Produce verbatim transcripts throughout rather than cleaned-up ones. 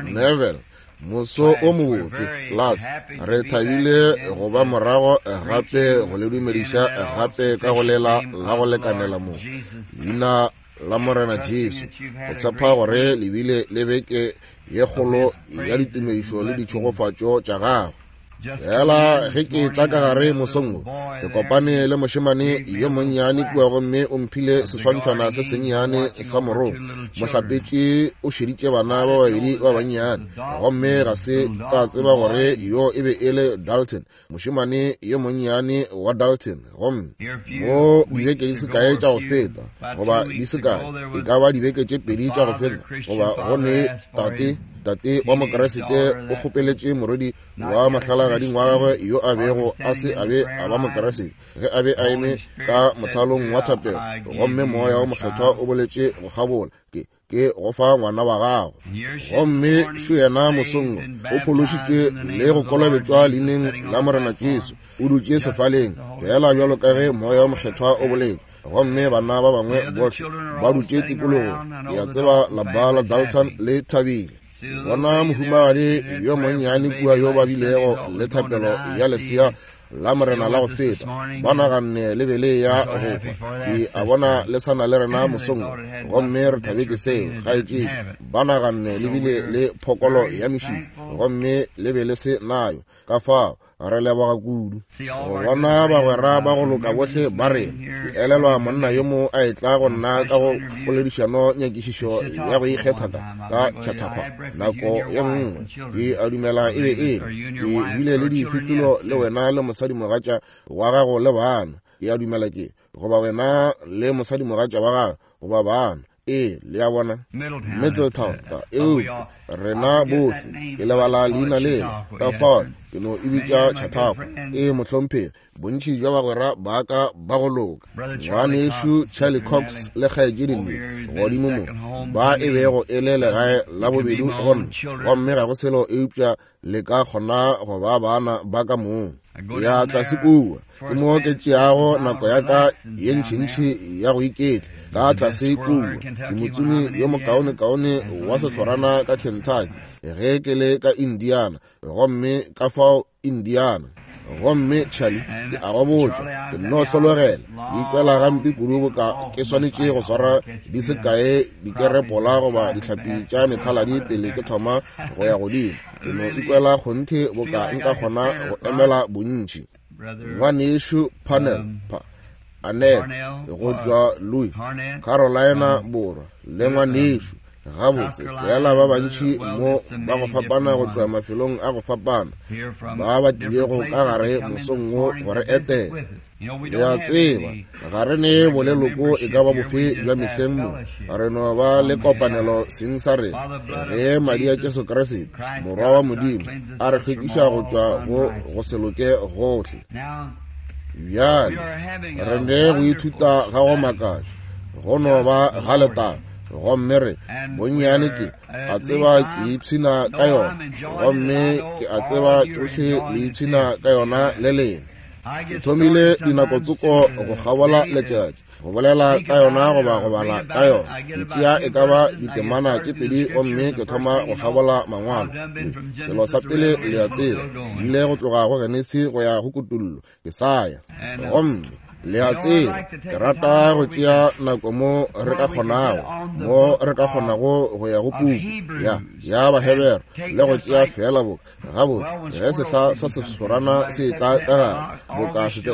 Neville, moso o mobotse, class. Re thabile go ba morago gape go le dumediša gape ka go lela la go lekanela mo leina la Morena Jesu. Go tshepa gore le bile le beke ye kgolo ya ditumedišo le ditšhegofatšo tša gagwe. Fela ge ke tla ka gare mosong wo, ke kopane le mošemane yo monnyane kua gomme o mphile seswantšhwana se sennyane sa morong. Mohlapetši o šeditše bana ba babedi ba bannyane, gomme ga se ka tseba gore yo e be e le Dalton, mošemane yo monnyane wa Dalton. Gomme mo dibeke di se kae tša go feta, goba di se kae, e ka ba dibeke tše pedi tša go feta, goba go ne tate tate wa Mokeresete o kgopeletše morwedi wa mahlalagading wa gagwe yo a bego a se a be a ba Mokeresete ge a be a eme ka mothalong wa thapelo, gomme moya wa mokgethwa o boletše go kgabola ke ke go fa ngwana wa gago. Gomme šo yena mosong o phološitšwe le go kolobetšwa leineng la Morena Jesu, o dutše sefaleng fela bjalo ka ge moya wa mokgethwa o boletše. Gomme bana ba bangwe bohle ba dutše tikologong, ke a tseba lapa la Dalton le thabile. Bona mohumagadi yo monnyane kua yo ba bilego le thapelo ya lesea la Morena la go feta, ba naganne le be le ya go hwa. Ke a bona le sana le rena mosong, gomme re thabetše seo. Kgaetšedi, ba naganne le bile le phokolo ya mešifa, gomme le be le se nayo. Ka fao re leboga kudu go bona bagwera ba go loka bohle ba rena. Ke elelwa monna yo mo a etla go nna ka go poledišano nyakišišo ya go ikgetha ka ka Chautauqua nako ye nngwe. Ke a dumela e be e le ke bile le difihlolo le wena le mosadimogatša wa gago le bana. Ke a dumela ke goba wena le mosadimogatša wa gago goba bana. Ee, le a bona Middletown ka eupša rena bohle ke lebala leina lela, ka fao ke no e bitša Chautauqua. Ee, mohlomphegi, bontši bja bagwera ba ka ba go loka, ngwanešu Charlie Cox le kgaetšedi Lee godimo mo, ba e bego e le legae la bobedi go nna, gomme ga go selo eupša le ka kgona go ba bana ba ka mong. Ya tlase kua ke mo ke tšeago nako ya ka ye ntšhintšhi ya go iketla. Ka tlase kua ke motsomi yo mokaonekaone wa sehlorana ka Kentucky ge ke le ka Indiana, gomme ka fao Indiana. Gomme Charlie, ke a go botša, ke nno hlologela, ke ikwela gampe kudu boka ke swanetše go swara di se kae dikerepola goba dihlapi tša methaladi pele ke thoma go ya godimo. Ke no ikwela kgonthe boka nka kgona go emela bontši. Ngwanešu Parnell, pa, Annette go tšwa Louis, Carolina Borwa, le ngwanešu gabotse fela ba bantši mo ba go fapana go tšwa mafelong a go fapana ba ba tlilego ka gare mosong wo go re etela. Le a tseba ga re ne boleloko e ka ba bofe bja mehleng mo, re no ba le kopanelo seng sa rena ge madi a Jesu Kriste morwa wa Modimo a re hlwekiša go tšwa go go se loke gohle. Bjale re ne go ithuta ga go makatša, go no ba ga letaba, gomme re bonnyane ke a tseba ke ipshina ka yona, gomme ke a tseba tšohle le ipshina ka yona le lena. Ke thomile dinako tsoko go kgabola letšatši go bolela ka yona goba go bala ka yona. Ke tšea e ka ba ditemana tše pedi gomme ke thoma go kgabola mangwalo. Selo sa pele le a tseba, ke ile go tloga go Genesi go ya go Kutullo, ke sa ya. Gomme le a tseba, ke rata go tšea nako mo re ka kgonago, mo re ka kgonago go ya go puku ya ya Bahebere le go tšea fela boka gabotse ge sehla sa sehlorana se tla ka gare boka sete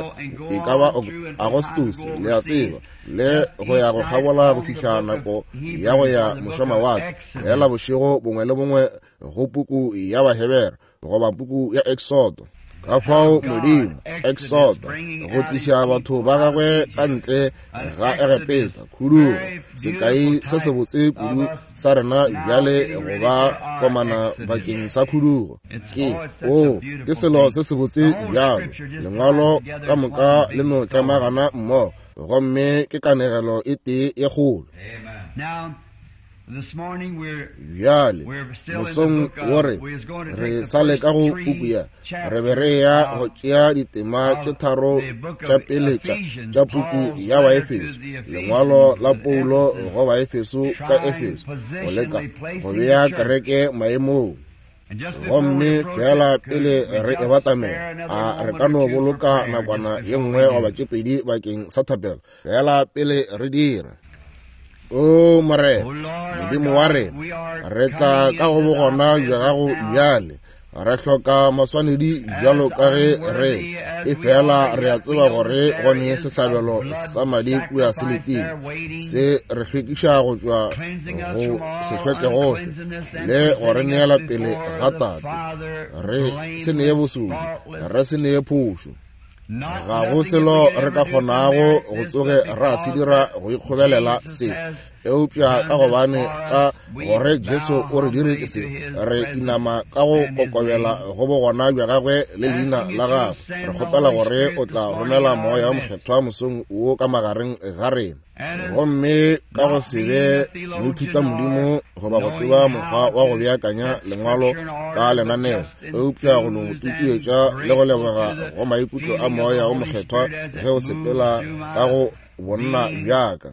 e ka ba Agostose, le a tseba, le go ya go kgabola go fihla nako ya go ya mošwamawatle fela bošego bongwe le bongwe go puku ya Bahebere goba puku ya Exodo. Ka fao Modimo Exodo go tliša batho ba gagwe ka ntle ga Egepeta, khudugo, sekai se sebotse kudu sa rena bjale go ba komana bakeng sa khudugo. Ke o ke selo se sebotse bjalo, lengwalo ka moka le no tlemagana mmogo, gomme ke kanegelo e tee e kgolo. Bjale mosong wo re re sa le ka go puku ya, re be re ya go tšea ditema tše tharo tša pele tša tša puku ya Baefeso, lengwalo la Paulo go Baefeso ka Efeso, go leka go bea kereke maemong. Gomme fela pele re e batamela, a re ka no boloka nakwana ye nngwe goba tše pedi bakeng sa thapelo, fela pele re dira. O Morena, Modimo wa rena, re tla ka go bogona bja gago bjale. Re hloka maswanedi bjalo ka ge re e fela re a tseba gore go ne sehlabelo sa madi kua se letile, se re hlwekiša go tšwa go se hlweke gohle le go re neela pele ga Tate. Re se nee bosodi, re se nee phošo. Ga go selo re ka kgonago go tsoge ra se dira go ikgobelela se, eupša ka gobane ka gore Jesu o re diretše se, re inama ka go kokobela go bogona bja gagwe le leina la gagwe. Re kgopela gore o tla romela Moya o Mokgethwa mosong wo ka magareng ga rena. Gomme ka go se be moithuta Modimo goba go tseba mokgwa wa go beakanya lengwalo ka lenaneo, eupša go no tutuetša le go leboga go maikutlo a Moya o Mokgethwa ge o sepela ka go bonna bjaka.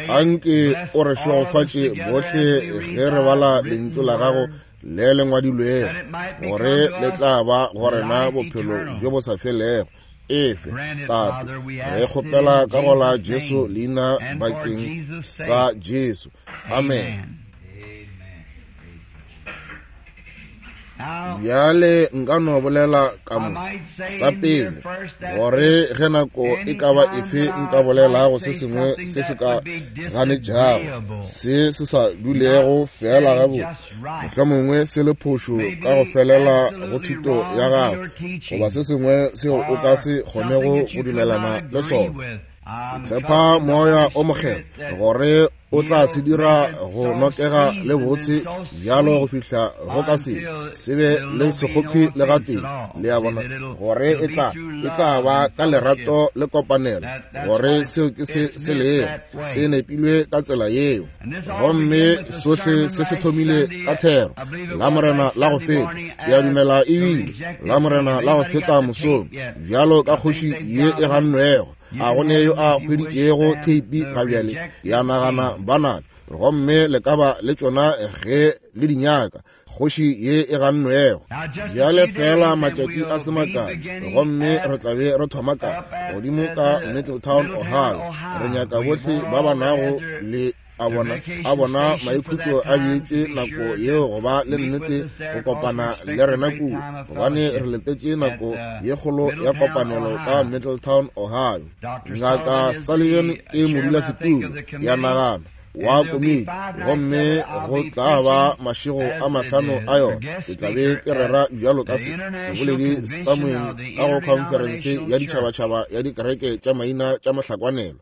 Anke o re šegofatše bohle ge re bala lentšu la gago le le ngwadilwego, gore le tla ba go rena bophelo bjo bo sa felego. Efe, Tate, re kgopela ka go la Jesu leina bakeng sa Jesu. Amen. Bjale nka no bolela ka mo sa pele, gore ge nako e ka ba efe nka bolelago se sengwe se se ka ganetšago, se se sa dulego fela gabotse, mohlomongwe se le phošo ka go felela go thuto ya gago, goba se sengwe seo o ka se kgonego go dumelana le sona. Ke tshepa Moya o Mokgethwa gore o tla se dira go nokega le bose bjalo go fihla go ka se se be le sekgopi le gatee, le a bona, gore e tla e tla ba ka lerato le kopanelo, gore seo ke se se lego, se nepilwe ka tsela yeo. Gomme sohle se se thomile ka thero la Morena la go feta, ke a dumela ebile la Morena la go feta mosong, bjalo ka kgoši ye e gannwego. A go ne yo a hweditšego theipi ga bjale, ya nagana bana, gomme le ka ba le tšona ge le di nyaka, kgoši ye e gannwego. Bjale fela matšatši a se makae, gomme re tla be re thoma ka godimo ka Middletown, Ohio. Re nyaka bohle ba ba nago le a bona a bona maikhutšo a beetše nako yeo go ba le nnete go kopana le rena kua, gobane re letetše nako ye kgolo ya kopanelo ka Middletown, Ohio. Ngaka Sullivan ke modulasetulo ya nagana wa komiti, gomme go tla ba mašego a mahlano a yona. Ke tla be ke rera bjalo ka se seboledi sa moeng ka go khonferense ya ditšhabatšhaba ya dikereke tša maina tša mohlakwanelo.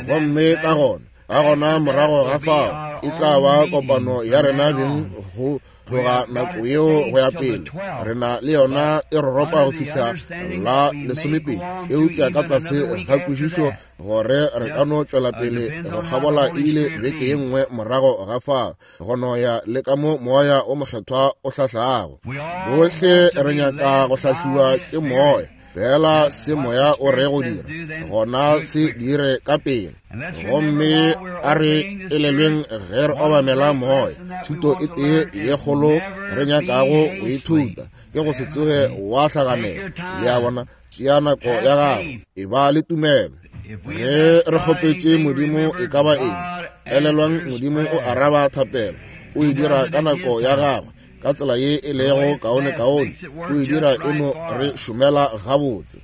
Gomme ka gona ka gona morago ga fao e tla ba kopano ya rena beng go tloga nako yeo go ya pele. Re na le yona e roropa go fihla la lesomepedi, eupša ka tlase ga kwešišo gore re ka no tšwela pele go kgabola ebile beke ye nngwe morago ga fao, go no ya le ka mo Moya o Mokgethwa o hlahlago. Bohle re nyaka go hlahliwa ke Moya, fela se Moya o re go dira, gona se dire ka pele. Gomme a re elelweng ge re obamela Moya, thuto e tee ye kgolo re nyakago go ithuta ke go se tsoge wa hlaganela. Le a bona, tšea nako ya gago, e ba le tumelo. Ge re kgopetše Modimo e ka ba eng, elelwang Modimo o araba thapelo, o e dira ka nako ya gagwe, ka tsela ye e lego kaone-kaone, o e dira e no re šomela gabotse.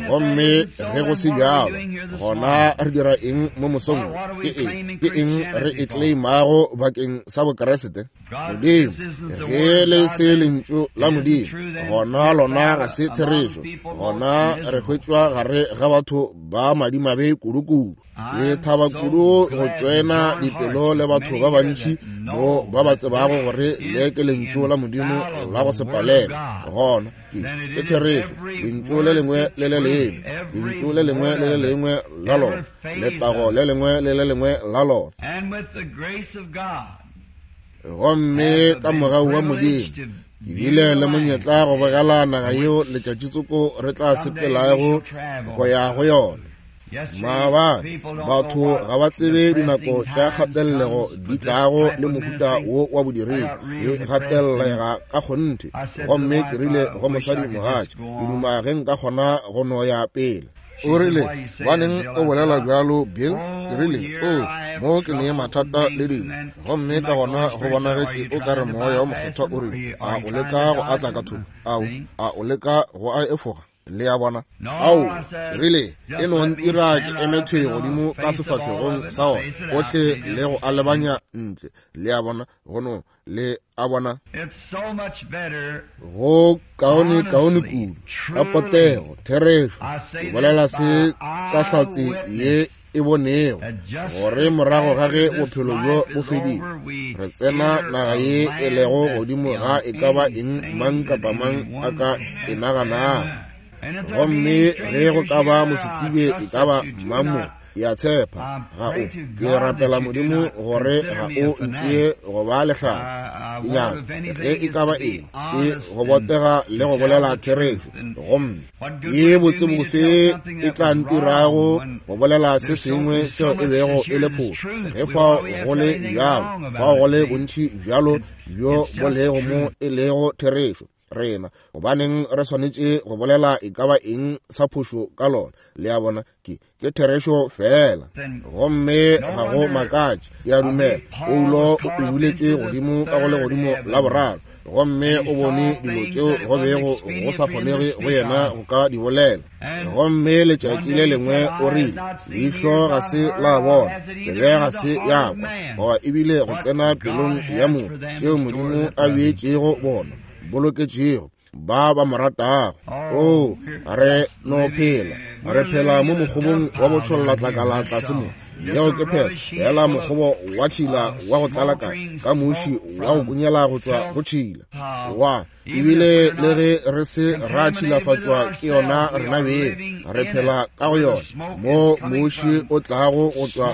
Gomme ge go se bjalo, gona re dira eng mo mosong? Ke eng ke eng re e claimago bakeng sa Bokeresete? Modimo, ge le se lentšu la Modimo, gona lona ga se therešo, gona re hwetšwa gare ga batho ba madimabe kudu-kudu. Ke thaba kudu go tšoena dipelo le batho ba bantši mo ba ba tsebago gore le ke lentšu la Modimo la go se palelwe. Gona ke ke therešo, lentšu le lengwe le le lengwe, lentšu le lengwe le le lengwe la lona, letago le lengwe le le lengwe la lona. And with the grace of God, Gomme ka mogau wa Modimo ke bile le monyetla go bogela naga yeo letšatšitsoko re tla sepelago go ya go yona. Maabane batho ga ba tsebe dinako tša kgatelego di tlago le mohuta wo wa bodiredi e gatellega ka kgonthe. Gomme ke rile go mosadi mogatša, ke duma ge nka kgona go no ya pele. O rile, baneng o bolela bjalo Bill? Ke rile, o mo ke ne mathata le dilo. Gomme ka gona go bonagetše o ka re moya o mokgethwa o rile, a o leka go atla ka thoko? Ao, a o leka go a efoga? Le a bona? Ao, rile, e no ntira ke eme thwe godimo ka sefahlegong sa ona ohle le go a lebanya ntle. Le a bona? Go no, le a bona? Go kaone kaone kudu ka potego, therešo. Ke bolela se ka hlatse ye e bonego, gore morago ga ge bophelo bjo bo fedile, re tsena naga ye e lego godimo ga e ka ba eng mang kapa mang a ka e naganago. Gomme ge go ka ba mosetsebje e ka ba mang mo, ke a tshepa ga o, ke rapela Modimo gore ga o ntšee go ba lehlala. Ke nyaka ge e ka ba eng ke go botega le go bolela therešo. Gomme ke botse bofe e tla ntirago go bolela se sengwe seo e bego e le phošo, ge fao go le bjalo, fao go le bontši bjalo bjo bo lego mo e lego therešo rena, gobaneng re swanetše go bolela e ka ba eng sa phošo ka lona? Le a bona? Ke ke therešo fela. Gomme ga go makatše, ke a dumela Paulo o ubuletše godimo ka go legodimo la boraro, gomme o bone dilo tšeo go bego go sa kgonege go yena go ka di bolela. Gomme letšatši le lengwe o rile, leihlo ga se la bona, tsebe ga se ya kwa, goba ebile go tsena pelong ya motho tšeo Modimo a beetšego bona, boloketšego ba ba mo ratago. O, re no phela, re phela mo mokgobong wa botšhollatlakala tlase mo. Yeo ke phela fela mokgobo wa tšhila wa go tlala ka ka moši wa go kunyela go tšwa go tšhila wa. Ebile le ge re se ra tšhilafatšwa ke yona rena beng, re phela ka go yona mo moši o tlago go tšwa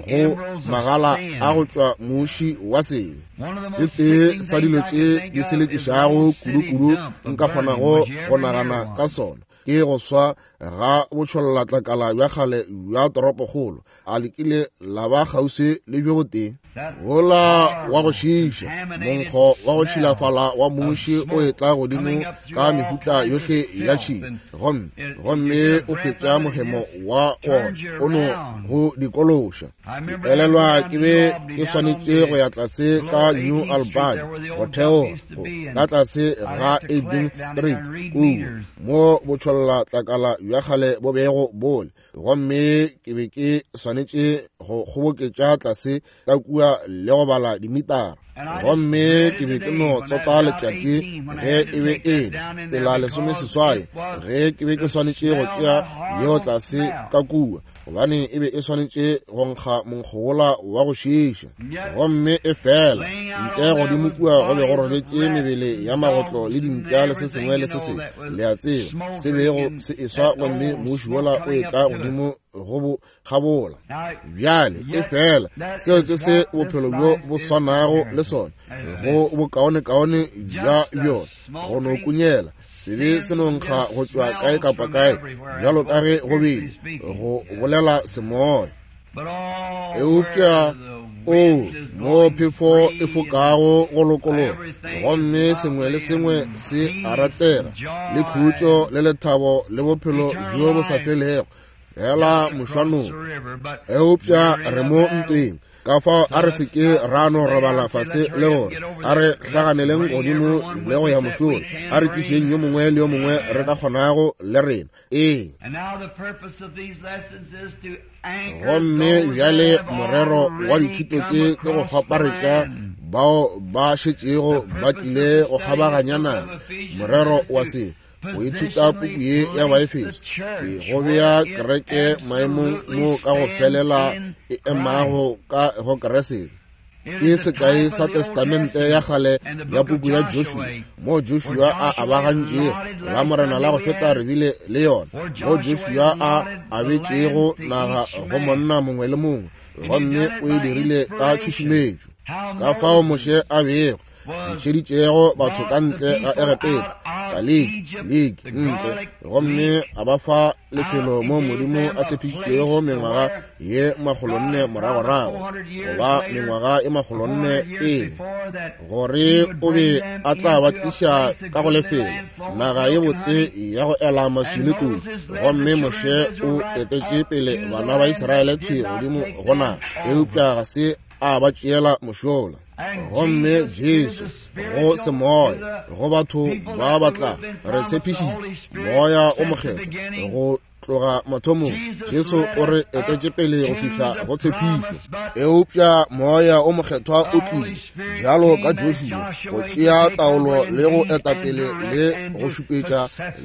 go magala a go tšwa moši wa sebe. Se tee sa dilo tše di selekišago kudu-kudu nka kgonago go nagana ka sona ke go swa ga botšhollatlakala bja kgale bja toropokgolo. A lekile la ba kgauswi le bjo botee wola wa go šiiša, monkgo wa go tšhilafala wa moši o etla godimo ka mehuta yohle ya tšhila, gomme gomme o hwetša mohemo wa wona o no go dikološa. Ke elelwa ke be ke swanetše go ya tlase ka New Albany go theoga ka tlase ga eighteenth Street kua mo botšhollatlakala bja kgale bo bego bole, gomme ke be ke swanetše go kgoboketša tlase ka kua le go bala dimitara. Gomme ke be ke no tsota letšatši ge e be e le tsela lesomeseswai ge ke be ke swanetše go tšea yeo tlase ka kua, gobane e be e swanetše go nkga monkgo wola wa go šiiša. Gomme e fela ntle godimo kua go be go robetše mebele ya magotlo le dimpša le se sengwe le se sengwe, le a tseba, se bego se eswa, gomme moši wola o etla godimo go bo kgabola. Bjale e fela seo ke se bophelo bjo bo swanago le sona, go bokaonekaone bja bjona, go no kunyela sebe se no nkga go tšwa kae kapa kae, bjalo ka ge go bile go bolela semoya. Eupša o mo phefo e fokago go lokologa, gomme sengwe le sengwe se a ratega, le khutšo le lethabo le bophelo bjo bo sa felego, fela mošwanong. Eupša re mo ntweng, ka fao a re se ke ra no robala fase le gore a re hlaganeleng godimo le go ya mošola, a re tlišeng yo mongwe le yo mongwe re ka kgonago le rena. Ee. Gomme bjale morero wa dithuto tše ke go kgwaparetša bao ba šetšego ba tlile go kgabaganya naga. Morero wa se go ithuta puku ye ya Baefeso ke go bea kereke maemong mo ka go felela e emago ka go Keresete. Ke sekai sa testamente ya kgale ya puku ya Joshua, mo Joshua a abagantšego la morena la go feta re bile le yona, mo Joshua a abetšego naga go monna mongwe le mongwe, gomme o e dirile ka tšhušumetšo. Ka fao Moshe a bego ntšheditšego batho ka ntle ga Egepeta, ka liki, liki ntle, gomme a ba fa lefelo mo Modimo a tshepišitšego mengwaga ye makgolonne moragorago, goba mengwaga e makgolonne pele, gore o be a tla ba tliša ka go lefelo, naga ye botse ya go ela maswi le todi. Gomme Moshe o etetše pele bana ba Israele thwi godimo go naga, eupša ga se a ba tšeela mošola. Gomme Jesu go semoya go batho ba batla re tshepišitše moya o mokgethwa go tloga mathomong. Jesu o re etetše pele go fihla go tshepišo, eupša moya o mokgethwa o tlile bjalo ka Joshua go tšea taolo le go etapele le go šupetša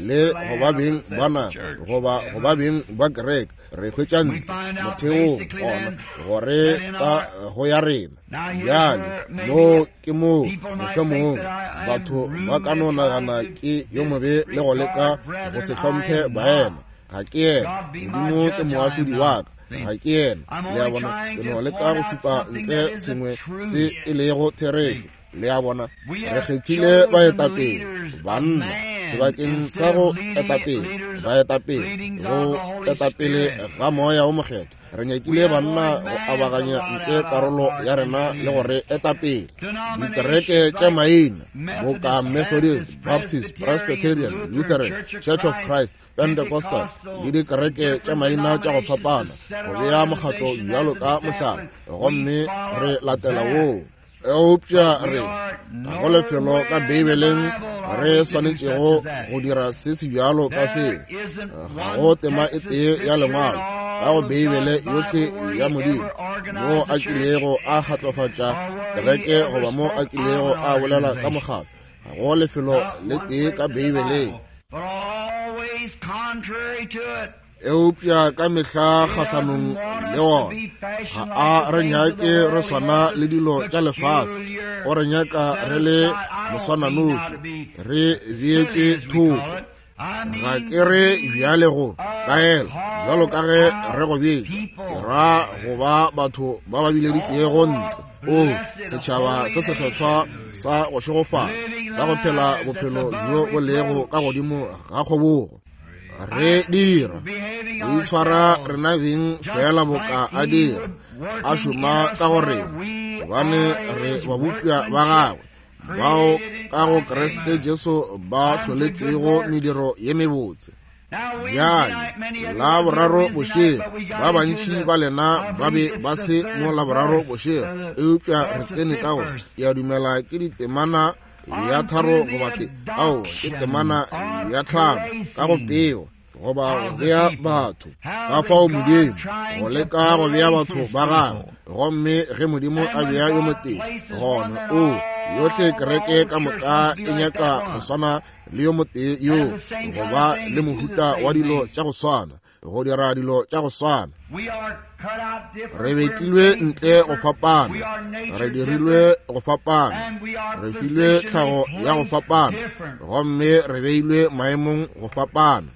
le go ba beng ba naga goba go ba beng ba kereke. Re hwetša ntle motheong gona gore ka go ya rena bjale mo ke moo mohlomongwe batho ba ka no nagana ke yo mobe le go leka go se hlomphe baena. Ga ke yena, Modimo ke moahlodi wa ka, ga ke yena. Le a bona, ke no leka go šupa ntle sengwe se e lego therešo. Le a bona, re kgethile baetapele banna sebakeng sa go etapele baetapele go etapele ga moya o mokgethwa. Re nyakile banna go abaganya ntle karolo ya rena le gore etapele dikereke tša maina boka Methodist, Baptist, Presbyterian, Lutheran, Church of Christ, Pentecostal le dikereke tša maina tša go fapana, go bea mokgatlo bjalo ka mohlala, gomme re latela woo. Eupša re ga go lefelo ka Beibeleng re swanetšego go dira se se bjalo ka se. Ga go tema e tee ya lengwalo ka go Beibele yohle ya Modimo mo a kilego a kgatlofatša kereke goba mo a kilego a bolela ka mokgatlo. Ga go lefelo le tee ka Beibeleng. Eupša ka mehla kgahlanong le wona. Ga a re nyake re swana le dilo tša lefase, o re nyaka re le moswananoši, re beetšwe thoko. Ga ke re bjale go tlaela bjalo ka ge re go betša, ke ra go ba batho ba ba bileditšwego ntle, o setšhaba se sekgethwa sa go šegofala, sa go phela bophelo bjo bo lego ka godimo ga kgobogo. Re dira go itshwara rena beng fela boka a dira, a šoma ka go rena, gobane re babupša ba gagwe bao ka go Kriste Jesu ba hloletšwego mediro ye mebotse. Bjale la boraro bošego, ba bantši ba lena ba be ba se mo la boraro bošego, eupša re tsene ka go, ke a dumela ke ditemana ya tharo goba te, ao ke temana ya tlhano ka go peo goba go bea batho. Ka fao Modimo go leka go bea batho ba gagwe, gomme ge Modimo a bea yo motee, gona o yohle kereke ka moka e nyaka go swana le yo motee yo, goba le mohuta wa dilo tša go swana, go dira dilo tša go swana. Re betlilwe ntle go fapana, re dirilwe go fapana, re filwe tlhago ya go fapana, gomme re beilwe maemong go fapana.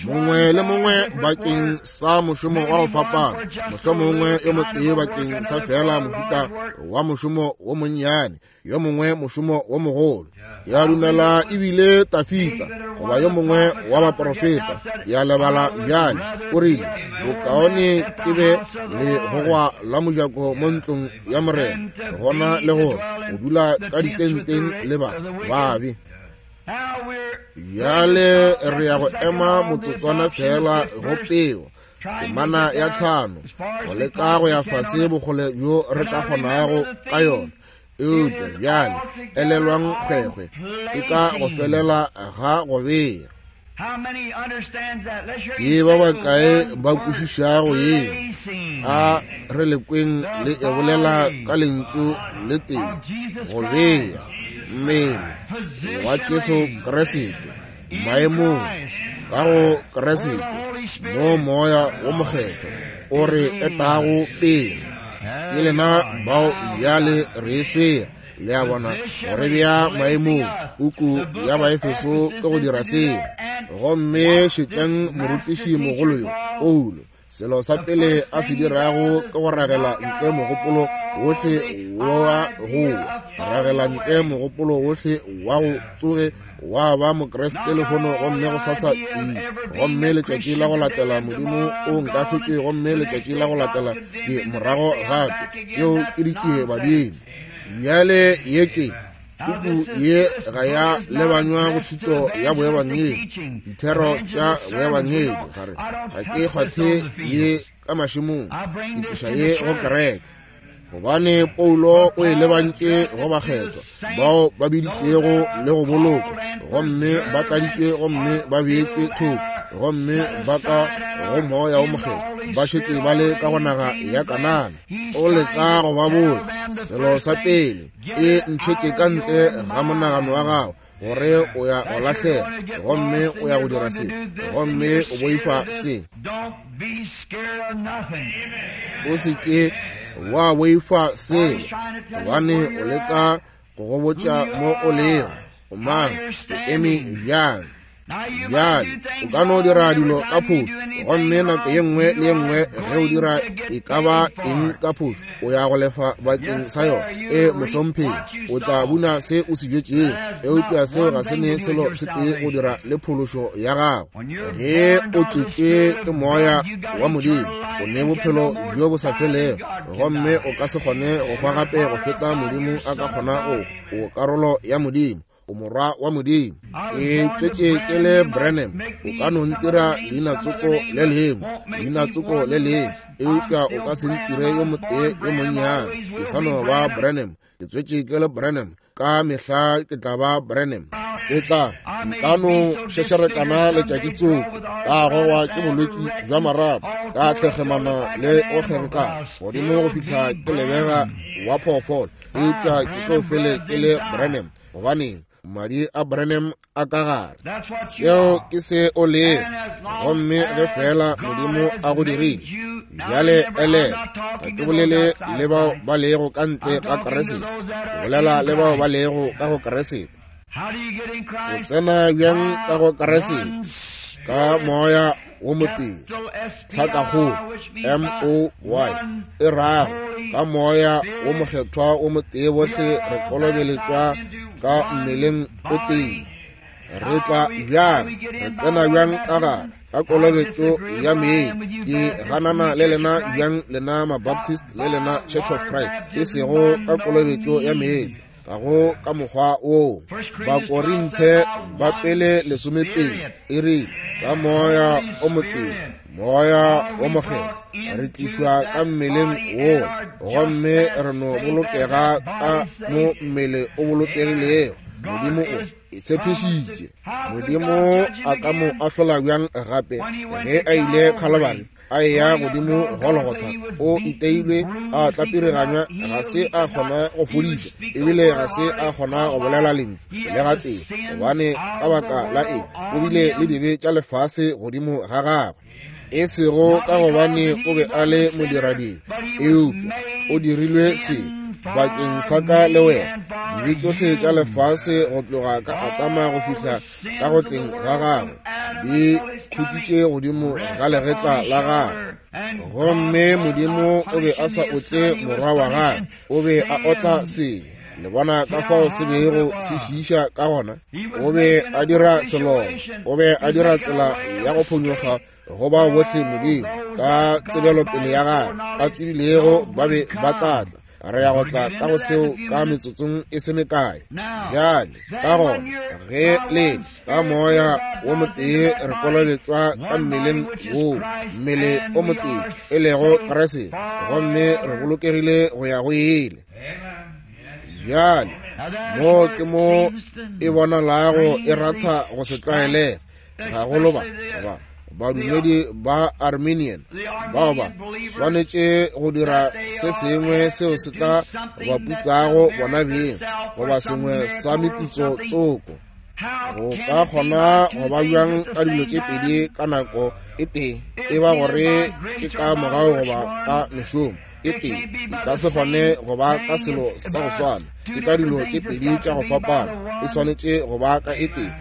Mongwe le mongwe bakeng sa mošomo wa go fapana, mohlomongwe yo motee bakeng sa fela mohuta wa mošomo wo monnyane, yo mongwe mošomo wo mogolo. Ya dumela ebile Tafita goba yo mongwe wa baprofeta, ya lebala bjale, o rile, bokaone ke be le gogwa la mojako mo ntlong ya Morena gona le gore o dula ka ditenteng le ba babe. Bjale re ya go ema motsotswana fela go peo, temana ya tlhano, go leka go ya fase bokgole bjo re ka kgonago ka yona. Eupša bjale elelwang kgwekgwe e ka go felela ga go bea. Ke ba bakae ba kwešišago ye? A re lekweng le e bolela ka lentšu le tee, go bea mmele wa Jesu Kriste maemong ka go Kriste, mo moya wo mokgethwa o re etago pele. Ke lena bao bjale re swere, le a bona, gore bea maemong. Puku ya Baefeso ke go dira seo. Gomme šetšang morutiši mogolo yo Paulo, Selo sa pele a se dirago ke go ragela ntle mogopolo wohle wa go ragela ntle mogopolo wohle wa go tsoge wa ba Mokriste lehono, gomme go sasa ke, gomme letšatši la go latela Modimo o nkahlotše, gomme letšatši la go latela ke morago gape. Tšeo ke ditšie badimo. Bjale ye ke puku ye ga ya lebanywa go thuto ya boebangedi, dithero tša boebangedi. Gare ga ke kgwathe ye ka mašemong, ke tliša ye go kereke, gobane Paulo o e lebantše go bakgethwa bao ba biditšwego le go bolokwa, gomme ba tladitšwe, gomme ba beetšwe thoko, gomme ba ka go moya wo mokgethwa, ba šetše ba le ka go naga ya Kanana. O leka go ba botša selo sa pele, e ntšhetše ka ntle ga monagano wa gago gore o ya go lahlela, gomme o ya go dira se, gomme o boifa se. O se ke wa boifa selo, gobane o leka go go botša mo o lego, o mang, o eme bjang. Bjale o ka no dira dilo ka phošo, gomme nako ye nngwe le ye nngwe ge o dira e ka ba eng ka phošo, o ya go lefa bakeng sa yona. E mohlomphegi, o tla buna se o se bjetšego, eupša seo ga se ne selo se tee go dira le phološo ya gago. Ge o tswetšwe ke moya wa Modimo, o ne bophelo bjo bo sa felego, gomme o ka se kgone go hwa gape go feta Modimo a ka kgona go. O karolo ya Modimo, o morwa wa Modimo. Ke tswetše ke le Branham, o ka no ntira leinatsoko le lengwe, leinatsoko le lengwe, eupša o ka se ntire yo motee yo monnyane. Ke sa no ba Branham, ke tswetše ke le Branham, ka mehla ke tla ba Branham. Ke tla nka no šešerekana letšatši tsoko, ka gogwa ke bolwetši bja marapo, ka tlhekgemana le go kgerekana godimo go fihla ke lebega wa phoofolo, eupša ke tlo fele ke le Branham, gobaneng madi a Branham a ka gare. Seo ke se o lego, gomme ge fela Modimo a go dirile. Bjale elela, ga ke bolele le bao ba lego ka ntle ga Kriste, ke bolela le bao ba lego ka go Kriste. O tsena bjang ka go Kriste? Ka moya wo motee, tlhakakgolo M O Y e rago ka moya wo mokgethwa wo motee, bohle re kolobeletšwa ka mmeleng o tee. Re tla bjang, re tsena bjang ka gare ka kolobetšo ya meetse? Ke ganana le lena bjang, lena Mabaptist le lena Church of Christ, e sego ka kolobetšo ya meetse, ka go ka mokgwa woo. Bakorinthe ba pele lesomepedi e rile ka moya o motee, moya wo mokgethwa, re tlišwa ka mmeleng woo, gomme re no bolokega ka mo mmele o bolokegilego. Modimo o e tshepišitše. Modimo a ka mo ahlola bjang gape ge a ile Khalabari, a eya godimo Golgotha, o iteilwe, a tlapiriganywa, ga se a kgona go fodiša, ebile ga se a kgona go bolela lentšu le gatee, gobane ka baka la eng? O bile le dibe tša lefase godimo ga gagwe. E sego ka gobane o be a le modiradibe, eupša o dirilwe sebe bakeng sa ka le wena. Dibe tšohle tša lefase go tloga ka Adama go fihla ka go tleng ga gagwe di khutšitše godimo ga legetla la gagwe. Gomme Modimo o be a sa otle morwa wa gagwe, o be a otla sebe. Le bona ka fao se bego se šiiša ka gona? O be a dira selomo, o be a dira tsela ya go phonyokga go bao bohle Modimo ka tsebelopele ya gagwe a tsebilego ba be ba tla tla. Re ya go tla ka go seo ka metsotsong e se mekae. Bjale ka gona ge le ka moya wo motee re kolobetšwa ka mmeleng woo, mmele o motee e lego Kriste, gomme re bolokegile go ya go ile. Bjale mo ke mo e bonalago e ratha go se tlwaelege, gagolo ba ba badumedi ba Armenian bao ba swanetše go dira se sengwe seo se tla ba putsago bona beng, goba sengwe sa meputso tsoko. Go ka kgona go ba bjang ka dilo tše pedi ka nako e tee, e ba gore ke ka mogau goba ka mešomo? e tee. E ka se kgone go ba ka selo sa go swana. Ke ka dilo tše pedi tša go fapana. E swanetše go ba ka e tee.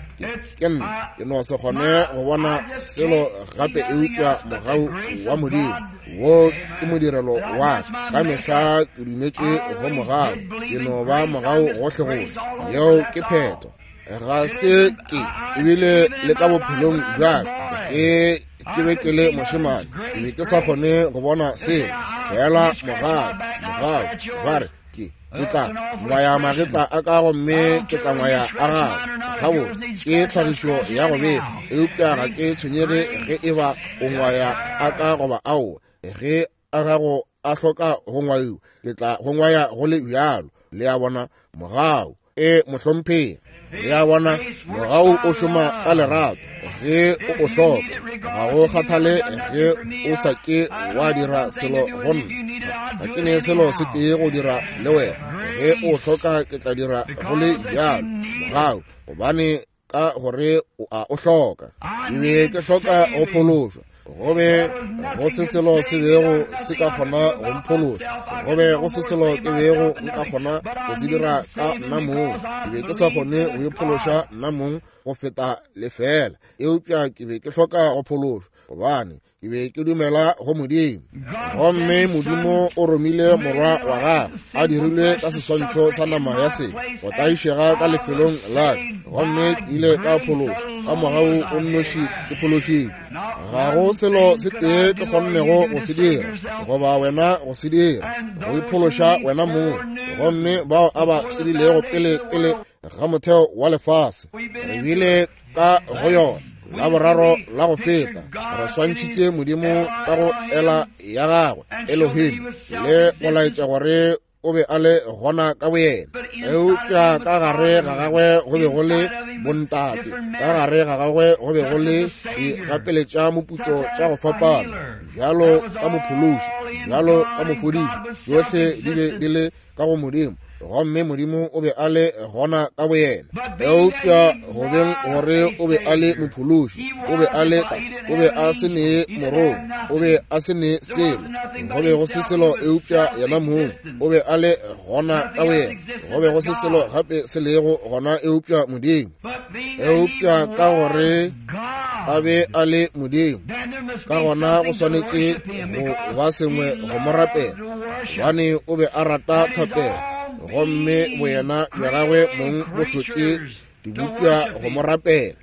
Ke nna ke no se kgone go bona selo gape eupša mogau wa Modimo. Wo ke modirelo wa ka mehla ke dumetše go mogau. Ke no ba mogau gohle-gohle. Yeo ke phetho. Ga se ke ebile le ka bophelong bja ka ge ke be ke le mošemane, ke be ke sa kgone go bona selo. Fela mogau, mogau, ba re ke ke tla ngwaya magetla a ka gomme ke tla ngwaya a gago. Gabotse ke tlhagišo ya go befa, eupša ga ke tshwenyege ge e ba o ngwaya a ka goba aowa. Ge a gago a hloka go ngwaiwa, ke tla go ngwaya go le bjalo. Le a bona, mogau e mohlomphegi. Le a bona, mogau o šoma ka lerato ge o o hloka. Ga go kgathale ge o sa ke wa dira selo go nna. Ga ke ne selo se tee go dira le wena. Ge o hloka ke tla dira go le bjalo. Mogau, gobane ka gore o a o hloka. Ke be ke hloka go phološwa. Go be go se selo se bego se ka kgona go mphološa. Go be go se selo ke bego nka kgona go se dira ka nna mong. Ke be ke sa kgone go iphološa nna mong go feta lefela. Eupša ke be ke hloka go phološwa, gobane ke be ke dumela go Modimo. Gomme Modimo o romile morwa wa gagwe a dirilwe ka seswantšho sa nama ya sebe go tlaišega ka lefelong la ka, gomme ke ile ka phološwa ka mogau o nnoši ke phološitšwe. Ga go selo se tee ke kgonnego go se dira goba wena go se dira, go iphološa wena mong. Gomme bao a ba tsebilego pele pele ga motheo wa lefase, re bile ka go yona la boraro la go feta, re swantšhitše Modimo ka go ela ya gagwe Elohim, le go laetša gore o be a le gona ka boyena. Eupša ka gare ga gagwe go be go le bontate, ka gare ga gagwe go be go le digapeletša moputso tša go fapana, bjalo ka mophološi, bjalo ka mofodiši. Tšohle di be di le ka go Modimo, gomme Modimo o be a le gona ka boyena. Eupša go beng gore o be a le mophološi, o be a le o be a se ne morongwa, o be a se ne selo, go be go se selo eupša yena mong. O be a le gona ka boyena. Go be go se selo gape se lego gona eupša Modimo. Eupša ka gore a be a le Modimo, ka gona go swanetše go ba sengwe go mo rapela, gobane o be a rata thapelo, gomme boyena bja gagwe mong bo hlotše dibopša go mo rapela.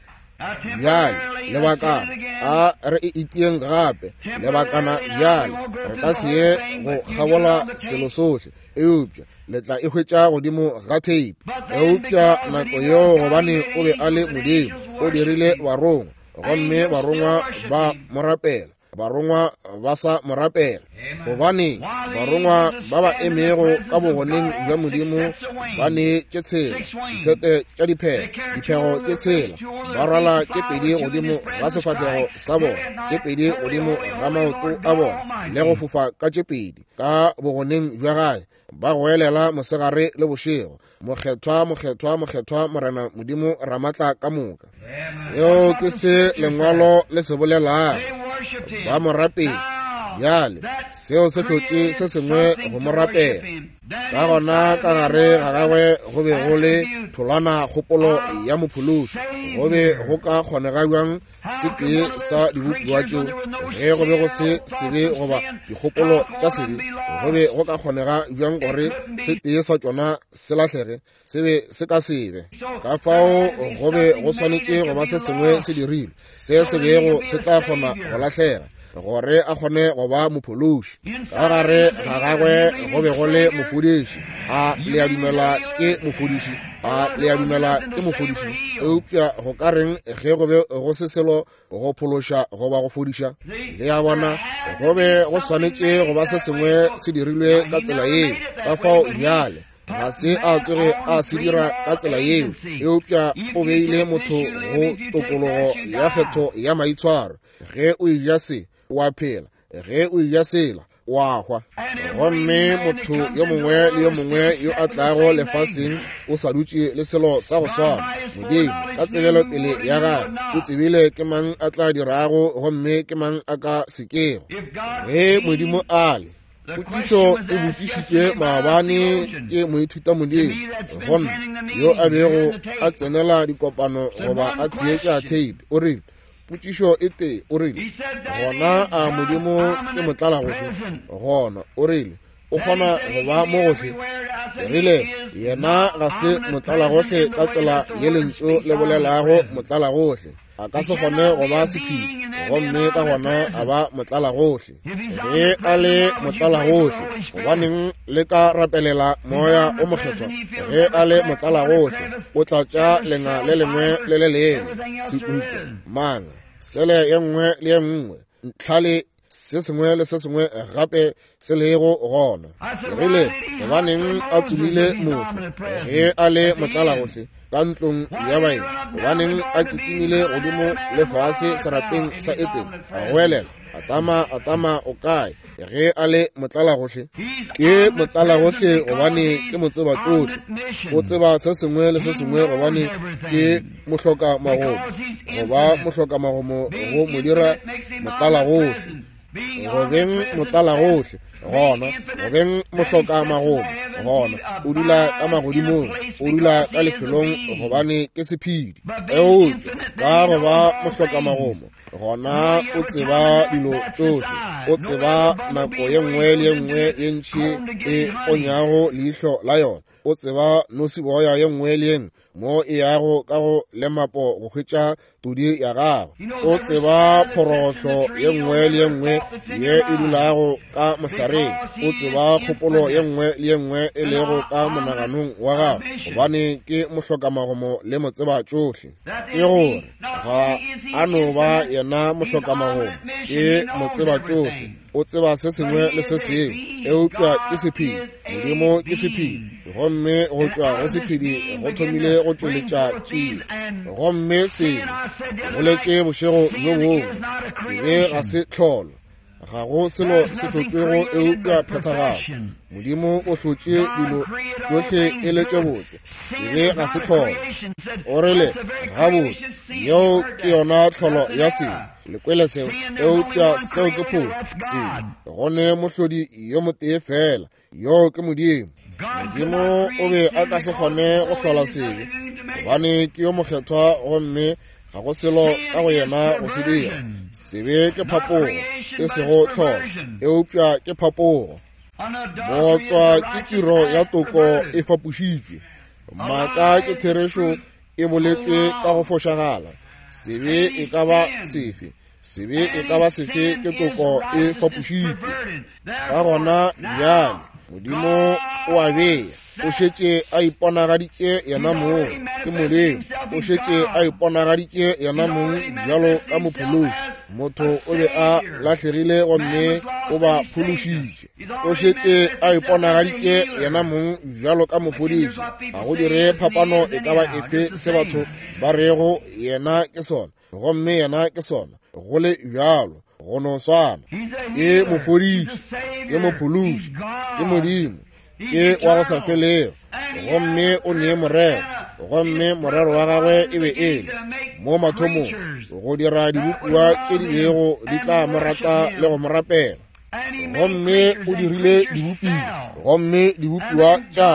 Bjale lebakana a re e itieng gape lebakana bjale, re ka se ye go kgabola selo sohle, eupša le tla e hwetša godimo ga tape. Eupša nako yeo, gobane o be a le Modimo, o dirile barongwa, gomme barongwa ba mo rapela. Barongwa ba sa mo rapela, gobane barongwa ba ba emego ka bogoneng bja Modimo ba ne tše tshela disete tša diphego, diphego tše tshela, ba rwala tše pedi godimo ga sefahlego sa bona, tše pedi godimo ga maoto a bona, le go fofa ka tše pedi ka bogoneng bja gae, ba goelela mosegare le bošego, Mokgethwa, mokgethwa, mokgethwa, Morena Modimo Ramatla ka moka. Seo ke se lengwalo le se bolelago. Ba mo rapela. Bjale seo se hlotše se sengwe go mo rapela. Ka gona ka gare ga gagwe go be go le tholwana kgopolo ya mophološi. Go be go ka kgonega bjang se tee sa dibopiwa tšeo ge go be go se sebe goba dikgopolo tša sebe? Go be go ka kgonega bjang gore se tee sa tšona se lahlege? Se be se ka sebe. Ka fao go be go swanetše go ba se sengwe se dirilwe se se bego se tla kgona go lahlega, gore a kgone go ba mophološi. Ka gare ga gagwe go be go le mofodiši. A le a dumela ke mofodiši? A le a dumela ke mofodiši? Eupša go ka reng ge go be go se selo go phološa goba go fodiša? Le a bona, go be go swanetše go ba se sengwe se dirilwe ka tsela yeo. Ka fao bjale ga se a tsoge a se dira ka tsela yeo, eupša o beile motho go tokologo ya kgetho ya maitshwaro. Ge o eja se, o a phela; ge o eja sela, o a hwa. Gomme motho yo mongwe le yo mongwe yo a tlago lefaseng o sa dutše le selo sa go swana. Modimo ka tsebelo pele ya gagwe o tsebile ke mang a tla dirago gomme ke mang a ka sekego. Ge Modimo a le Potšišo e botšišitšwe maabane ke moithutamodimo gonna yo a bego a tsenela dikopano goba a theetša tape. O rile potšišo e tee, o rile gona a Modimo ke motlalagohle? Gona o rile o kgona go ba mo gohle. Ke rile yena ga se motlalagohle ka tsela ye lentšu le bolelago motlalagohle. A ka se kgone go ba sephiri gomme ka gona a ba motlalagohle. Ge a le motlalagohle, gobaneng le ka rapelela moya o mokgethwa? Ge a le motlalagohle, o tlatša lenga le lengwe le le lengwe, sekuto, manga, sele ye nngwe le ye nngwe, ntlhale, se sengwe le se sengwe gape se lego gona. Ke rile gobaneng a tsomile motho ge a le motlalagohle ka ntlong ya baeng? Gobaneng a kitimile godimo le fase serapeng sa Etene a goelela, Atama, Atama, o kae? Ge a le motlalagohle. Ke motlalagohle gobane ke motseba tšohle. O tseba se sengwe le se sengwe gobane ke mohloka magomo. Goba mohloka magomo go mo dira motlalagohle. Go beng motlalagohle gona, go beng mohloka magomo gona, o dula ka magodimong, o dula ka lefelong gobane ke sephedi. Eupša ka go ba mohloka magomo gona o tseba dilo tšohle, o tseba nako ye nngwe le ye nngwe ye ntši e ponyago leihlo la yona, o tseba nosiboya ye nngwe le ye nngwe mo e yago ka go lemapo go hwetša todi ya gagwe, o tseba phorohlo ye nngwe le ye nngwe ye e dulago ka mohlareng, o tseba kgopolo ye nngwe le ye nngwe e lego ka monaganong wa gagwe gobane ke mohlokamagomo le motseba tšohle. Ke gore ga a no ba yena mohlokamagomo, ke motseba tšohle, o tseba se sengwe le se sengwe, eupša ke sephedi. Modimo ke sephedi, gomme go tšwa go sephedi go thomile go tšweletša tšie. Gomme sebe, ke boletše bošego bjo bongwe, sebe ga se tlholo, ga go selo se hlotšwego eupša phethagalo. Modimo o hlotše dilo tšohle e le tše botse, sebe ga se tlholo. O rile gabotse, yeo ke yona tlholo ya sebe. Le kwele seo, eupša seo ke phošo. Sebe go ne mohlodi yo motee fela, yoo ke Modimo. Modimo o be a ka se kgone go hlola sebe gobane ke yo mokgethwa gomme ga go selo ka go yena go se dira. Sebe ke phapogo, e sego tlholo, eupša ke phapogo. Bootswa ke tiro ya toko e fapošitšwe. Maaka ke therešo e boletšwe ka go fošagala. Sebe e ka ba sefe, sebe e ka ba sefe ke toko e fapošitšwe. Ka gona bjale Modimo o a bea, o šetše a iponagaditše yena mong, ke Modimo, o šetše a iponagaditše yena mong bjalo ka mophološi. Motho o be a lahlegile gomme o ba phološitše. O šetše a iponagaditše yena mong bjalo ka mofodiši. Ga go dire phapano e ka ba efe se batho ba rego yena ke sona, gomme yena ke sona, go le bjalo, go no swana. Ke mofodiši, ke mophološi, ke Modimo, ke wa go sa felego, gomme o nee morero, gomme morero wa gagwe e be e le mo mathomong go dira dibopiwa tše di bego di tla mo rata le go mo rapela. Gomme o dirile dibopiwa, gomme dibopiwa tša,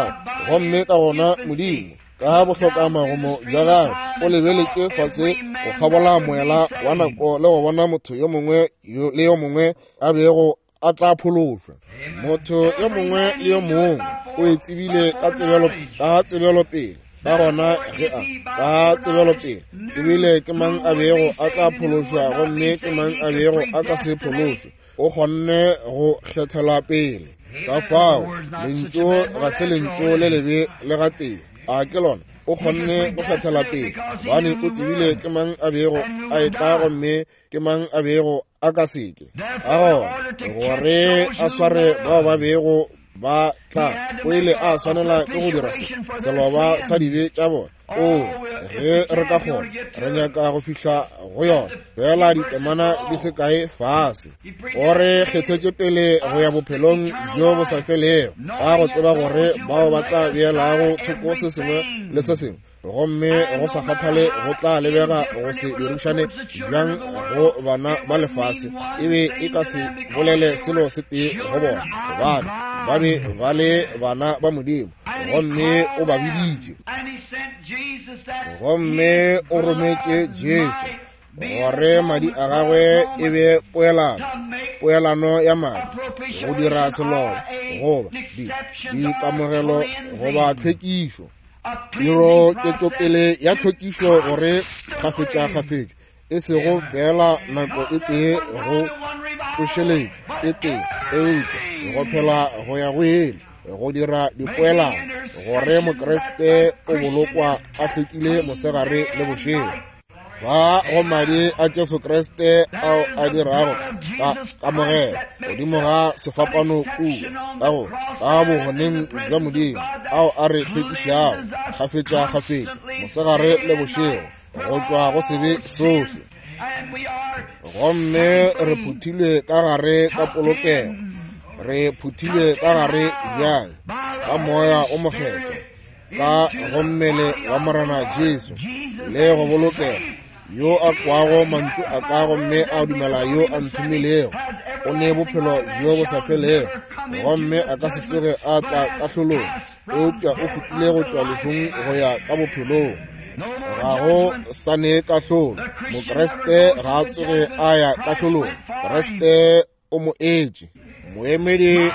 gomme ka gona Modimo ka bohlokamagomo bja gagwe o lebeletše fase go kgabola moela wa nako le go bona motho yo mongwe le yo mongwe a bego a tla phološwa. Motho yo mongwe le yo mongwe o e tsebile ka tsebelo ka tsebelopele. Ka gona ge a ka tsebelopele tsebile ke mang a bego a tla phološwa gomme ke mang a bego a ka se phološwe, o kgonne go kgethela pele. Ka fao lentšu ga se lentšu le lebe le gatee, a ke lona. O kgonne go kgethela pele gobane o tsebile ke mang a bego a etla gomme ke mang a bego a ka seke. Ka gona gore a sware bao ba bego ba tla, o ile a swanela ke go dira se seloba sa dibe tša bona. O ge re ka kgona, re nyaka go fihla go yona fela ditemana di se kae fase. O re kgethetše pele go ya bophelong bjo bo sa felego, ka go tseba gore bao ba tla beelago thoko se sengwe le se sengwe, gomme go sa kgathale go tla lebega go se dirišane bjang go bana ba lefase, e be e ka se bolele selo se tee go bona, gobane ba be ba le bana ba Modimo, gomme o ba biditše, gomme o rometše Jesu gore madi a gagwe e be poelano, poelano ya madi, go dira selobo goba dikamogelo goba tlhwekišo, tiro tšwetšopele ya tlhwekišo, gore kgafetša-kgafetša, e sego fela nako e tee go tsošeletšo e tee, eupša go phela go ya go ile, go dira dipoelano, gore Mokriste o bolokwa a hlwekile mosegare le bošego. Fa go madi a Jesu Kriste ao a dirago ka kamogelo godimo ga sefapano kua, ka go ka bogoneng bja Modimo, ao a re hlwekišago kgafetša-kgafetša mosegare le bošego go tšwa go sebe sohle. Gomme re phuthilwe ka gare ka polokego, re phuthilwe ka gare bjang ka Moya o Mokgethwa, ka go mmele wa Morena Jesu, le go bolokega. Yo a kwago mantšu a ka gomme a dumela yo a nthomilego, o ne bophelo bjo bo sa felego, gomme a ka se tsoge a tla kahlolong, eupša o fetile go tšwa lehung go ya ka bophelong. Ga go sa ne kahlolo. Mokriste ga a tsoge a ya kahlolong. Kriste o mo etše. Moemedi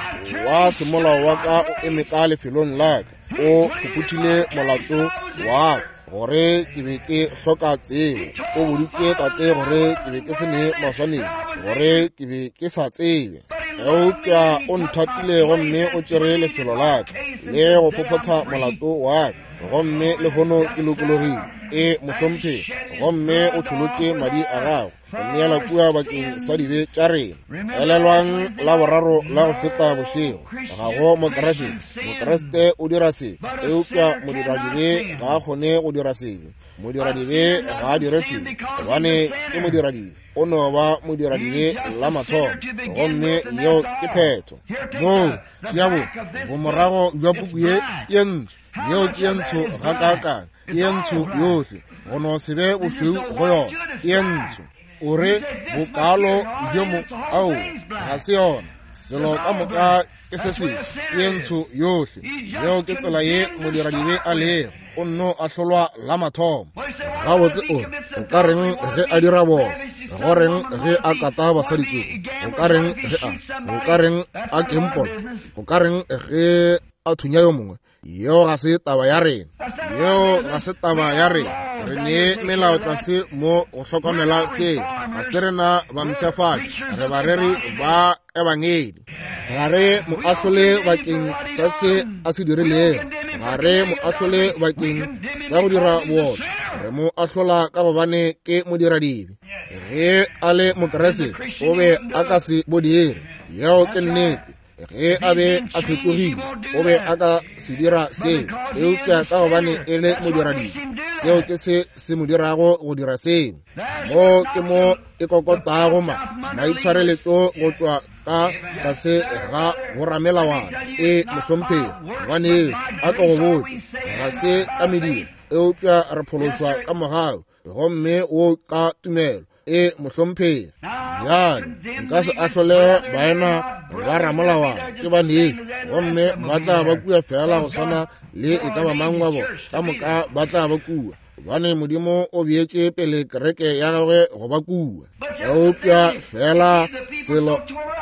wa semolao wa ka o eme ka lefelong la ka, o phuphuthile molato wa ka gore ke be ke hloka tsebo. O boditše tate gore ke be ke se ne maswanedi, gore ke be ke sa tsebe, eupša o nthatile gomme o tšere lefelo la ka le go phophotha molato wa ka, gomme lehono ke lokologile. E mohlomphegi, gomme o tšholotše madi a gagwe go neela kua bakeng sa dibe tša rena. Elelwang la boraro la go feta bošego, ga go Mokriste. Mokriste o dira sebe, eupša modiradibe ga a kgone go dira sebe. Modiradibe ga a dire sebe, gobane ke modiradibe, o no ba modiradibe la mathomo, gomme yeo ke phetho. Moo tšeabo bomorago bja puku ye ye ntsho, yeo ke ye ntsho gakaakang, ke ye ntsho yohle, go no se be bošweu go yona, ke ye ntsho. O re bokalo bjo mo, ao ga se yona, selo ka moka ke se seswe, ke ye ntsho yohle. Yeo ke tsela ye modiradibe a lego, o nno ahlolwa la mathomo. Gabotse o re, o ka reng ge a dira boso? Go reng ge a kata basadi tsoko? O ka reng ge a, o ka reng a kempola? O ka reng ge a thunya yo mongwe? Yeo ga se taba ya rena. Yeo ga se taba ya rena. Re ne melao tlase mo go hlokomela seo. Ga se rena bampshafatši, re bareri ba ebangedi. Ga re mo ahlole bakeng sa se a se dirilego, ga re mo ahlole bakeng sa go dira bootswa, re mo ahlola ka gobane ke modiradibe. Ge a le Mokriste, o be a ka se bo dire. Yeo ke nnete. Ge a be a fetogile, o be a ka se dira seo, eupša ka gobane e le modiradibe, seo ke se se mo dirago go dira seo. Mo ke mo e kokotago ma maitshwareletšo go tšwa ka tlase ga boramelawana. E mohlomphegi, ngwanešu, a ka go botša, ga se ka mediro, eupša re phološwa ka mogau, gomme wo ka tumelo. E mohlomphegi, bjale nka se ahlole baena ba ramolawana, ke banešu, gomme ba tla ba kua fela go swana le e ka ba mang wa bona, ka moka ba tla ba kua, gobane Modimo o beetše pele kereke ya gagwe go ba kua. Eupša fela selo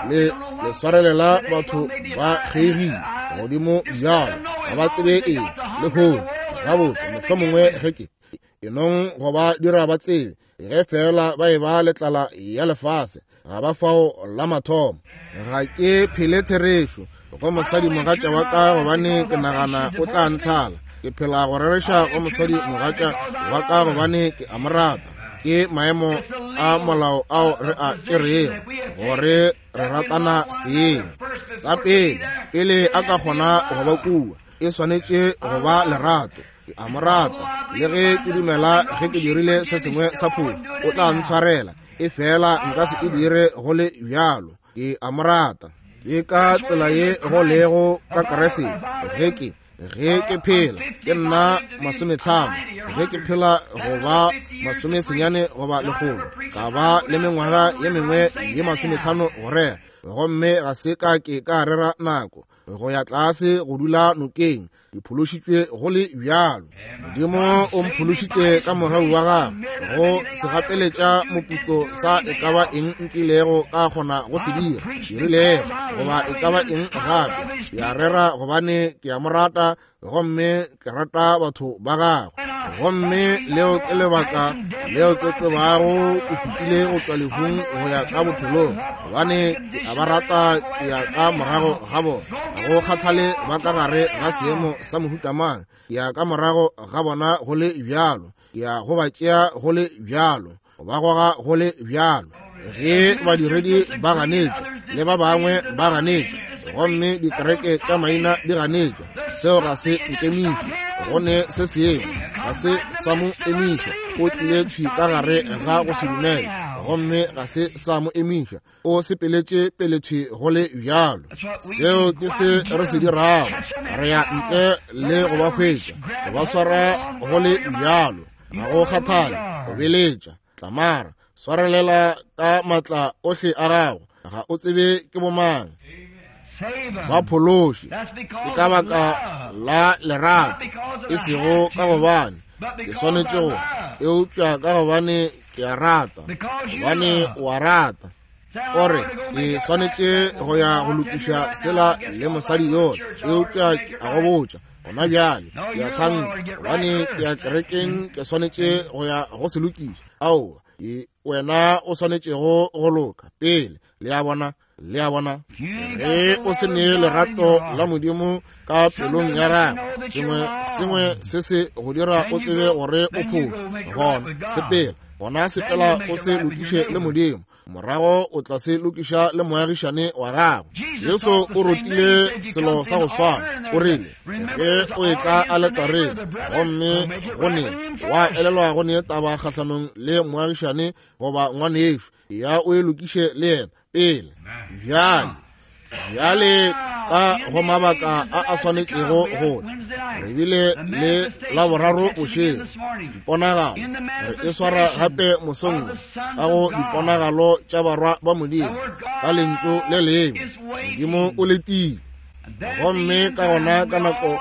le le swarelela batho ba kgeigile godimo bjalo, ga ba tsebe eng lehono. Gabotse mohlomongwe ge ke enong go ba dira ba tsebe, ge fela ba e ba le tlala ya lefase, ga ba fao la mathomo. Ga ke phele therešo go mosadi mogatša wa ka, gobane ke nagana o tla ntlhala. Ke phela go rereša go mosadi mogatša wa ka, gobane ke a mo rata. Ke maemo a molao ao re a tšerego gore re ratana seng. Sa pele, pele a ka kgona go ba kua, e swanetše go ba lerato. Ke a mo rata, le ge ke dumela ge ke dirile se sengwe sa phošo, o tla ntshwarela, efela nka se e dire go le bjalo. Ke a mo rata. Ke ka tsela ye go lego ka Kriste. Ge ke ge ke phela ke nna masometlhano, ge ke phela go ba masomesenyane goba lekgolo, ka ba le mengwaga ye mengwe ye masometlhano go rera, gomme ga se ka ke ka rera nako go ya tlase go dula nokeng. Ke phološitšwe go le bjalo. Modimo o mphološitše ka mogau wa gagwe go se gapeletša moputso sa e ka ba eng nkilego ka kgona go se dira, dirilego goba e ka ba eng gape. Ke a rera gobane ke a mo rata, gomme ke rata batho ba gagwe. Gomme leo ke lebaka leo ke tsebago ke fetile go tšwa lehung go ya ka bophelong, gobane ke a ba rata, ke ya ka morago ga bona. Ga go kgathale ba ka gare ga seemo sa mohuta mang, ke ya ka morago ga bona go le bjalo, ke ya go ba tšea go le bjalo, go ba goga go le bjalo. Ge badiredi ba ganetšwa le ba bangwe ba ganetšwa, gomme dikereke tša maina di ganetšwa, seo ga se nkemiše. Go ne se sengwe ga se sa mo emiša. O tlile thwi ka gare ga go se dumele, gomme ga se sa mo emiša. O sepeletše pele thwi go le bjalo. Seo ke se re se dirago. Re ya ntle le go ba hwetša, go ba swara go le bjalo. Ga go kgathale, go beletša, tlamara, swarelela ka matla ohle a gago. Ga o tsebe ke bomang. Ba phološe. Ke ka baka la lerato, e sego ka gobane ke swanetše go, eupša ka gobane ke a rata, gobane o a rata. O re ke swanetše go ya go lokiša sela le mosadi yola, eupša ke a go botša gona bjale, ke a thanka gobane ke ya kerekeng, ke swanetše go ya go se lokiša. Aowa, wena o swanetšego go loka pele. Le a bona? Le a bona? Ge o se ne lerato la Modimo ka pelong ya gago, sengwe sengwe se se go dira o tsebe gore o phošo, gona sepela, gona sepela o se lokiše le Modimo, morago o tla se lokiša le moagišane wa gago. Jesu o rutile selo sa go swana. O rile ge o etla aletareng gomme go ne wa elelwa go ne taba kgahlanong le moagišane goba ngwanešo, ya o e lokiše le yena pele. Bjale, bjale ka go mabaka a a swanetšego go tla, re bile le Laboraro bošego diponagalo, re e swara gape mosong ka go diponagalo tša barwa ba Modimo ka lentšu le lengwe. Modimo o letile. Gomme ka gona ka nako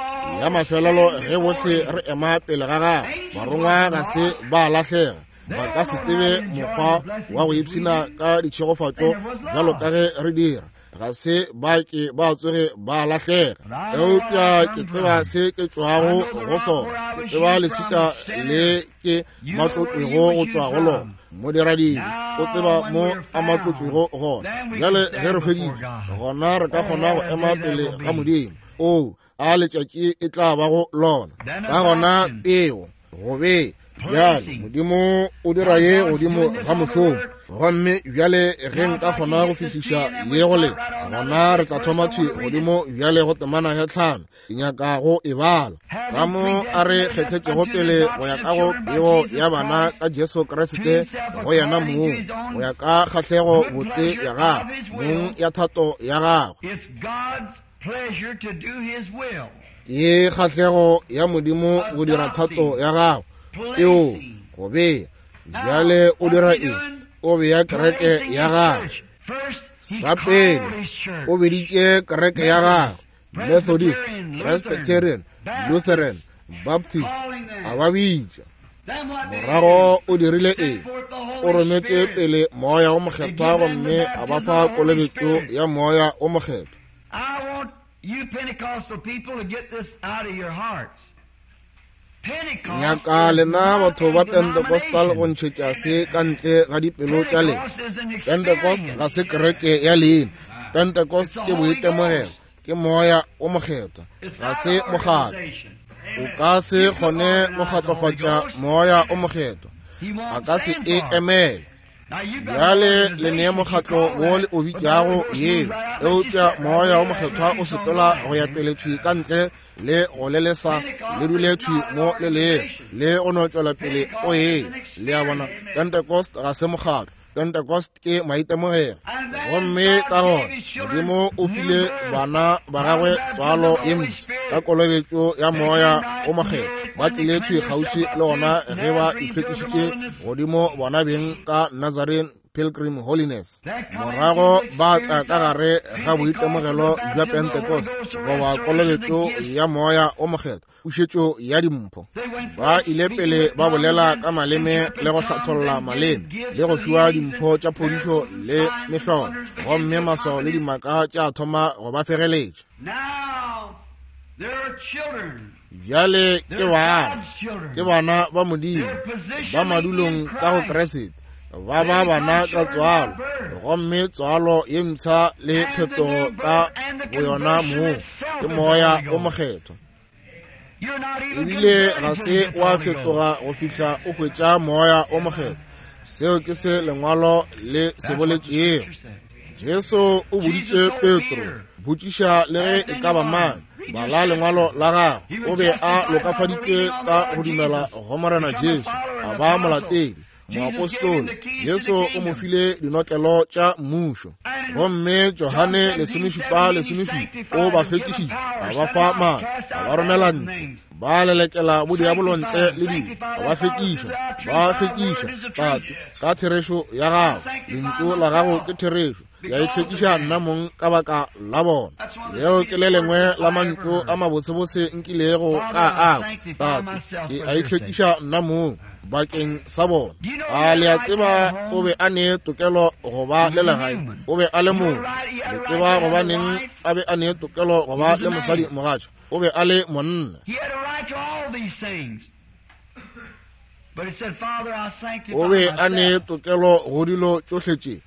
ya mafelelo ge bohle re ema pele ga gagwe, barongwa ga se ba lahlega. Ba ka se tsebe mokgwa wa go ipshina ka ditšhegofatšo bjalo ka ge re dira. Ga se ba ke ba tsoge ba lahlega. Eupša ke tseba se ke tšwago go sona, ke tseba leswika le ke matlotšwego go tšwa go lona. Modiradile o tseba mo a matlotšwego gona. Bjale ge re hweditše, gona re ka kgona go ema pele ga Modimo. O a letšatši e tla bago lona. Ka gona peo go be bjale Modimo o dira ye godimo ga mošomo. Gomme bjale ge nka kgona go fihliša ye go le, gona re tla thoma thwi godimo bjale go temana ya tlhano. Ke nyaka go e bala. Ka mo a re kgethetšego pele go ya ka go peo ya bana ka Jesu Kriste go yena mong, go ya ka kgahlego botse ya gagwe mong ya thato ya gagwe. Ke kgahlego ya Modimo go dira thato ya gagwe. Eo go bea. Bjale o dira eng? O bea kereke ya gagwe. Sa pele o beditše kereke ya gagwe, Methodist, Presbyterian, Lutheran, Baptist, a ba bitša. Morago o dirile eng? O rometše pele Moya o Mokgethwa gomme a ba fa kolobetšo ya Moya o Mokgethwa. You Pentecostal people to get this out of your hearts. Nyaka lena batho ba Pentecostal go ntšhetša se ka ntle ga dipelo tša lena. Pentecost ga se kereke ya leina. Pentecost ke boitemogelo, ke Moya o Mokgethwa, ga se mokgatlo. O ka se kgone go kgatlofatša Moya o Mokgethwa, a ka se e emele. Bjale le nee mokgatlo wo le o bitšago yeo, eupša Moya wo Mokgethwa o sepela go ya pele thwi ka ntle le go le lesa le dule thwi mo le leo, le go no tšwela pele o ye. Le a bona, Pentecost ga se mokgatlo, Pentecost ke maitemogelo. Gomme ka gona Modimo o file bana ba gagwe tswalo ye mpsha ka kolobetšo ya Moya o Mokgethwa. Ba tlile thwi kgauswi le gona ge ba itlhwekišitše godimo bona beng ka Nazarene Pilgrim Holiness. Morago ba tla ka gare ga boitemogelo bja Pentecost goba kolobetšo ya Moya o Mokgethwa, pušetšo ya dimpho. Ba ile pele ba bolela ka maleme le go hlatholla maleme le go fiwa dimpho tša phodišo le mehlolo, gomme maswao le dimaka tša thoma go ba fegeletša. Bjale ke bana, ke bana ba Modimo, ba madulong ka go Kriste, ba ba bana ka tswalo, gomme tswalo ye mpsha le phetogo ka boyona moo ke Moya o Mokgethwa. Ebile ga se wa fetoga go fihla o hwetša Moya o Mokgethwa. Seo ke se lengwalo le se boletšego. Jesu o boditše Petro, botšiša le ge e ka ba mang, bala lengwalo la gagwe. O be a lokafaditšwe ka go dumela go Morena Jesu, a ba molatedi, moapostoli. Jesu o mo file dinotlelo tša mmušo. Gomme Johane lesomešupa lesomešupa o ba hlwekišitše, a ba fa maatla, a ba romela ntle, ba lelekela bodiabolo ntle le dilo, a ba hlwekiša, ba hlwekiša. Tate, ka therešo ya gago, lentšu la gago ke therešo, ya itlhwekiša nna mong ka baka la bona. Leo ke le lengwe la mantšu a mabotsebotse nkilego ka a kwa. Tate, ke a itlhwekiša nna mong bakeng sa bona. A le a tseba o be a ne tokelo go ba le legae, o be a le motho. Le tseba gobaneng a be a ne tokelo go ba le mosadi mogatša, o be a le monna. O be a ne tokelo go dilo tšohle tše,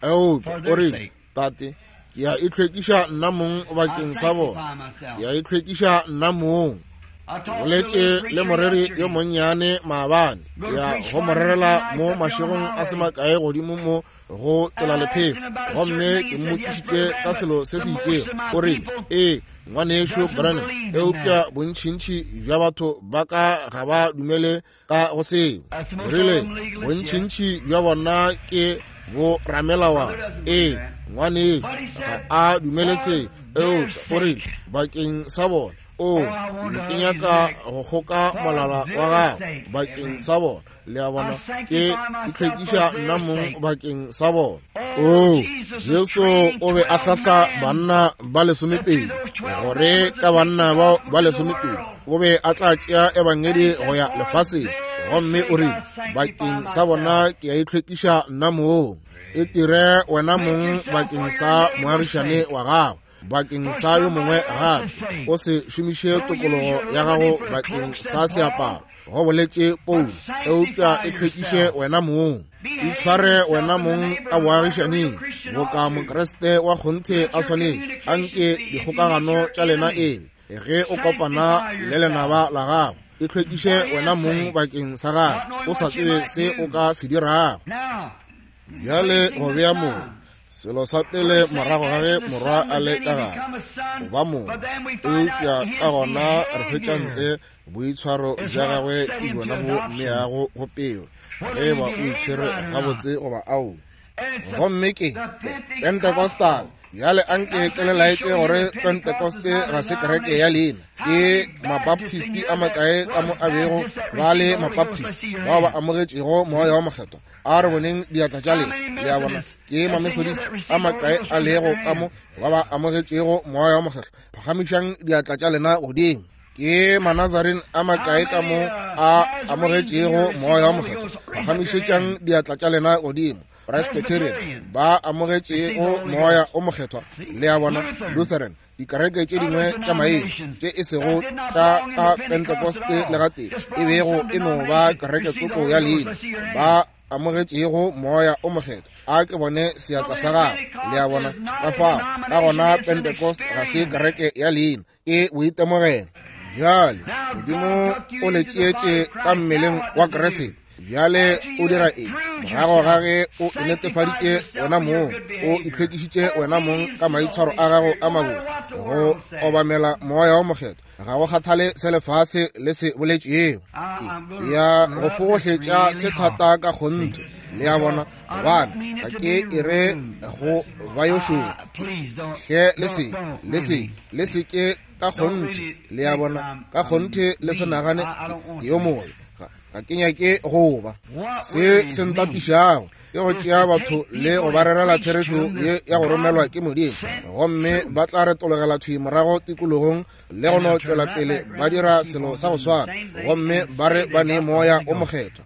eupša o rile, Tate, ke a itlhwekiša nna mong bakeng sa bona, ke a itlhwekiša nna mong. Boletše le moreri yo monnyane maabane, ya go mo rerela mo mašegong a se makae godimo mo go tsela lephefo, gomme ke mmotšišitše ka selo se se itšego. O rile, ee, ngwanešo Branham, eupša bontšintši bja batho ba ka ga ba dumele ka go seo. Ke rile, bontšintši bja bona ke bo ramelawana. Ee, ngwanešo ga a dumele seo, eupša o rile, bakeng sa bona. O, ke nyaka go kgoka molala wa gago bakeng sa bona. Le a bona, ke itlhwekiša nna mong bakeng sa bona. O, Jesu o be a hlahla banna ba lesomepedi, gore ka banna bao ba lesomepedi o be a tla tšea ebangedi go ya lefaseng. Gomme o rile, bakeng sa bona ke a itlhwekiša nna mong. E tire wena mong bakeng sa moagišane wa gago, bakeng sa yo mongwe gape. O se šomiše tokologo ya gago bakeng sa seaparo, go boletše Paulo, eupša e hlwekiše wena mong. Itshware wena mong ka boagišaneng boka Mokriste wa kgonthe a swanetše. Anke dikgokagano tša lena ebe ge o kopana le lenaba la gago, e hlwekiše wena mong bakeng sa gago, o sa tsebe se o ka se dirago. Bjale go bea moo selo sa pele morago ga ge morwa a le ka gare go ba mong, eupša ka gona re hwetša ntle boitshwaro bja gagwe ke bjona bo mmeago go peo, ge ba o itshwere gabotse goba ao. Gomme ke Pentecostal. Bjale anke ke le laetše gore Pentecoste ga se kereke ya leina. Ke Mabaptist a makae ka mo a bego ba le Mabaptist bao ba amogetšego Moya wa Mokgethwa? A re boneng diatla tša lena. Le a bona, ke Mamethodist a makae a lego ka mo ba ba amogetšego Moya wa Mokgethwa? Phagamišang diatla tša lena godimo. Ke Manazarene a makae ka mo a amogetšego Moya wa Mokgethwa? Phagamišetšang diatla tša lena godimo. Presbyterian ba amogetšego Moya o Mokgethwa. Le a bona, Lutheran, dikereke tše dingwe tša maina tše e sego tša ka Pentecoste le gatee, e bego e no ba kereke tsoko ya leina, ba amogetšego Moya o Mokgethwa. A ke bone seatla sa gago. Le a bona, ka fao ka gona Pentecost ga se kereke ya leina, ke boitemogelo. Bjale Modimo o le tšeetše ka mmeleng wa Kriste. Bjale o dira eng? Morago ga ge o netefaditše wena mong, o itlhwekišitše wena mong ka maitshwaro a gago a mabotse, go obamela Moya wo Mokgethwa, ga go kgathale se lefase le se boletšego. Ke ya go fogohletša se thata ka kgonthe, le a bona, gobane ga ke e re go ba yo šoro. Hle le se, le se, le se ke ka kgonthe, le a bona, ka kgonthe le se nagane ke yo mobe. Ga ke nyake go ba. Se se ntapišago ke go tšea batho le go ba rerela therešo ye ya go romelwa ke Modimo, gomme ba tla retologela thwi morago tikologong le go no tšwela pele ba dira selo sa go swana, gomme ba re ba ne Moya o Mokgethwa.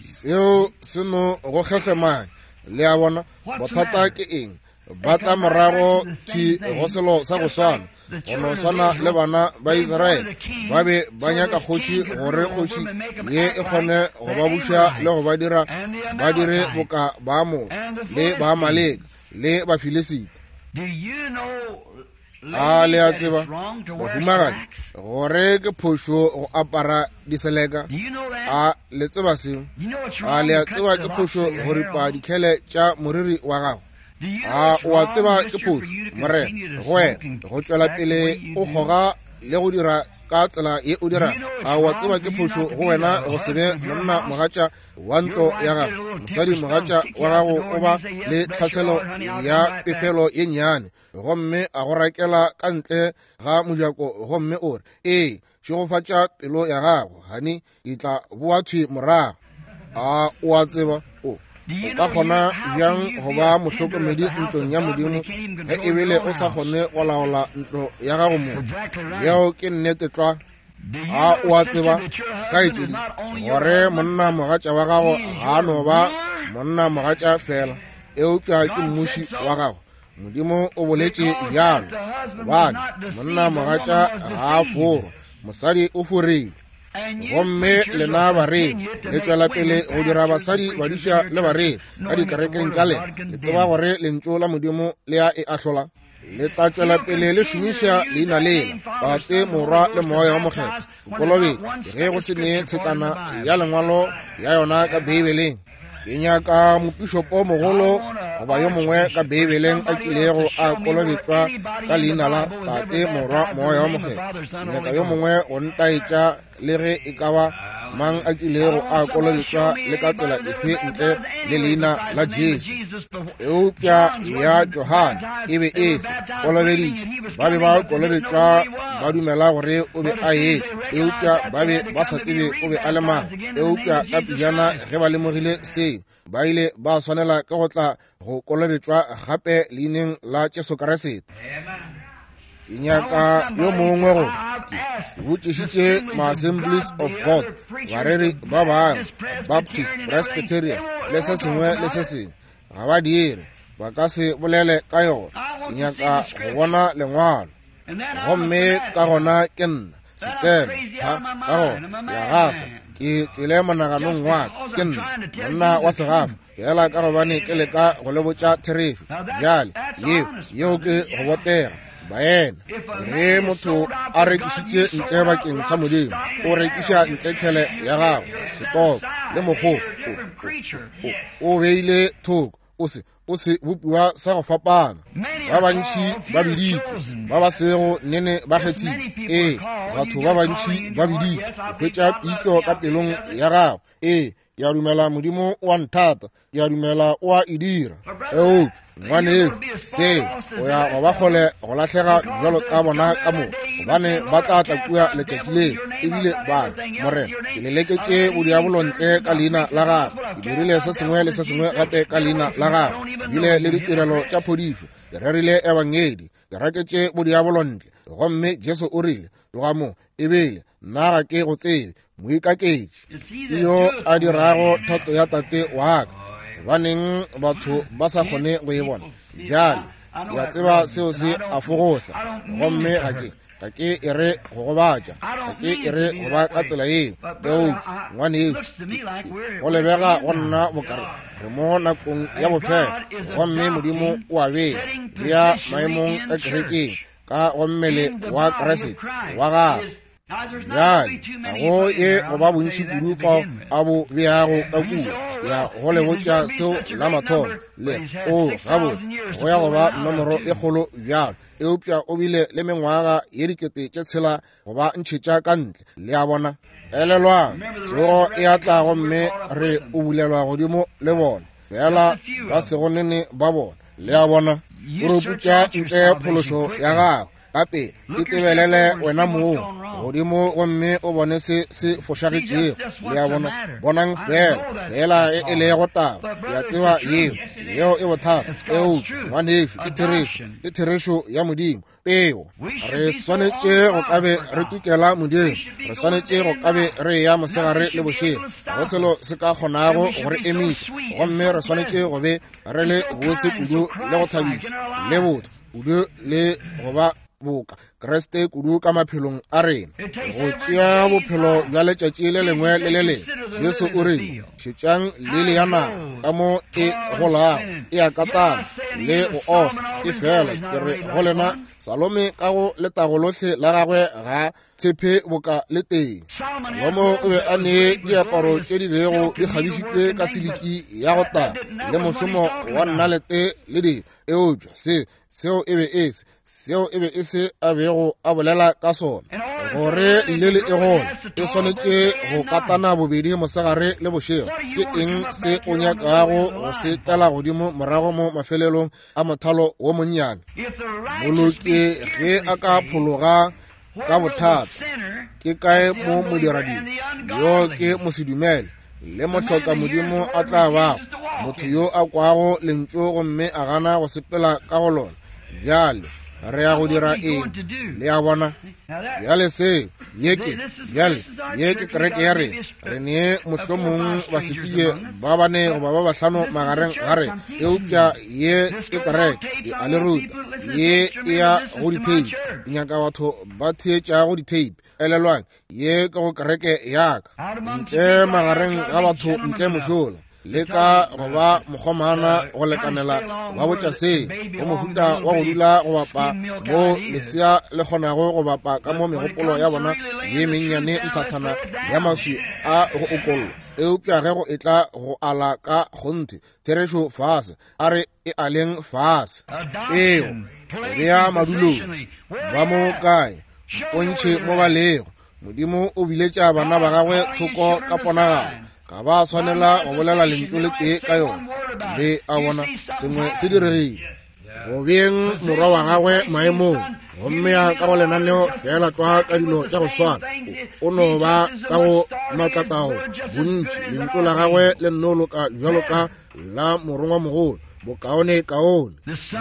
Seo se no go kgehlemanya, le a bona. Bothata ke eng? Ba tla morago thwi go selo sa go swana, go no swana le bana ba Israele. Ba be ba nyaka kgoši, gore kgoši ye e kgone go ba buša le go ba dira ba dire boka Baamore le Baamaleka le Bafilisita. A le a tseba, bahumagadi, gore ke phošo go apara diseleka? A le tseba seo? A le a tseba ke phošo go ripa dikhele tša moriri wa gago? A o a tseba ke phošo, morena, go wena go tšwela pele o kgoga le go dira ka tsela ye o dirago? A o a tseba ke phošo go wena go se be monna mogatša wa ntlo ya gago? Mosadi mogatša wa gago o ba le tlhaselo ya pefelo ye nnyane, gomme a go rakela ka ntle ga mojako, gomme o re, ee, šegofatša pelo ya gago, hani, ke tla boa thwi morago. A o a tseba o o ka kgona bjang go ba mohlokomedi ntlong ya Modimo ge ebile o sa kgone go laola ntlo ya gago mo? Yeo ke nnete tlwa. A o a tseba, kgaetšedi, gore monna mogatša wa gago ga a no ba monna mogatša fela, eupša ke mmuši wa gago? Modimo o boletše bjalo, gobane monna mogatša ga a forwa, mosadi o forilwe. Gomme lena bareri le tšwela pele go dira basadi badiša le bareri ka dikerekeng tša lena. Le tseba gore lentšu la Modimo le a e ahlola. Le tla tšwela pele le šomiša leina lela, Tate, Morwa le Moya wa Mokgethwa, kolobetšo, ge go se ne tshetlana ya lengwalo ya yona ka Beibeleng. Ke nyaka mopišopo mogolo goba yo mongwe ka Beibeleng a kilego a kolobetšwa ka leina la Tate, Morwa, Moya wa Mokgethwa. Ke nyaka yo mongwe go ntaetša le ge e ka ba mang a kilego a kolobetšwa le ka tsela efe ntle le leina la Jesu. Eupša ya Johane e be e se kolobeditšwe. Ba be ba kolobetšwa ba dumela gore o be a etla, eupša ba be ba sa tsebe o be a le mang. Eupša ka pejana ge ba lemogile seo, ba ile ba swanela ke go tla go kolobetšwa gape leineng la Jesu Kriste. Ke nyaka yo mongwe go ke botšišitše ma-Assemblies of God, bareri ba bangwe, Baptist, Presbyterian le se sengwe le se sengwe, ga ba dire, ba ka se bolele ka yona. Ke nyaka go bona lengwalo, gomme ka gona ke nna setseno, ha, ka gona ke a gafa, ke tšwele monaganong wa ka, ke nna monna wa segafa, fela ka gobane ke leka go le botša therešo. Bjale yeo yeo ke go botega. Baena, ge motho a rekišitše ntle bakeng sa Modimo, o rekiša ntle tšhele ya gago, setoko le mokgobo, o beile thoko, o se o se bopiwa sa go fapana. Ba bantši ba biditšwe, ba ba sego nene ba kgethile. Ee, batho ba bantši ba biditšwe go hwetša pitšo ka pelong ya gago. Ee, ke a dumela Modimo o a nthata, ke a dumela o a e dira. Eupša ngwanešu, seo o ya go ba kgole go lahlega bjalo ka bona ka moka, gobane ba tla tla kua letšatši leo ebile ba re, Morena, ke leleketše bodiabolo ntle ka leina la gago, ke dirile se sengwe le se sengwe gape ka leina la gago, bile le ditirelo tša phodišo, ke rerile ebangedi, ke raketše bodiabolo ntle. Gomme Jesu o rile, tloga mo, ebile nna ga ke go tsebe, moikaketši. Ke yo a dirago thato ya Tate wa ka. Gobaneng batho ba sa kgone go e bona? Bjale ke a tseba seo se a fogohla, gomme ga ke ga ke e re go gobatša, ga ke e re go ba ka tsela yeo. Eupša ngwanešu, go lebega go nna bokare re mo nakong ya bofelo, gomme Modimo o a bea bea maemong ka kerekeng ka go mmele wa Kriste wa gagwe. Bjale ga go ye go ba bontši kudu fao a bo beago ka kua ya go le botša seo la mathomo le o gabotse go ya go ba nomoro e kgolo bjalo, eupša o bile le mengwaga ye dikete tše tshela go ba ntšhetša ka ntle. Le a bona? Elelwang, tsogo e a tla gomme re o bulelwa godimo le bona fela ba sego nene ba bona. Le a bona? O re putša ntle phološo ya gago ka pele, itebelele wena mong godimo gomme o bone se se fošagetšego. Le a bona? Bonang fela fela e e lego taba. Ke a tseba yeo yeo e bothata, eupša ngwanešu ke therešo, ke therešo ya Modimo. Peo re swanetše go ka be re tukela Modimo, re swanetše go ka be re ya mosegare le bošego, go selo se ka kgonago go re emiša, gomme re swanetše go be re le bose kudu le go thabiša le botho kudu le go ba boka Kriste kudu ka maphelong a rena, go tšea bophelo bja letšatši le lengwe le le lengwe. Jesu o rile, šetšang lili ya naga ka mo e golago, e a katana le go ofa, e fela ke re go lena, Salome ka go letago lohle la gagwe ga tshepe boka le teng. Salomo o be a ne diaparo tše di bego di kgabišitšwe ka siliki ya go tala le mošomo wa nnalete le dilo, eupša se seo e be e se seo e be e se a bego a bolela ka sona. Gore lele e gole e swanetše go katana bobedi mosegare le bošego. Ke eng se o nyakago go se tela godimo morago mo mafelelong a mothalo wo monnyane? Moloki ge a ka phologa ka bothata, ke kae mo modiradibe yo ke mosedumele le mohloka Modimo a tla bago, motho yo a kwago lentšu gomme a gana go sepela ka go lona? Bjale re ya go dira eng? Le a bona? Bjale seo ye ke bjale ye ke kereke ya rena. Re ne mohlomong basetsebje ba bane goba ba bahlano magareng ga rena, eupša ye ke kereke ke a le ruta. Ye e ya go ditheipi, ke nyaka batho ba theetšago ditheipi. Elelwang, ye ke go kereke ya ka, ntle magareng ga batho ntle mošola, le ka go ba mokgomana go lekanela ba botša se go mohuta wa go dula go bapa mo lesea le kgonago go bapa ka mo megopolo ya bona ye mennyane nthathana ya maswi a go okollwa. Eupša ge go etla go ala ka kgonthe therešo fase, a re e aleng fase. Peo go bea madulong, ba mo kae? Mpontšhe mo ba lego. Modimo o biletša bana ba gagwe thoko ka ponagalo, ga ba swanela go bolela lentšu le tee ka yona. Le a bona, sengwe se diregile go beng morwa wa gagwe maemong, gomme ya ka go lenaneo fela tlwa ka dilo tša go swana. O no ba ka go matlatago bontši, lentšu la gagwe le nno loka bjalo ka la morongwa mogolo, bokaone kaone.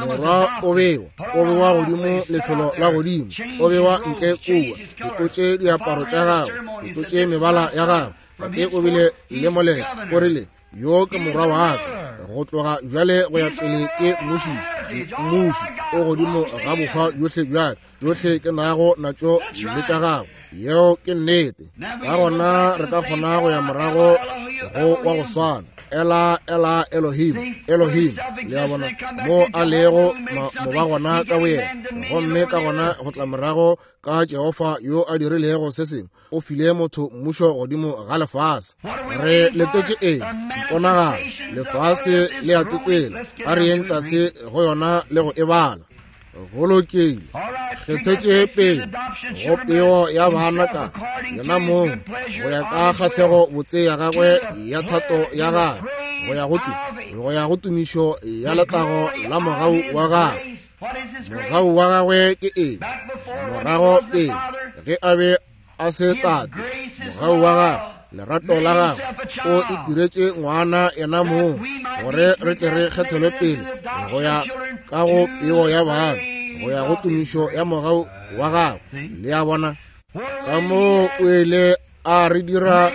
Morwa o bewa o bewa godimo lefelo la godimo, o bewa ntle kua, ditlotše diaparo tša gagwe, ditlotše mebala ya gagwe. Tate o bile le moletlo, o rile, yo ke morwa wa ka, go tloga bjale go ya pele ke mmušiši, ke mmuši o godimo ga bohwa bjohle bjaka, tšohle ke nago natšo le tša gagwe. Yeo ke nnete. Ka gona re ka kgona go ya morago go wa go swana, Ela Ela Elohim, Elohim. Le a bona mo a lego mo ba gona ka boyena, gomme ka gona go tla morago ka Jehofa yo a dirilego se sengwe, o file motho mmušo godimo ga lefase. Re letetše eng? Mponagalo. Lefase le a tsetsela, a re yeng tlase go yona le go e bala. Go lokile, kgethetše pele go peo ya bana ka yena mong go ya ka kgahlego botse ya gagwe ya thato ya gagwe, go ya go tu go ya go tumišo ya letago la mogau wa gagwe. Mogau wa gagwe ke eng? Morago pele ge a be a se tate, mogau wa gagwe, lerato la gagwe, o itiretše ngwana yena mong gore re tle re kgethelwe pele go ya ka go peo ya bana, go ya go tumišo ya mogau wa gagwe. Le a bona ka mo o ile a re dira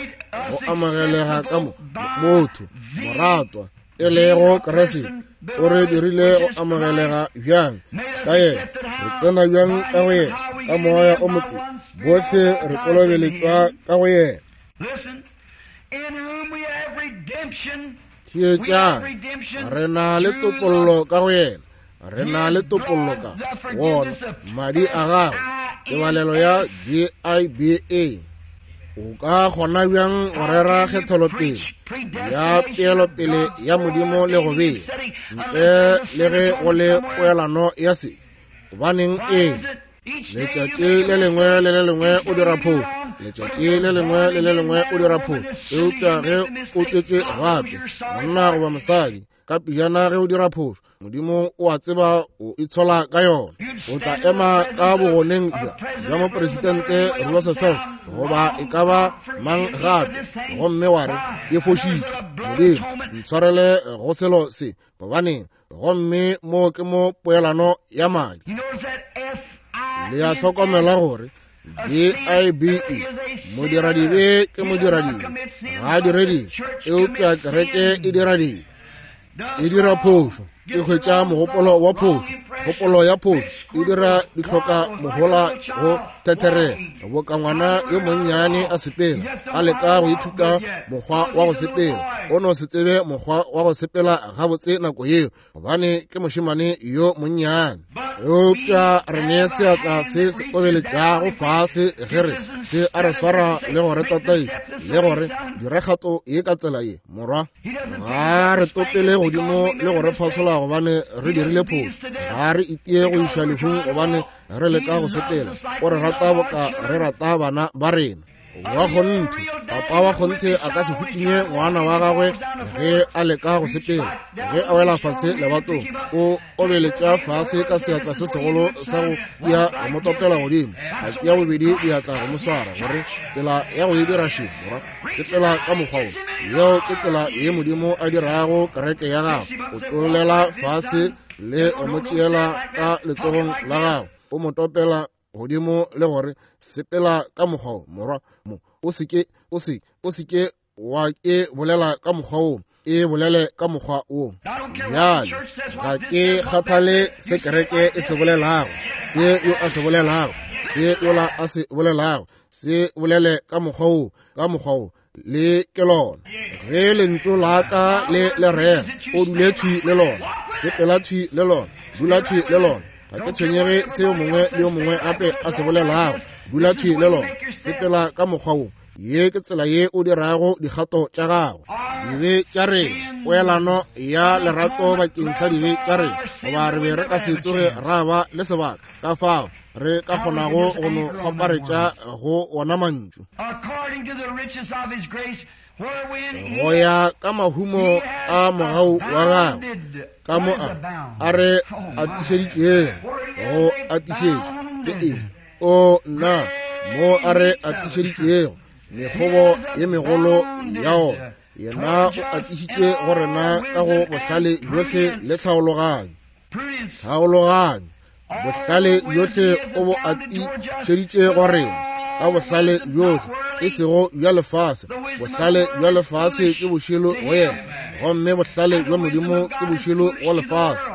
go amogelega ka mo motho moratwa e lego Kriste, o re dirile go amogelega bjang ka yena, re tsena bjang ka go yena ka moya o motee, bohle re kolobeletšwa ka go yena. Theetšang, re na le topollo ka go yena, Re na le topollo ka wona madi a gagwe, tebalelo ya D I B A. O ka kgona bjang go rera kgethelopele ya peelopele ya Modimo le go bea ntle le ge go le poelano ya se? Gobaneng eng? Letšatši le lengwe le le lengwe o dira phošo, letšatši le lengwe le le lengwe o dira phošo. Eupša ge o tswetšwe gape, monna goba mosadi, ka pejana ge o dira phošo, Modimo o a tseba o itshola ka yona. O tla ema ka bogoneng bja bja mopresidente Roosevelt goba e ka ba mang gape, gomme wa re, ke fošitše, Modimo ntshwarele go selo se. Gobaneng? Gomme mo ke mo poelano ya madi. Le a hlokomela gore D I B E, modiradibe ke modiradibe, ga a dire dibe, eupša kereke e dira dibe, e dira phošo, e hwetša mogopolo wa phošo, kgopolo ya phošo, e dira dihloka mohola go thetherela, boka ngwana yo monnyane a sepela, a leka go ithuta mokgwa wa go sepela, o no se tsebe mokgwa wa go sepela gabotse nako yeo, gobane ke mošemane yo monnyane. Eupša re ne seatla se se obeletšago fase ge re se a re swara le go re tataiša le gore dira kgato ye ka tsela ye, morwa. Ga re topele godimo le go re phasola gobane re dirile phošo, ga re itie go iša lehung gobane re leka go sepela. O re rata boka re rata bana ba rena. Wa kgonthe, papa wa kgonthe a ka se hutinye ngwana wa gagwe ge a leka go sepela. Ge a wela fase lebatong, o obeletša fase ka seatla se segolo sa go tia go mo topela godimo, a tšea bobedi diatla go mo swara gore tsela ya go e dira še, morwa, sepela ka mokgwa wo. Yeo ke tsela ye Modimo a dirago kereke ya gagwe. O tlolela fase le go mo tšeela ka letsogong la gagwe, o mo topela godimo le gore sepela ka mokgwa wo, morwa. Mo o seke o se o seke wa e bolela ka mokgwa wo, e bolele ka mokgwa wo. Bjale ga ke kgathale se kereke e se bolelago, se yo a se bolelago, se yola a se bolelago, se bolele ka mokgwa wo, ka mokgwa wo, le ke lona. Ge lentšu la ka le le rera, o dule thwi le lona, sepela thwi le lona, dula thwi le lona. Ga ke tshwenyege se yo mongwe le yo mongwe gape a se bolelago, dula thwi le lona, sepela ka mokgwa wo. Ye ke tsela ye o dirago dikgato tša gago. Dibe tša rena, poelano ya lerato bakeng sa dibe tša rena, goba re be re ka se tsoge ra ba le sebaka ka fao re ka kgonago go no kgoparetša go wona mantšu. Go ya ka mahumo a mogau wa gagwe, ka mo a a re atišeditšego, go atišetša ke eng? O nna, mo a re atišeditšego mekgobo ye megolo ya ona, yena o atišitše go rena ka go bohlale bjohle le tlhaologanyo. Tlhaologanyo, bohlale bjohle o bo atišeditše go rena ka bohlale bjohle, e sego bja lefase. Bohlale bja lefase ke bošilo go yena, gomme bohlale bja Modimo ke bošilo go lefase.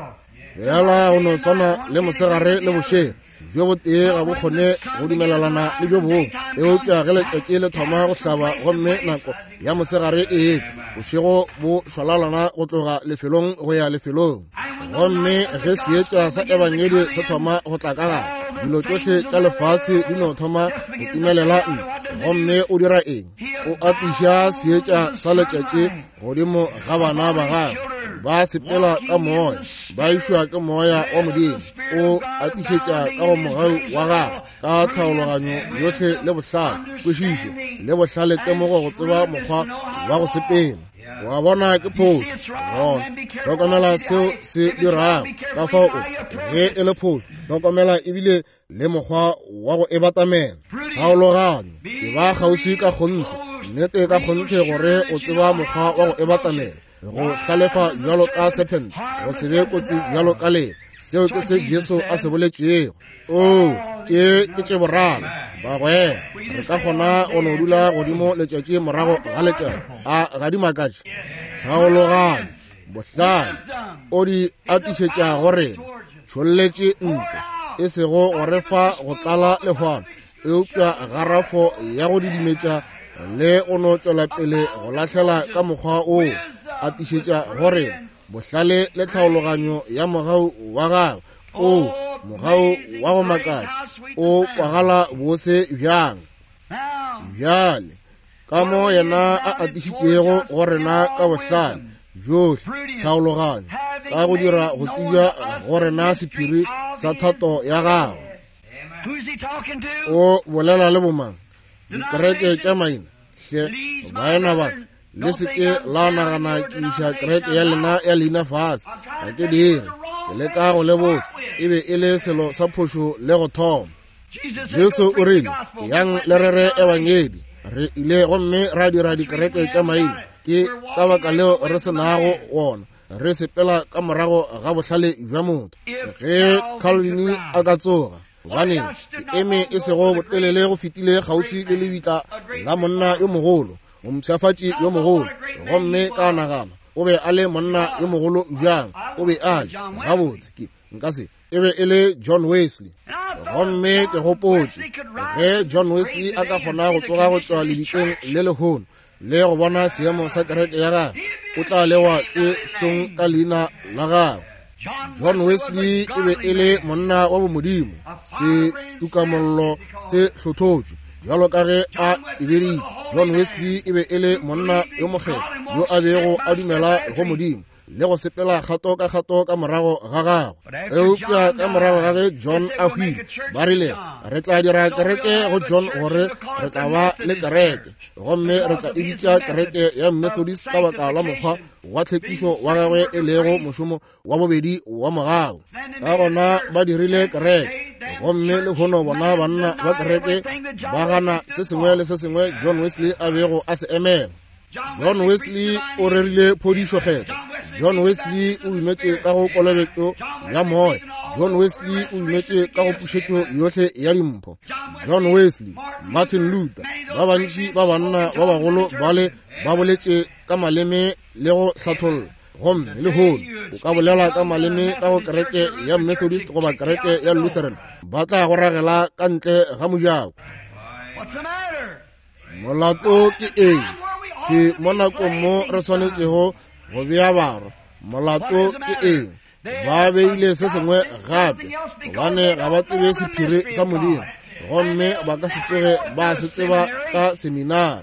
Fela go no swana le mosegare le bošego, bjo botee ga bo kgone go dumelelana le bjo bongwe. Eupša ge letšatši le thoma go hlaba gomme nako ya mosegare e etla, bošego bo šwalalana go tloga lefelong go ya lefelong. Gomme ge seetša sa ebangedi se thoma go tla ka gare, dilo tšohle tša lefase di no thoma go timelela ntle. Gomme o dira eng? O atiša seetša sa letšatši godimo ga bana ba gagwe. Ba sepela ka moya, ba išwa ke moya wa Modimo. O atišetša ka go mogau wa gagwe ka tlhaologanyo yohle le bohlale, kwešišo le bohlale, temogo go tseba mokgwa wa go sepela. Wa bona ke phošo gona, hlokomela seo se dirago. Ka fao o ge e le phošo, hlokomela ebile le mokgwa wa go e batamela. Tlhaologanyo e ba kgauswi ka kgonthe, nnete ka kgonthe gore o tseba mokgwa wa go e batamela. Go hlalefa bjalo ka serpent, go se be kotsi bjalo ka leba. Seo ke se Jesu a se boletšego. O tše ke tše boraro bagwera, re ka kgona go no dula godimo letšatši morago ga letšatši. A ga di makatše? Tlhaologanyo, bohlale o di atišetša go rena, tšholletše ntle, e sego go re fa go tlala lehwana, eupša garafo ya go didimetša le go no tšwela pele go lahlela ka mokgwa o atišetša go rena. Bohlale le tlhaologanyo ya mogau wa gagwe. O mogau wa go makatša o kwagala bose bjang. Bjale ka mo yena a atišitšego go rena ka bohlale bjohle tlhaologanyo ka go dira go tsebja go rena sephiri sa thato ya gagwe. O bolela le bomang? Dikereke tša maina. Hle baena ba, le se ke la nagana ke iša kereke ya lena ya leina fase. Ga ke dire, ke leka go le botša, e be e le selo sa phošo le go thoma. Jesu o rile, yang le rere ebangedi. Re ile gomme ra dira dikereke tša maina. Ke ka baka leo re se nago wona. Re sepela ka morago ga bohlale bja motho. Ge Calvin a ka tsoga, gobane ke eme e sego botelele go fetile kgauswi le lebitla la monna yo mogolo, mompshafatši yo mogolo, gomme ka nagana o be a le monna yo mogolo bjang. O be a le gabotse, ke nka se e be e le John Wesley. Gomme ke gopotše ge John Wesley a ka kgona go tsoga go tšwa lebitleng le lehono le go bona seemo sa kereke ya gagwe, o tla lewa ke hlong ka leina la gagwe. John Wesley e be e le monna wa bomodimo, se tukamollo se hlothotšwe bjalo ka ge a e beditše. John Wesley e be e le monna yo mokgethwa yo a bego a dumela go Modimo le go sepela kgato ka kgato ka morago ga gagwe. Eupša ka morago ga ge John a hwile, ba rile re tla dira kereke go John gore re tla ba le kereke, gomme re tla e bitša kereke ya Methodist ka baka la mokgwa wa tlhekišo wa gagwe e lego mošomo wa bobedi wa mogau. Ka gona ba dirile kereke, gomme lehono bona banna ba kereke ba gana se sengwe le se sengwe John Wesley a bego a se emela. John Wesley o rerile phodišo kgethwa. John Wesley o dumetše ka go kolobetšo ya moya. John Wesley o dumetše ka go pušetšo yohle ya dimpho. John Wesley, Martin Luther, ba bantši ba banna ba bagolo bale ba boletše ka maleme le go hlatholla. Gomme lehono o ka bolela ka maleme ka go kereke ya Methodist goba kereke ya Lutheran, ba tla go ragela ka ntle ga mojako. Molato ke eng? Ke mo nakong mo re swanetšego go bea barwa. Molato ke eng? Ba beile se sengwe gape, gobane ga ba tsebe sephiri sa Modimo, gomme ba ka se tsoge ba se tseba ka seminari.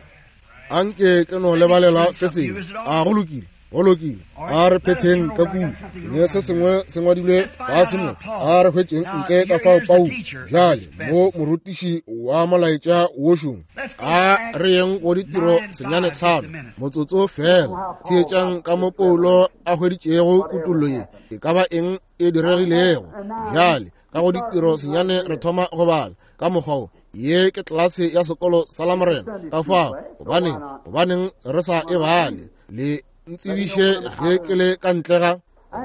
Anke ke no lebalela se sengwe. A go lokile, go lokile. A re phetheng ka kua. Ne se sengwe se ngwadilwe fase mo. A re hwetšeng ntle ka fao Paulo bjale mo morutiši wa molaetša wošong. A re yeng go ditiro senyane tlhano motsotso fela. Theetšang ka mo Paulo a hweditšego kutollo ye e ka ba eng e diregilego. Bjale ka go ditiro senyane re thoma go bala ka mokgwa wo. Ye ke tlelase ya sekolo sa Lamorena. Ka fao gobaneng gobaneng re sa e bale? Le ntsebiše ge ke le ka ntle ga.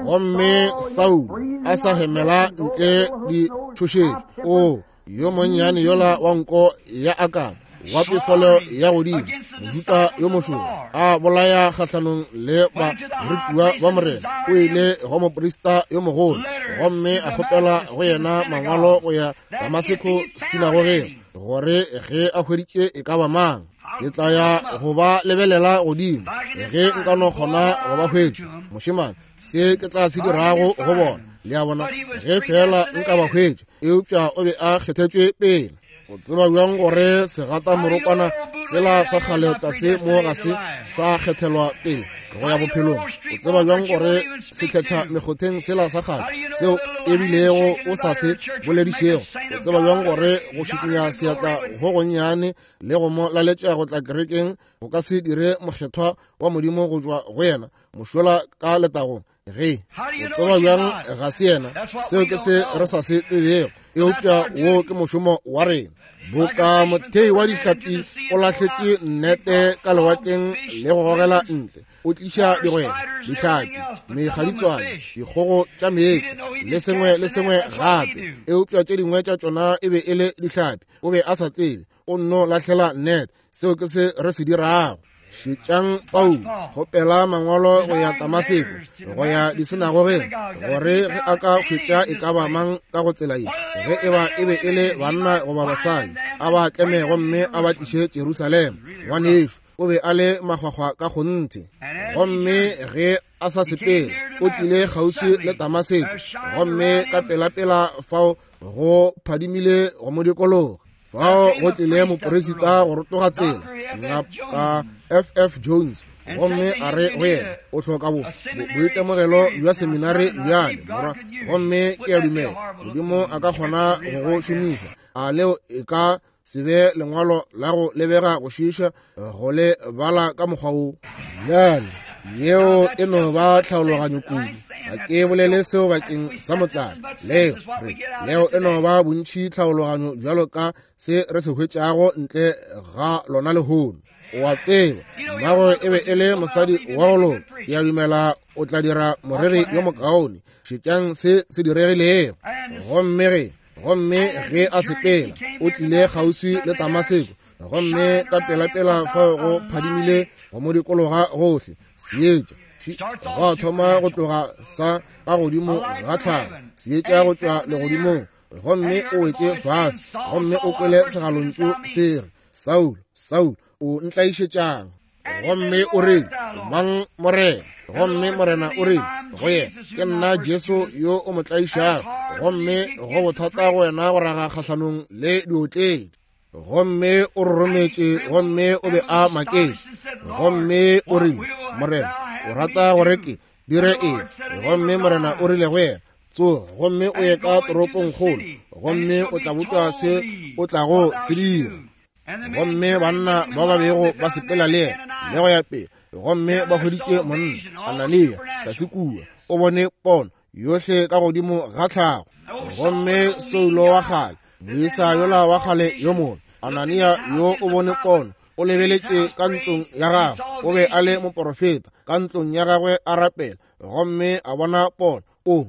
Gomme Saul a sa hemela ntle ditšhošetšo. O yo monnyane yola wa nko ya akana wa pefelo ya godimo, mojuta yo mošoro, a bolaya kgahlanong le barutiwa ba Morena. O ile go moprista yo mogolo gomme a kgopela go yena mangwalo go ya Damaseko sinagogeng, gore ge a hweditše e ka ba mang, ke tla ya go ba lebelela godimo ge nka no kgona go ba hwetša. Mošemane, se ke tla se dirago go bona, le a bona, ge fela nka ba hwetša. Eupša o be a kgethetšwe pele. O tseba bjang gore segata morokwana sela sa kgale tlase mo ga se sa kgethelwa pele go ya bophelong? O tseba bjang gore setlhetlha mekgotheng sela sa kgale seo ebilego o sa se boledišego? O tseba bjang gore go šikinya seatla go gonnyane le go mo laletša go tla kerekeng go ka se dire mokgethwa wa Modimo go tšwa go yena mošola ka letagong? Ge o tseba bjang ga se yena? Seo ke se re sa se tsebego, eupša wo ke mošomo wa rena. Boka mothei wa dihlapi o lahletše nnete ka lewatleng le go gogela ntle, o tliša digwere, dihlapi, mekgaditswane, dikgogo tša meetse le sengwe le sengwe gape, eupša tše dingwe tša tšona e be e le dihlapi. O be a sa tsebe, o nno lahlela nnete. Seo ke se re se dirago. Šetšang Paulo kgopela mangwalo go ya Damaseko, go ya disinagogeng, gore ge a ka hwetša e ka ba mang ka go tsela ye, ge e ba e be e le banna goba basadi, a ba tleme gomme a ba tliše Jerusalema. Ngwanešu o be a le makgwakgwa ka kgonthe. Gomme ge a sa sepele, o tlile kgauswi le Damaseko, gomme ka pelapela fao go phadimile go mo dikologa. Fao go tlile moporesita go rotoga tsela, Ngaka F F Jones, gomme a re go yena, o hloka bo boitemogelo bja seminari bjale, morwa, gomme ke a dumela Modimo a ka kgona go go šomiša. A leo e ka se be lengwalo la go lebega go šiiša go le bala ka mokgwa wo? Bjale yeo e no ba tlhaologanyo kudu. Ga ke bolele seo bakeng sa motlalo. Leo re leo e no ba bontši tlhaologanyo bjalo ka se re se hwetšago ntle ga lona lehono. O a tseba, mmago e be e le mosadi wa go loka. Ke a dumela o tla dira moreri yo mokaone. Šetšang se se diregilego. Gomme ge gomme ge a sepela, o tlile kgauswi le Damaseko, gomme ka pelapela fao go phadimile go mo dikologa gohle seetša go thoma go tloga sa ka godimo ga tlhago, seetša go tšwa legodimong, gomme o wetše fase, gomme o kwele segalontšu se re, Saul, Saul, o ntlaišetšang? Gomme o rile, mang Morena? Gomme Morena o rile go yena, ke nna Jesu yo o mo tlaišago, gomme go bothata go wena go raga kgahlanong le diotledi. Gomme o rorometše, gomme o be a maketše, gomme o rile, Morena, o rata gore ke dire eng? Gomme Morena o rile go yena, tsoga gomme o ye ka toropongkgolo, gomme o tla botšwa se o tlago se dira. Gomme banna ba ba bego ba sepela le yena le go ya pele, gomme ba hweditše monna Anania tlase kua, o bone pono yohle ka godimo ga tlhago. Gomme Saulo wa kgale, moisa yola wa kgale yo mobe, Anania yo o bone pono, o lebeletše ka ntlong ya gagwe, o be a le moporofeta ka ntlong ya gagwe a rapela, gomme a bona pono. O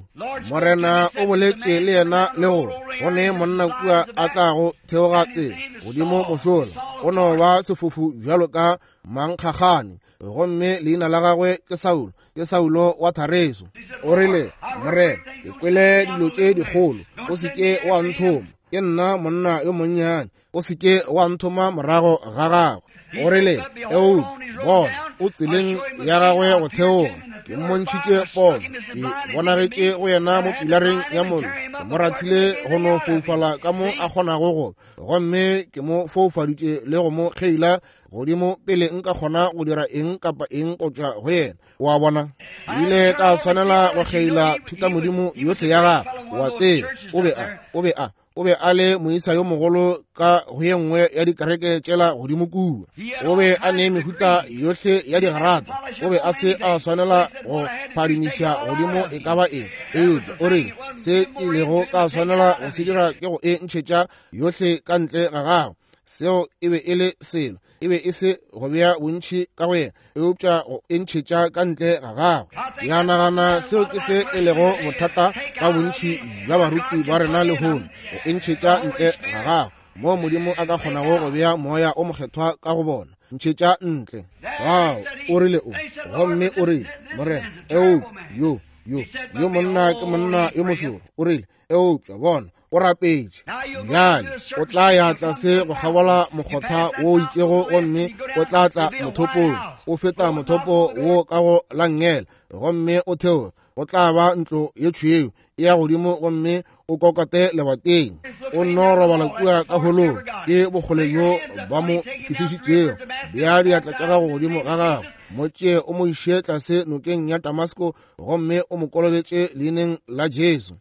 Morena o boletše le yena le gore go ne monna kua a tlago theoga tsela godimo mošola, o no ba sefofu bjalo ka mankgagane, gomme leina la gagwe ke Saulo, ke Saulo wa Tareso. O rile, Morena, ke kwele dilo tše dikgolo, o se ke wa nthoma, ke nna monna yo monnyane, o se ke wa nthoma morago ga gagwe. O rile, eupša bona, o tseleng ya gagwe go theoga, ke mmontšhitše pono, ke bonagetše go yena mo pilareng ya mollo, ke mo rathile go no foufala ka mo a kgonago go, gomme ke mo foufaditše le go mo kgeila godimo pele nka kgona go dira eng kapa eng go tšwa go yena. O a bona, ke ile ka swanela go kgeila thutamodimo yohle ya gagwe. O a tseba, o be a o be a o be a le moisa yo mogolo ka go ye nngwe ya dikereke tšela godimo kua. O be a ne mehuta yohle ya digrata. O be a se a swanela go phadimiša godimo e ka ba eng, eupša o rile se ke ilego ka swanela go se dira ke go e ntšhetša yohle ka ntle ga gagwe. Seo e be e le selo, e be e se go bea bontši ka go yena, eupša go e ntšhetša ka ntle ga gagwe. Ke a nagana seo ke se e lego bothata ka bontši bja baruti ba rena lehono, go e ntšhetša ntle ga gagwe, moo Modimo a ka kgonago go bea moya o mokgethwa ka go bona. Ntšhetša ntle. Fao o rile o, gomme o rile, Morena, eupša yo yo yo monna ke monna yo mošoro. O rile, eupša bona, o rapetše. Bjale o tla ya tlase go kgabola mokgotha wo o itšego, gomme o tla tla mothopong, o feta mothopo wo ka go la nngele, gomme o theoge, go tla ba ntlo ye tšhweu e ya godimo, gomme o kokote lebateng. O nno robala kua ka holong, ke bokgole bjo ba mo fihlišitšego. Bea diatla tša gago godimo ga gagwe, mo tšee o mo iše tlase nokeng ya Damasko, gomme o mo kolobetše leineng la Jesu.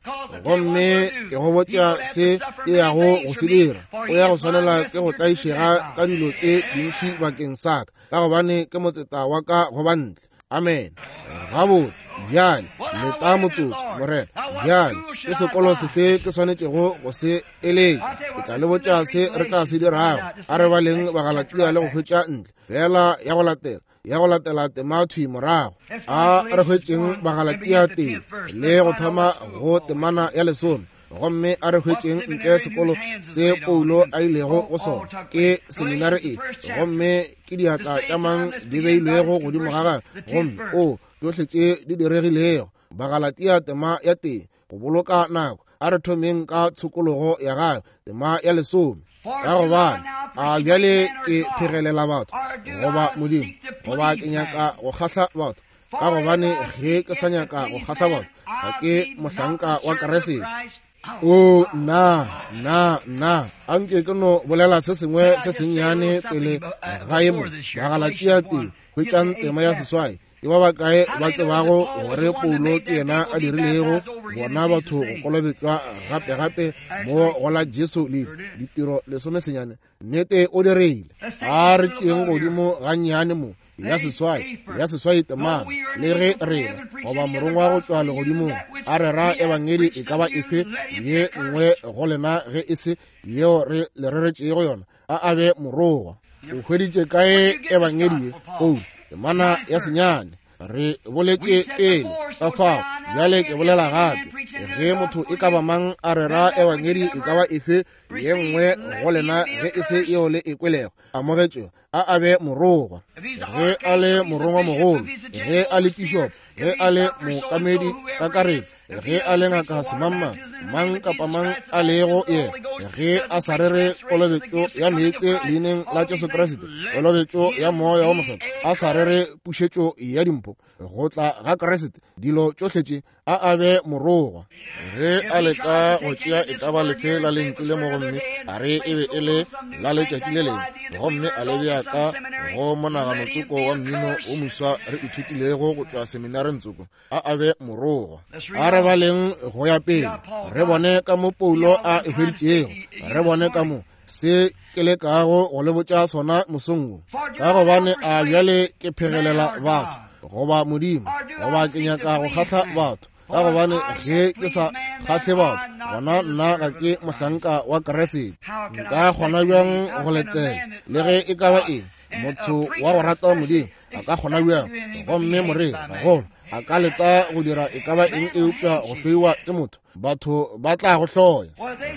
Gomme ke go botša se ke yago go se dira. O ya go swanela ke go tlaišega ka dilo tše dintši bakeng sa ka, ka gobane ke motseta wa ka go bantle. Amen. Gabotse, bjale leta motsotso, Morena. Bjale ke sekolo sefe ke swanetšego go se eletša? Ke tla le botša se re tla se dirago. A re baleng Bagalatia le go hwetša ntle fela ya go latela, ya go latela temathwi morago. A re hwetšeng Bagalatia tee le go thoma go temana ya lesome, gomme a re hwetšeng ntle sekolo se Paulo a ilego go sona, ke seminari e, gomme ke diatla tša mang di beilwego godimo ga gagwe, gomme o tšohle tše di diregilego. Bagalatia tema ya tee, go boloka nako, a re thomeng ka tshokologo ya gagwe, tema ya lesome. Ka gobane a bjale ke phegelela batho goba Modimo, goba ke nyaka go kgahla batho? Ka gobane ge ke sa nyaka go kgahla batho, ga ke mohlanka wa Kriste. O nna, nna, nna, anke ke no bolela se sengwe se sennyane pele ga ye mo. Bagalatia tee, hwetšang tema ya seswai. Ke ba bakae ba tsebago gore Paulo ke yena a dirilego bona batho go kolobetšwa gape-gape mo go la Jesu le ditiro lesomesenyane? Nnete o dirile. A re tšeeng godimo gannyane mo ya seswai, ya seswai temana. Le ge rena goba morongwa go tšwa legodimong a rera ebangedi e ka ba efe ye nngwe go lena ge e se yeo re le reretšego yona, a a be morongwa. O hweditše kae ebangedi ye? Paulo, temana ya senyane. Re boletše pele ka fao, bjale ke bolela gape. Ge motho e ka ba mang a rera ebangedi e ka ba efe ye nngwe go lena ge e se yeo le e kwelego, amogetšego, a a be morongwa. Ge a le morongwa mogolo, ge a le bishop, ge a le mookamedi kakaretšo, ge a le ngaka semangmang, mang kapa mang a lego yena, ge a sa rere kolobetšo ya meetse leineng la Jesu Kriste, kolobetšo ya moya wo mokgethwa, a sa rere pušetšo ya dimpho, go tla ga Kriste, dilo tšohle tše, a a be morongwa. Ge a leka go tšea e ka ba lefe la lentšu le mo gomme a re e be e le la letšatši le lengwe, gomme a le bea ka go monagano tsoko wa mmino o moswa re ithutilego go tšwa seminareng tsoko, a a be morongwa. A re baleng go ya pele, re bone ka mo Paulo a e hweditšego, re bone ka mo se ke lekago go le botša sona mosong wo. Ka gobane a bjale ke phegelela batho goba Modimo, goba ke nyaka go kgahla batho? Ka gobane ge ke sa kgahle batho, gona nna ga ke mohlanka wa Kriste. Nka kgona bjang go letela le ge e ka ba eng? Motho wa go rata Modimo a ka kgona bjang? Gomme moreri gagolo a ka leta go dira e ka ba eng eupša go hloiwa ke motho? Batho ba tla go hloya.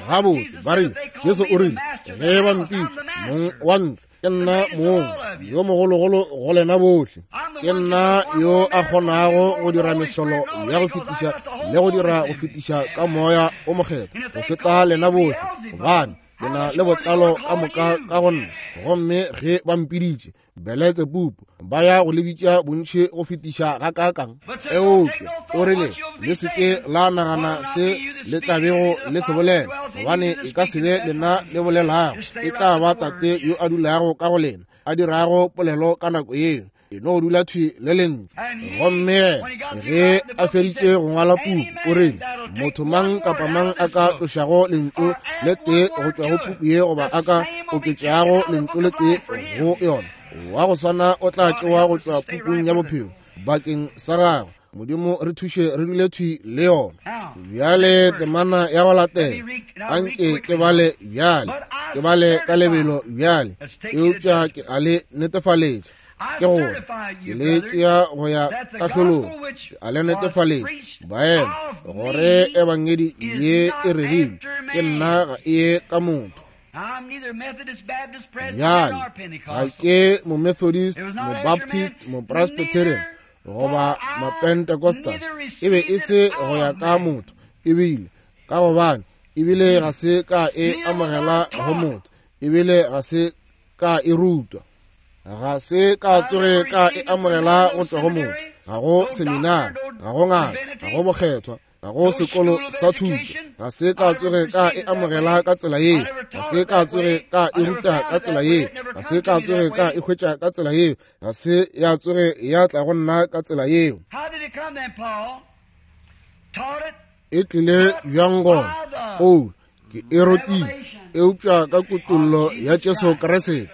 Gabotse ba rile, Jesu o rile, ge ba mpitša mong wa ntlo, ke nna mong yo mogologolo go lena bohle. Ke nna yo a kgonago go dira mehlolo ya go fetiša le go dira go fetiša ka moya o mokgethwa go feta lena bohle, gobane ke na le botlalo ka moka ka go nna. Gomme ge ba mpiditše Beletsebubu, ba ya go le bitša bontši go fetiša ga kakang. Eupša o rile, le se ke la nagana se le tla bego le se bolela, gobane e ka se be lena le bolelago, e tla ba Tate yo a dulago ka go lena, a dirago polelo ka nako yeo. E no dula thwi le lentšu. Gomme ge a feditše go ngwala puku, o rile, motho mang kapa mang a ka tlošago lentšu le tee go tšwa go puku ye, goba a ka oketšago lentšu le tee go yona, wa go swana o tla tšewa go tšwa pukung ya bophelo bakeng sa gagwe. Modimo re thuše re dule thwi le yona. Bjale temana ya go latela, anke ke bale bjale, ke bale ka lebelo bjale, eupša ke a le netefaletša. Ke gore ke le tšea go ya kahlolong, ke a le netefaletša baena gore ebangedi ye e rerilwe ke nna ga e ye ka motho. Bjale ga ke Momethodist, Mobaptist, Mopresbyterian goba Mapentecostal. E be e se go ya ka motho, ebile ka gobane ebile ga se ka e amogela go motho, ebile ga se ka e rutwa, ga se ka tsoge ka e amogela go tšwa go motho. Ga go seminari, ga go ngaka, ga go bokgethwa, ga go sekolo sa thuto. Ga se ka tsoge ka e amogela ka tsela yeo, ga se ka tsoge ka e ruta ka tsela yeo, ga se ka tsoge ka e hwetša ka tsela yeo, ga se ya tsoge ya tla go nna ka tsela yeo. E tlile bjang gona? Paulo, ke e rutile, eupša ka kutollo ya Jesu Kriste.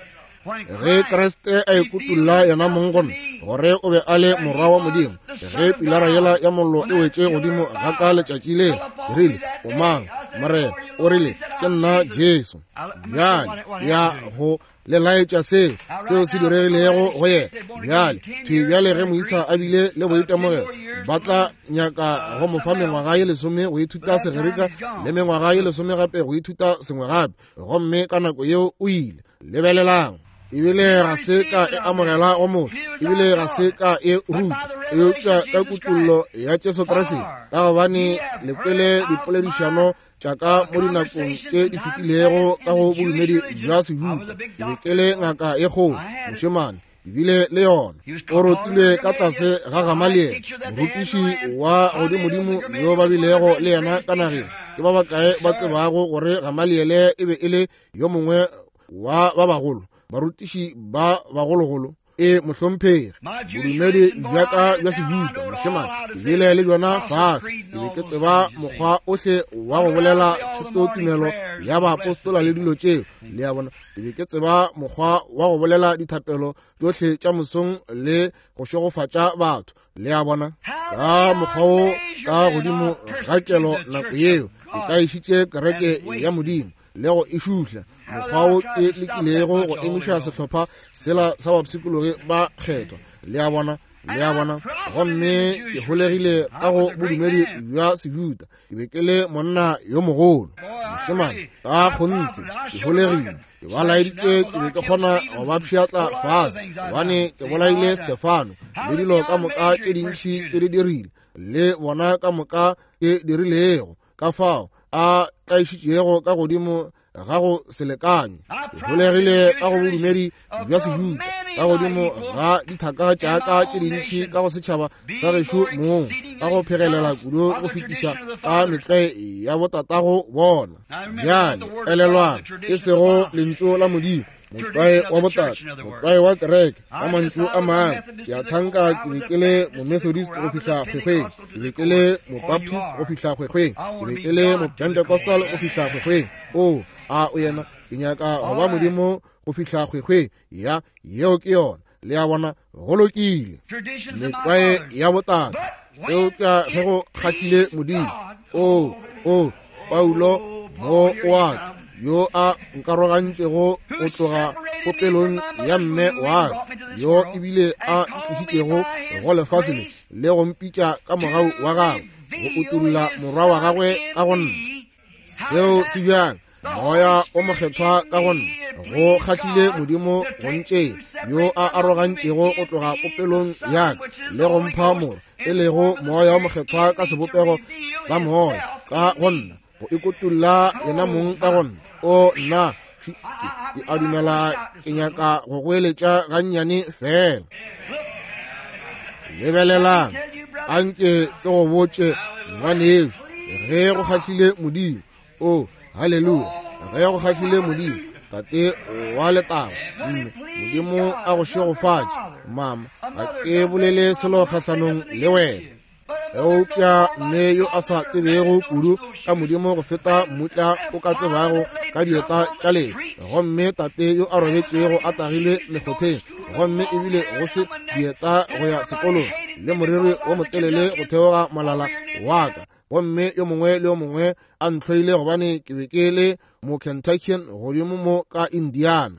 Ge Kriste a ikutulla yena mong go nna gore o be a le morwa wa Modimo, ge pilara yela ya mollo e wetše godimo ga ka letšatši le, ke rile, o mang, Morena? O rile, ke nna Jesu. Bjale ya go le laetša seo seo se diregilego go yena. Bjale thwi bjale ge moisa a bile le boitemogelo, ba tla nyaka go mo fa mengwaga ye lesome go ithuta Segerika le mengwaga ye lesome gape go ithuta sengwe gape, gomme ka nako yeo o ile. Lebelelang, ebile ga se ka e amogela go motho, ebile ga se ka e ruta, eupša ka kutollo ya Jesu Kriste. Ka gobane le kwele dipoledišano tša ka mo dinakong tše di fetilego ka go bodumedi bja Sejuda. Ke be ke le ngaka ye kgolo, mošemane, Ke bile le yona. O rotilwe ka tlase ga Gamaliele, morutiši wa godimodimo yo ba bilego le yena ka nageng. Ke ba bakae ba tsebago gore Gamaliele e be e le yo mongwe wa ba bagolo, barutiši ba bagologolo? E mohlomphegi, bodumedi bja ka bja Sejuda, mošemane, ke bile le bjona fase. Ke be ke tseba mokgwa ohle wa go bolela thutotumelo ya baapostola le dilo tšeo, le a bona. Ke be ke tseba mokgwa wa go bolela dithapelo tšohle tša mosong le go šegofatša batho, le a bona. Ka mokgwa wo ka godimo ga kelo nako yeo ke tlaišitše kereke ya Modimo le go e šuhla, mokgwa wo ke lekilego go emiša sehlopha sela sa bapshikologi ba kgethwa, le a bona, le a bona. Gomme ke holegile ka go bodumedi bja Sejuda. Ke be ke le monna yo mogolo, mošemane, ka kgonthe ke holegile. Ke ba laeditše ke be ke kgona go ba pšhatla fase, gobane ke bolaile Stefano le dilo ka moka tše dintši ke di dirile, le bona ka moka ke dirilego, ka fao a tlaišitšego ka godimo ga go selekanye. Ke holegile ka go bodumedi bja Sejuda, ka godimo ga dithaka tša ka tše dintši ka go setšhaba sa gešo mong, ka go phegelela kudu go fetiša ka metlwae ya botatago bona. Bjale elelwang, e sego lentšu la Modimo, motlwae wa botate, motlwae wa kereke, ka mantšu a mangwe. Ke a thanka ke be ke le momethodist go fihla kgwekgweng, ke be ke le mobaptist go fihla kgwekgweng, ke be ke le mopentecostal go fihla kgwekgweng. O a o yena, ke nyaka go ba Modimo go fihla kgwekgweng. Ya, yeo ke yona, le a bona, go lokile. Metlwae ya botate, eupša ge go kgahlile Modimo. O, o, Paulo mo o a tla, yo a nkarogantšego go tloga popelong ya mme wa ka, yo ebile a ntlišitšego go lefase le, le go mpitša ka mogau wa gagwe, go utolla morwa wa gagwe ka go nna. Seo se bjang? Moya o mokgethwa ka go nna. Go kgahlile Modimo go ntšea, yo a arogantšego go tloga popelong ya ka le go mpha morwa, e lego Moya o mokgethwa ka sebopego sa moya ka go nna, go ikotulla yena mong ka go nna. O nna, ke a dumela ke nyaka go goeletša gannyane fela. Lebelelang, anke ke go botše ngwanešu, ge go kgahlile Modimo. O, haleluya, ge go kgahlile Modimo, Tate wa letago, mme Modimo a go šegofatše. Mama, ga ke bolele selo kgahlanong le wena, eupša mme yo a sa tsebego kudu ka Modimo go feta mmutla o ka tsebago ka dieta tša lefe, gomme tate yo a robetšego a tagilwe mekgotheng, gomme ebile go se dieta go ya sekolong, le moriri wo motelele go theoga molala wa ka, gomme yo mongwe le yo mongwe a ntlhoile gobane ke be ke le mo Kentuckian godimo mo ka Indiana.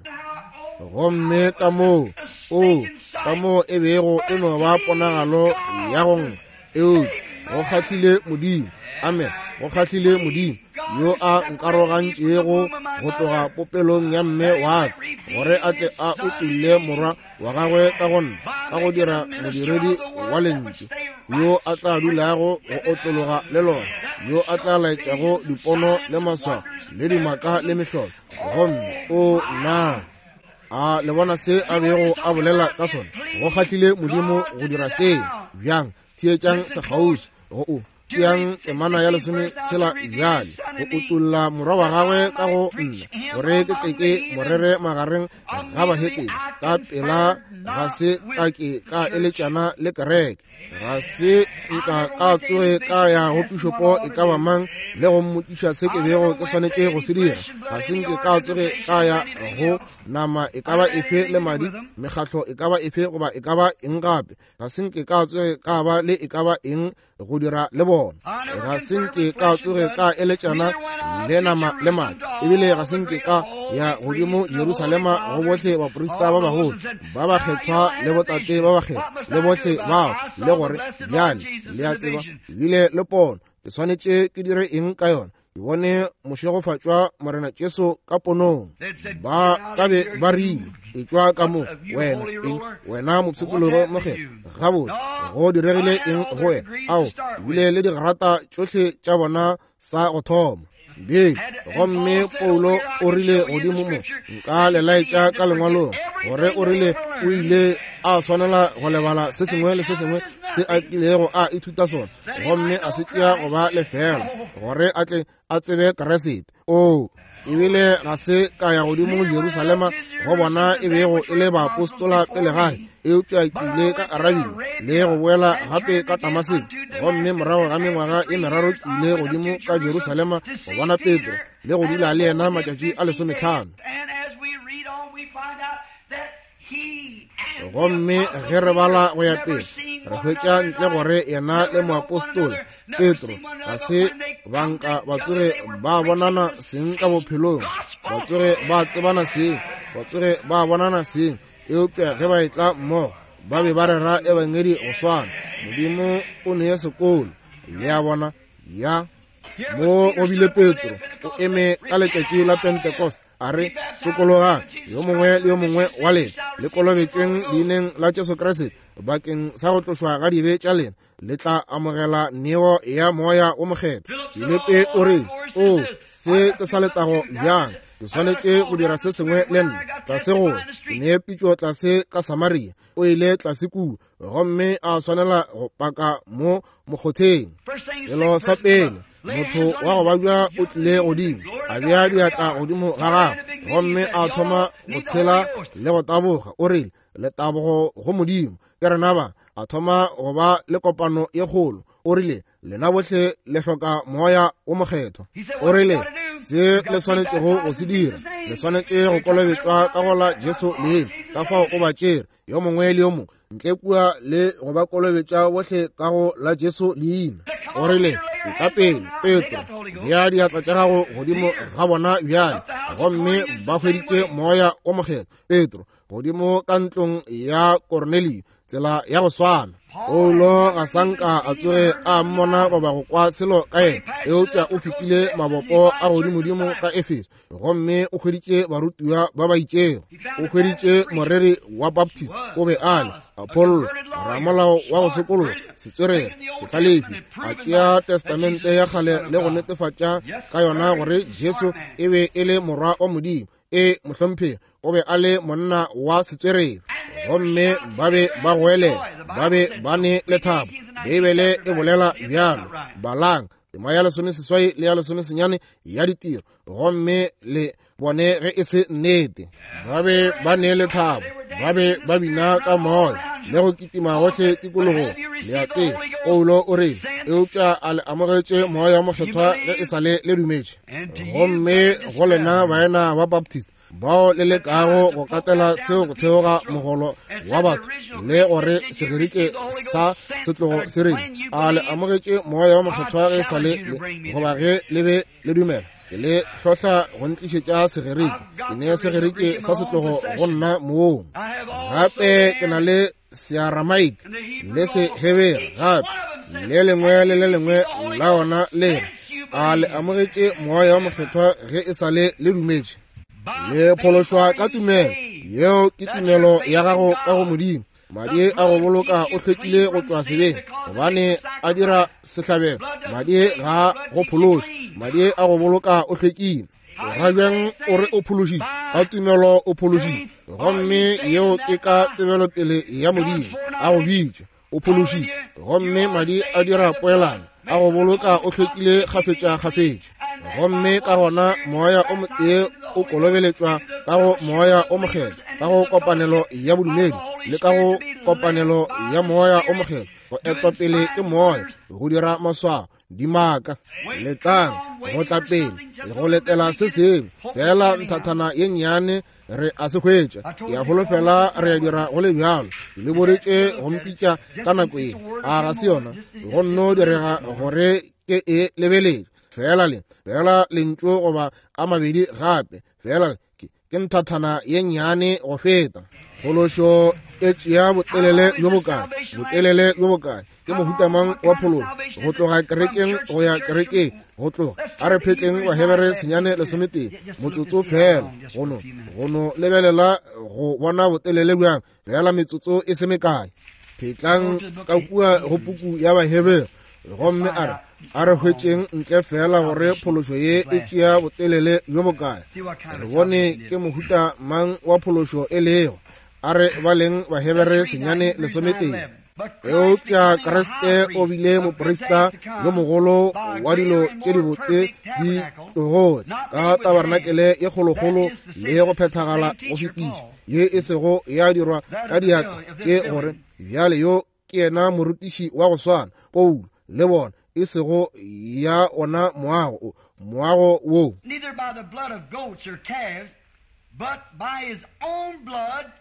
Gomme ka moo, o, ka moo e bego e no ba ponagalo ya go nkga, eupša go kgahlile Modimo. Amen, go kgahlile Modimo yo a nkarogantšego go tloga popelong ya mme wa ka, gore a tle a utolle morwa wa gagwe ka go nna, ka go dira modiredi wa lentšu, yo a tla dulago go otlologa le lona, yo a tla laetšago dipono le maswao le dimaka le mehlolo. Gomme o nna, a le bona se a bego a bolela ka sona? Go kgahlile Modimo go dira seo. Bjang? Theetšang sekgauswi go o tšeang temana ya lesome tshela bjale, go utolla morwa wa gagwe ka go nna, gore ke tle ke morere magareng ga bahetene. Ka pela ga se ka ke ka eletšana le kereke, ga se nka ka tsoge ka ya go pišopo e ka ba mang le go mmotšiša se ke bego ke swanetše go se dira. Ga se nke ka tsoge ka ya go nama e ka ba efe le madi, mekgahlo e ka ba efe goba e ka ba eng gape. Ga se nke ka tsoge ka ba le e ka ba eng go dira le bona. Ga se nke ka tsoge ka eletšana le nama le madi, ebile ga se nke ka ya godimo Jerusalema go bohle baprista ba bagolo ba bakgethwa le botate ba bakgethwa le bohle bao, le gore bjale le a tseba ebile le pono, ke swanetše ke dire eng ka yona? Ke bone mošegofatšwa Morena Jesu ka ponong. Ba ka be ba rile, etšwa ka mo wena, eng wena mopshikologo mokgethwa, gabotse go diregile eng go wena? Ao, ebile le digrata tšohle tša bona sa go thoma. Bjale, gomme Paulo o rile godimo mo, nka le laetša ka lengwalong, gore o rile O ile a swanela go lebala se sengwe le se sengwe se a kilego a ithuta sona, gomme a se tšea go ba lefela gore a tle a tsebe Kriste. O ebile ga se ka ya godimo Jerusalema go bona e bego e le baapostola pele gae, eupša ke ile ka Arabia le go boela gape ka Damaseko, gomme morago ga mengwaga e meraro ke ile godimo ka Jerusalema go bona Petro le go dula le yena matšatši a lesometlhano. Gomme ge re bala go ya pele, re hwetša ntle gore yena le moapostola Petro ga se banka ba tsoge ba bonana seng ka bophelong, ba tsoge ba tsebana seng, ba tsoge ba bonana seng, eupša ge ba etla mmogo ba be ba rera ebangedi go swana. Modimo o nee sekolo, le a bona. Ya mo o bile Petro o eme ka letšatši la Pentecost, a re, sokologang yo mongwe le yo mongwe wa lena, le kolobetšweng leineng la Jesu Kriste bakeng sa go tlošwa ga dibe tša lena, le tla amogela neo ya Moya wo Mokgethwa. Filipi o re, o se ke sa letago bjang, ke swanetše go dira se sengwe le nna. Tlase go ke nee pitšo tlase ka Samaria. O ile tlase kua gomme a swanela go paka mo mokgotheng. Selo sa pele, motho wa go babja o tlile godimo, a bea diatla godimo ga gagwe, gomme a thoma go tshela le go taboga. O rile, letabogo go Modimo, ke rena ba. A thoma go ba le kopano ye kgolo. O rile, lena bohle le hloka Moya wo Mokgethwa. O rile, se le swanetšego go se dira, le swanetše go kolobetšwa ka go la Jesu leina. Ka fao o ba tšere yo mongwe le yo mongwe ntle kua le go ba kolobetša bohle ka go la Jesu leina. O rile, etla pele Petro, bea diatla tša gago godimo ga bona bjale, gomme ba hweditše Moya wo Mokgethwa. Petro godimo ka ntlong ya Kornelio, tsela ya go swana. Paulo ga sanka a tsoge a mmona goba go kwa selo ka yena, eupša o fetile mabopo a godimodimo ka Efeso, gomme o hweditše barutiwa ba ba itšego. O hweditše moreri wa Baptist, o be a le Apollo, ramolao wa go sokologa, setswerere, sehlalefi, a tšea testamente ya kgale le go netefatša ka yona gore Jesu e be e le morwa wa Modimo. E mohlomphegi, o be a le monna wa setswerere, gomme ba be ba goelela, ba be ba ne lethabo. Beibele e bolela bjalo. Balang tema ya lesomeseswai le ya lesomesenyane ya ditiro, gomme le bone ge e se nnete. Ba be ba ne lethabo, ba be ba bina ka moya le go kitima gohle tikologong. Le a tseba, Paulo o rile, eupša a le amogetše Moya Mokgethwa ge e sa le le dumetše. Gomme go lena baena ba Baptist bao le lekago go katela seo go theoga mogolo wa batho le gore Segerike sa setlogo se reng, a le amogetše Moya wa Mokgethwa ge e sa le goba ge le be le dumela? Ke le hlohla go ntlišetša Segerike, ke ne Segerike sa setlogo go nna mong. Gape ke na le Searamaik le Sehebere gape, le lengwe le le lengwe la ona le re, a le amogetše Moya wa Mokgethwa ge e sa le le dumetše? Le phološwa ka tumelo, yeo ke tumelo ya gago ka go Modimo. Madi a go boloka o hlwekile go tšwa sebeng, gobane a dira sehlabelo. Madi ga go phološe, madi a go boloka o hlwekile. Ra bjang o re o phološitše? Ka tumelo o phološitše, gomme yeo ke ka tsebelopele ya Modimo a go bitša. O phološitše, gomme madi a dira poelano, a go boloka o hlwekile kgafetša-kgafetša. Gomme ka gona Moya o motee o kolobeletšwa ka go Moya o Mokgethwa, ka go kopanelo ya bodumedi le ka go kopanelo ya Moya o Mokgethwa, go etwa pele ke Moya, go dira maswao, dimaka, letang, go tla pele, go letela se sengwe fela nthathana ye nnyane re a se hwetša. Ke a holofela re a dira go le bjalo. Ke le boditše go mpitša ka nako ye, a ga se yona? Go nno direga gore ke e lebeletše fela le fela lentšu goba a mabedi gape, fela ke ke nthathana ye nnyane go feta. Phološo e tšea botelele bjo bokae? Botelele bjo bokae? Ke mohuta mang wa phološo? Go tloga kerekeng go ya kerekeng, go tloga a re phetleng Bahebere senyane lesometee motsotso fela, go no go no lebelela go bona botelele bjang, fela metsotso e se mekae. Phetlang ka kua go puku ya Bahebere, gomme a re a re hwetšeng ntle fela gore phološo ye e tšea botelele bjo bokae, re bone ke mohuta mang wa phološo e lego. A re baleng Bahebere senyane lesometee. Eupša Kriste o bile moprista yo mogolo wa dilo tše dibotse di tlogo ka tabarnakele ye kgolokgolo le go phethagala go fetiša, ye e sego ya dirwa ka diatla, ke gore bjale yo ke yena morutiši wa go swana Paulo le bona, e sego ya ona moago o moago wo. Neither by the blood of goats or calves, but by his own blood,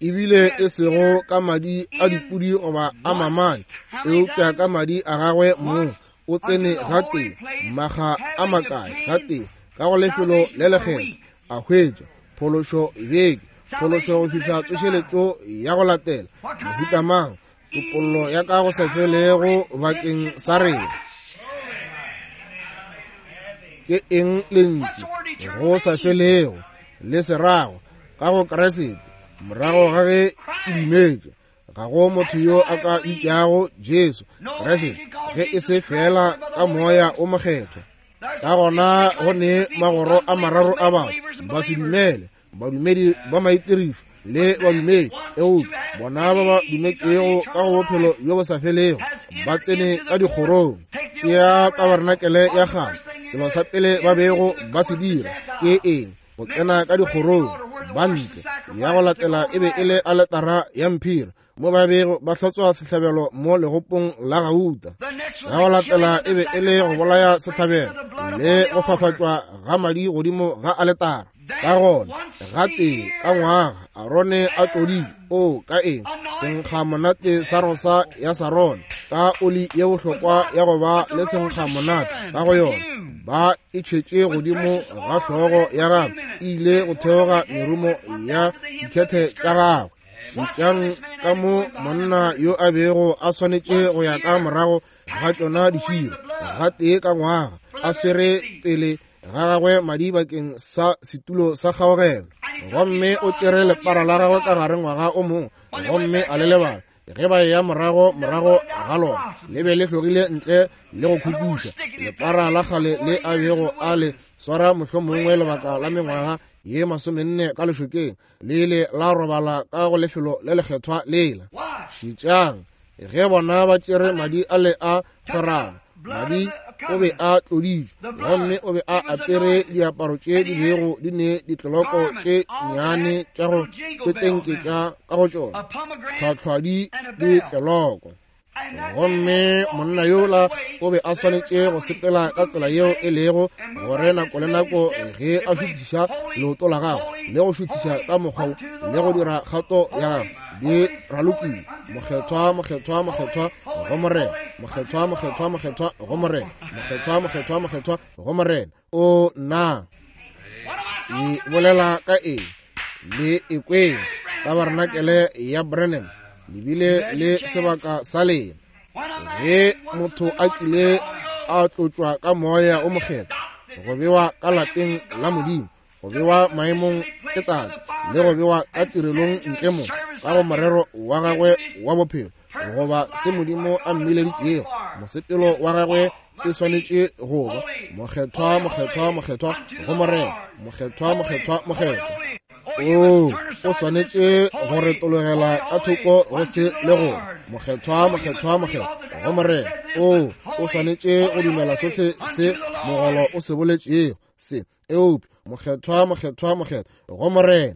ebile e sego ka madi a dipudi goba a mamane, eupša ka madi a gagwe mong o tsene gatee maga a makae gatee ka go lefelo le lekgethwa, a hwetša phološo beke, phološo go fihla tsošeletšo ya go latela, mohuta mang, topollo ya ka go sa felego bakeng sa rena. Ke eng lentšu go sa felego le serago ka go Kriste morago ga ge ke dumetše? Ga go motho yo a ka bitšago Jesu Kriste ge e se fela ka moya o mokgethwa. Ka gona go ne magoro a mararo a batho ba se dumele, badumedi ba maitirišo le badumedi, eupša bona ba ba dumetšego ka go bophelo bjo bo sa felego ba tsene ka dikgorong. Tšea tabarnakele ya kgale, selo sa pele ba bego ba se dira ke eng? Go tsena ka dikgorong. Ba ntle ya go latela e be e le aletara ya mphiri, mo ba bego ba hlotswa sehlabelo mo legopong la gauta. Sa go latela e be e le go bolaya sehlabelo le go fafatšwa ga madi godimo ga aletara. Ka gona gatee ka ngwaga Arone a tloditšwe o ka eng senkga monate sa rosa ya Sarone ka oli ye bohlokwa ya go ba le senkga monate ka go yona, ba e tšhetše godimo ga hlogo ya gagwe, e ile go theoga merumo ya dikhethe tša gagwe. Šetšang ka mo monna yo a bego a swanetše go ya ka morago ga tšona diširo gatee ka ngwaga, a swere pele ga gagwe madi bakeng sa setulo sa kgaogelo. Gomme o tšere lepara la gagwe ka gare ngwaga o mongwe, gomme a le lebala. Ge ba eya morago morago ga lona, le be le hlogile ntle le go khukuša lepara la kgale le a bego a le swara mohlomongwe lebaka la mengwaga ye masomenne ka lešokeng, le ile la robala ka go lefelo le lekgethwa lela. Šetšang ge bona ba tšere madi a le a kgwerano, madi o be a tloditšwe, gomme o be a apere diaparo tše di bego di ne ditloloko tše nnyane tša go petenketša ka go tšona, tlhwatlhwadi le tleloko. Gomme monna yola o be a swanetše go sepela ka tsela yeo e lego gore nako le nako ge a šuthiša leoto la gagwe le go šuthiša ka mokgwa wo le go dira kgato ya gagwe di ralokile, mokgethwa mokgethwa mokgethwa go Morena, mokgethwa mokgethwa mokgethwa go Morena, mokgethwa mokgethwa mokgethwa go Morena. O nna e bolela ka eng? Le ekweng tabarnakele ya Branham lebile le sebaka sa lena. Ge motho a kile a tlotšwa ka moya o mokgethwa, go bewa ka lapeng la Modimo, go bewa maemong ke Tate, le go bewa ka tirelong ntle mo ka go morero wa gagwe wa bophelo, goba se Modimo a mmileditšego, mosepelo wa gagwe e swanetše go ba mokgethwa mokgethwa mokgethwa go Morena, mokgethwa mokgethwa mokgethwa. O o swanetše go retologela ka thoko go se le go mokgethwa mokgethwa mokgethwa go Morena. O o swanetše go dumela sohle se mogolo o se boletšego se, eupša mokgethwa mokgethwa mokgethwa go Morena.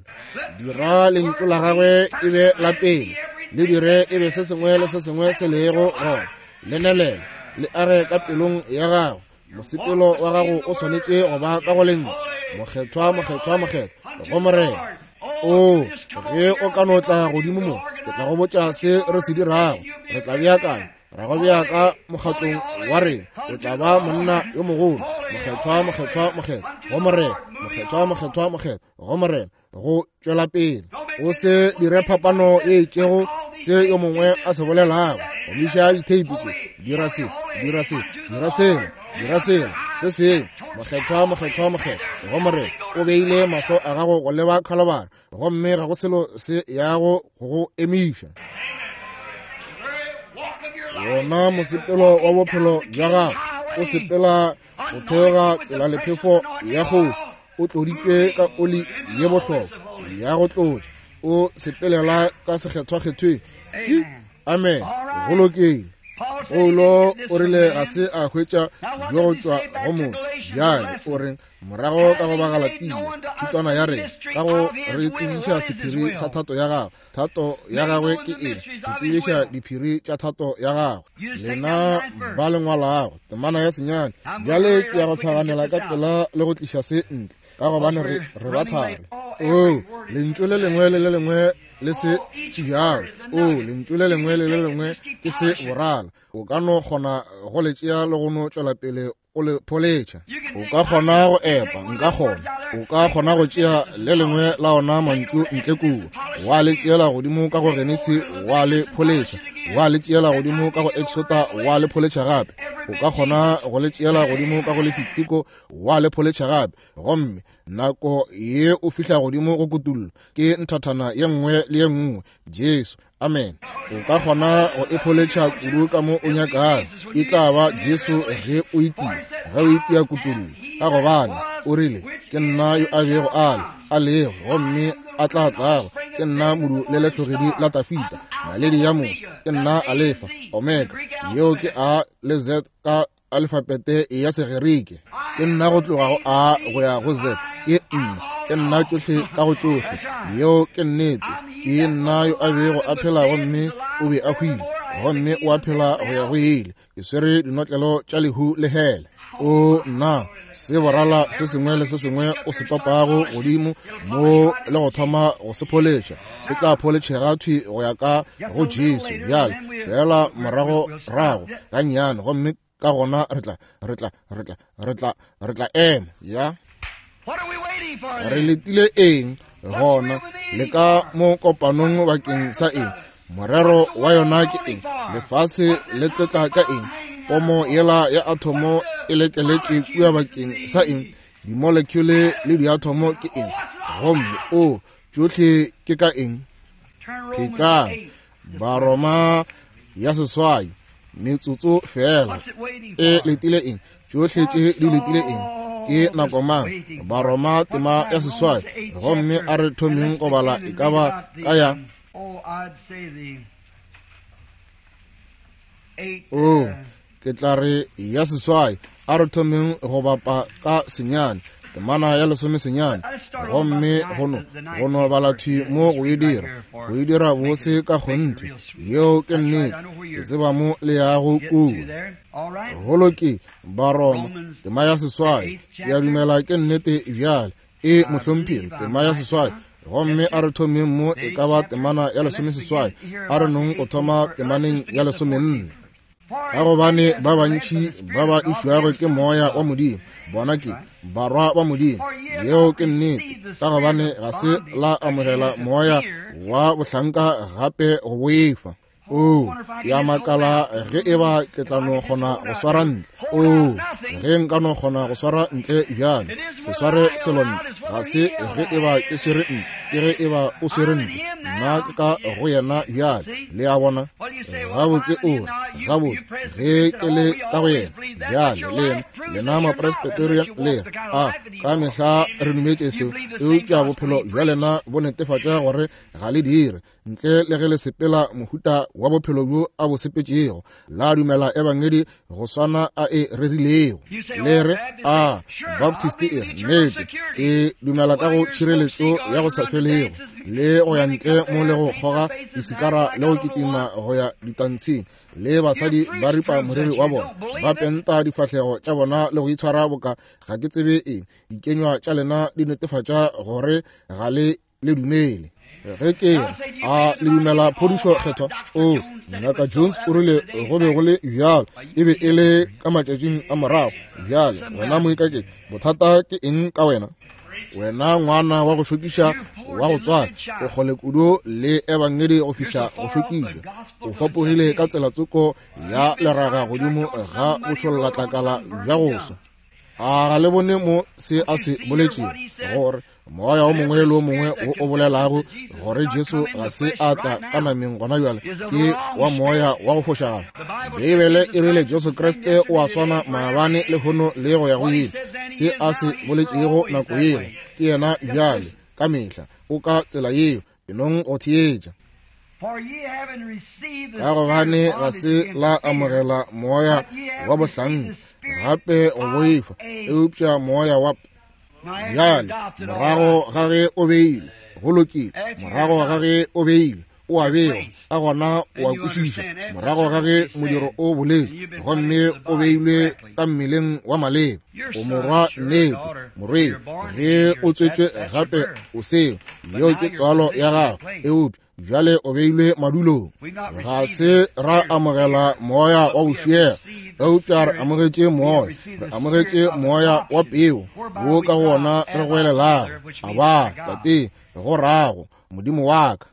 Dira lentšu la gagwe e be la pele, le dire e be se sengwe le se sengwe se lego gona, le nelele le age ka pelong ya gago. Mosepelo wa gago o swanetše go ba ka go lentšu mokgethwa mokgethwa mokgethwa go Morena. O ge o ka no tla godimo mo, ke tla go botša se re se dirago. Re tla beakanya, ra go bea ka mokgatlong wa rena. O tla ba monna yo mogolo, mokgethwa mokgethwa mokgethwa go Morena, mokgethwa mokgethwa mokgethwa go Morena, go tšwela pele. O se dire phapano ye itšego se yo mongwe a se bolelago. Gomiša ditheipi tše, dira se, dira se, dira sela, dira sela, se sengwe. Mokgethwa mokgethwa mokgethwa go Morena. O beile mahlo a gago go leba Khalibari, gomme ga go selo se yago go go emiša. Wona mosepelo wa bophelo bja gago o sepela go theoga tsela lephefo ya kgoši, o tloditšwe ka oli ye bohlokwa ya go tlotša. O sepelela ka sekgethwakgethweng. Amen. Go lokile. Paulo o rile ga se a hwetša bjo go tšwa go motho. Bjale o reng morago ka go Bagalatia, thutwana ya rena, ka go re tsebiša sephiri sa thato ya gagwe. Thato ya gagwe ke eng? Go tsebiša diphiri tša thato ya gagwe. Lena ba le ngwalago temana ya senyane. Bjale ke ya go hlaganela ka pela le go tliša se ntle, ka gobane re re ba thari. O lentšu le lengwe le le lengwe le se se bjalo. O lentšu le lengwe le le lengwe ke se borala. O ka no kgona go le tšea le go no tšwela pele o le pholetšha. O ka kgona go epa, nka kgona. O ka kgona go tšea le lengwe la ona mantšu ntle kua, wa le tšeela godimo ka go Genesi, wa le pholetšha, wa le tšeela godimo ka go Exota, wa le pholetšha gape. O ka kgona go le tšeela godimo ka go Lefitiko, wa le pholetšha gape. Gomme nako ye o fihla godimo go kutullo, ke nthathana ye nngwe le ye nngwe, Jesu. Amen. O ka kgona go e pholetšha kudu ka mo o nyakago. E tla ba Jesu ge o itia, ge o itia kutullo. Ka gobane o rile, ke nna yo a bego a le, a lego, gomme a tla tlago. Ke nna modu le lehlogedi la Tafita, naledi ya moso. Ke nna Alefa, Omega. Yeo ke A le Z ka alfabete ya Segerike. Ke nna go tloga go A go ya go Z. Ke nna, ke nna tšohle ka go tšohle. Yeo ke nnete. Ke nna yo a bego a phela gomme o be a hwile, gomme o a phela go ya go ile. Ke swere dinotlelo tša lehu le hele. O nna, se borala se sengwe le se sengwe o se topago godimo mo le go thoma go se pholetšha, se tla pholetšhega thwi go ya ka go Jesu. Bjale fela morago rago gannyane, gomme ka gona re tla re tla re tla re tla re tla ema. Ya re letile eng gona? Le ka mo kopanong bakeng sa eng? Morero wa yona ke eng? Lefase le tsetla ka eng? Pomo yela ya athomo e lekeletše kua bakeng sa eng? Dimolekule le diathomo ke eng? Gomme o tšohle ke ka eng? Phetlang Baroma ya seswai, metsotso fela. E letile eng? Tšohle tše di letile eng? Ke nako mang? Baroma tema ya seswai. Gomme a re thomeng go bala e ka ba ka ya o ke tla re ya seswai. A re thomeng go bapa ka senyane, temana ya lesome senyane. Gomme go no go no bala thwi mo go e dira, go e dira bose ka kgonthe. Yeo ke nnete. Ke tseba mo le yago kua. Go lokile. Baroma tema ya seswai. Ke a dumela ke nnete bjale. E mohlomphegi, tema ya seswai. Gomme a re thomeng mo e ka ba temana ya lesome seswai. A re nong go thoma temaneng ya lesomenne. Ka gobane ba bantši ba ba išwago ke moya wa Modimo, bona ke barwa ba Modimo. Yeo ke nnete. Ka gobane ga se la amogela moya wa bohlanka gape go boifa. O ke a makala ge e ba ke tla no kgona go swara ntle. O ge nka no kgona go swara ntle bjale. Se sware selo ntle. Ga se ge e ba ke swere ntle, ke ge e ba o swere ntle. Nna ke ka go yena bjale. Le a bona? Gabotse o re, gabotse ge ke le ka go yena bjale. Lena, lena Mapresbyterian le re, a ka mehla re dumetše seo, eupša bophelo bja lena bo netefatša gore ga le dire, ntle le ge le sepela mohuta wa bophelo bjo a bo sepetšego, la dumela ebangedi go swana a e rerilego. Le re, a Baptist e re, nnete ke dumela ka go tšhireletšo ya go sa felego, le go ya ntle mo le go kgoga disikara le go kitima go ya ditantshing, le basadi ba ripa moriri wa bona, ba penta difahlego tša bona le go itshwara boka ga ke tsebe eng. Dikenywa tša lena di netefatša gore ga le le dumele. Ge ke a le dumela phodišo kgethwa, o Ngaka Jones o rile go be go le bjalo, e be e le ka matšatšing a morago. Bjale wena moikaketši, bothata ke eng ka wena? Wena ngwana wa go šokiša wa go tswala, o kgole kudu le ebangedi go fihla go šokiša. O fapogile ka tsela tsoko ya leraga godimo ga botshollatlakala bja go swa. A ga le bone mo se a se boletšego, gore moya o mongwe le o mongwe wo o bolelago gore Jesu ga se a tla ka nameng gona bjale ke wa moya wa go fošagala. Beibele e rile Jesu Kriste o a swana maabane, lehono le go ya go ile. Se a se boletšego nako yeo ke yena bjale ka mehla. O ka tsela yeo. Enong go theetša. Ka gobane ga se la amogela moya wa bohlanka gape go boifa, eupša moya wa bjale morago ga ge o beile go lokile, morago ga ge o beile o a bewa, ka gona o a kwešiša, morago ga ge modiro o boletše gomme o beilwe ka mmeleng wa maleba, o morwa nnete, morwedi, ge o tswetšwe gape o seo, yeo ke tswalo ya gago, eupša bjale o beilwe madulong. Ga se ra amogela moya wa bošego, eupša re amogetše moya, re amogetše moya wa peo, wo ka gona re goelelago, Aba, Tate, go rago Modimo wa ka.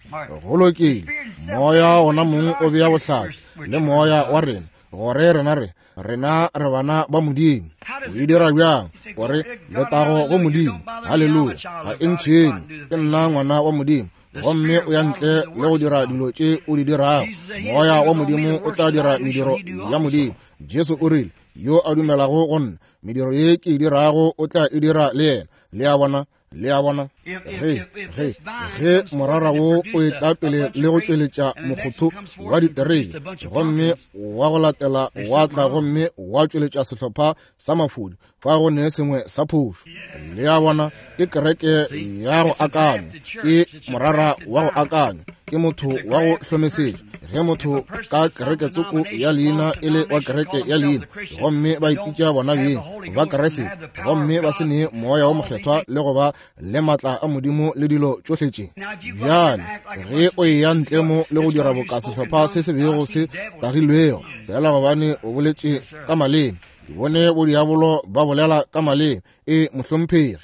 Go lokile, moya ona mong o bea bohlatse le moya wa rena gore rena re rena re bana ba Modimo. O e dira bjang? Gore letago go Modimo, haleluya, ga e ntshwenye, ke nna ngwana wa Modimo, gomme o ya ntle le go dira dilo tše o di dirago. Moya wa Modimo o tla dira mediro ya Modimo. Jesu o rile, yo a dumelago go nna, mediro ye ke e dirago o tla e dira le yena. Le a bona? Le a bona? Ge, ge, ge morara wo o etla pele le go tšweletša mokgotho wa diterebe, gomme wa go latela wa tla gomme wa tšweletša sehlopha sa mafodi, fa go ne sengwe sa phošo. Le a bona? Ke kereke ya go akanya, ke morara wa go akanya, ke motho wa go hlomesetša. Ge motho ka kereke tsoko ya leina e le wa kereke ya leina, gomme ba ipitša bona beng ba Keresete, gomme ba se ne moya wa mokgethwa le go ba le matla a Modimo le dilo tšohle tše. Bjale ge o eya ntle mo le go dira boka sehlopha se se bego se tagilwego, fela gobane o boletše ka maleme, ke bone bodiabolo ba bolela ka maleme, e mohlomphegi,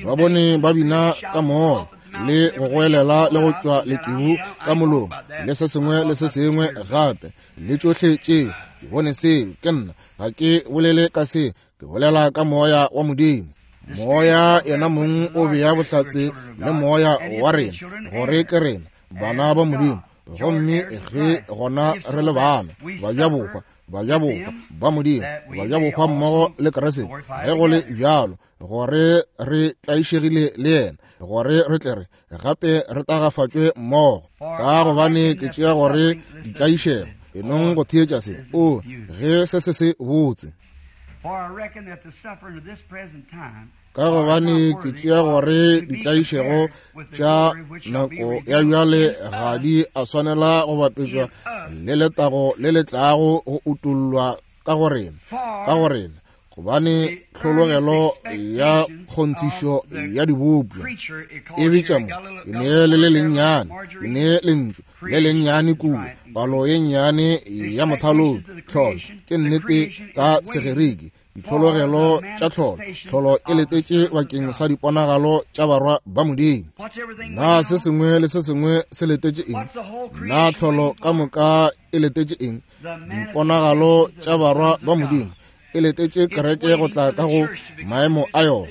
ba bone ba bina ka moya le go goelela le go tšwa lekebu ka molomo le se sengwe le se sengwe gape le tšohle tšeo. Ke bone seo, ke nna ga ke bolele ka se, ke bolela ka moya wa Modimo. Moya yena mong o bea bohlatse le moya wa rena gore ke rena bana ba Modimo, gomme ge gona re le bana bajabohwa, bajabohwa ba Modimo, bajabohwa mmogo le Keresete, ge go le bjalo gore re tlaišegile le yena, gore re tle re gape re tagafatšwe mmogo. Ka gobane ke tšea gore ditlaišego, enong go theetša se, o ge se se se botse. Ka gobane ke tšea gore ditlaišego tša nako ya bjale ga di a swanela go bapetšwa le letago le le tlago go utollwa ka go rena, ka go rena, gobane tlhologelo ya kgonthišo ya dibopša e bitša mo, ke nee le le lennyane, ke nee lentšu le lennyane kua, palo ye nnyane ya mothalong, tlholo ke nnete ka Segerike, ditlhologelo tša tlholo, tlholo e letetše bakeng sa diponagalo tša barwa ba Modimo. Na se sengwe le se sengwe se letetše eng? Na tlholo ka moka e letetše eng? Diponagalo tša barwa ba Modimo e letetše kereke go tla ka go maemo a yona.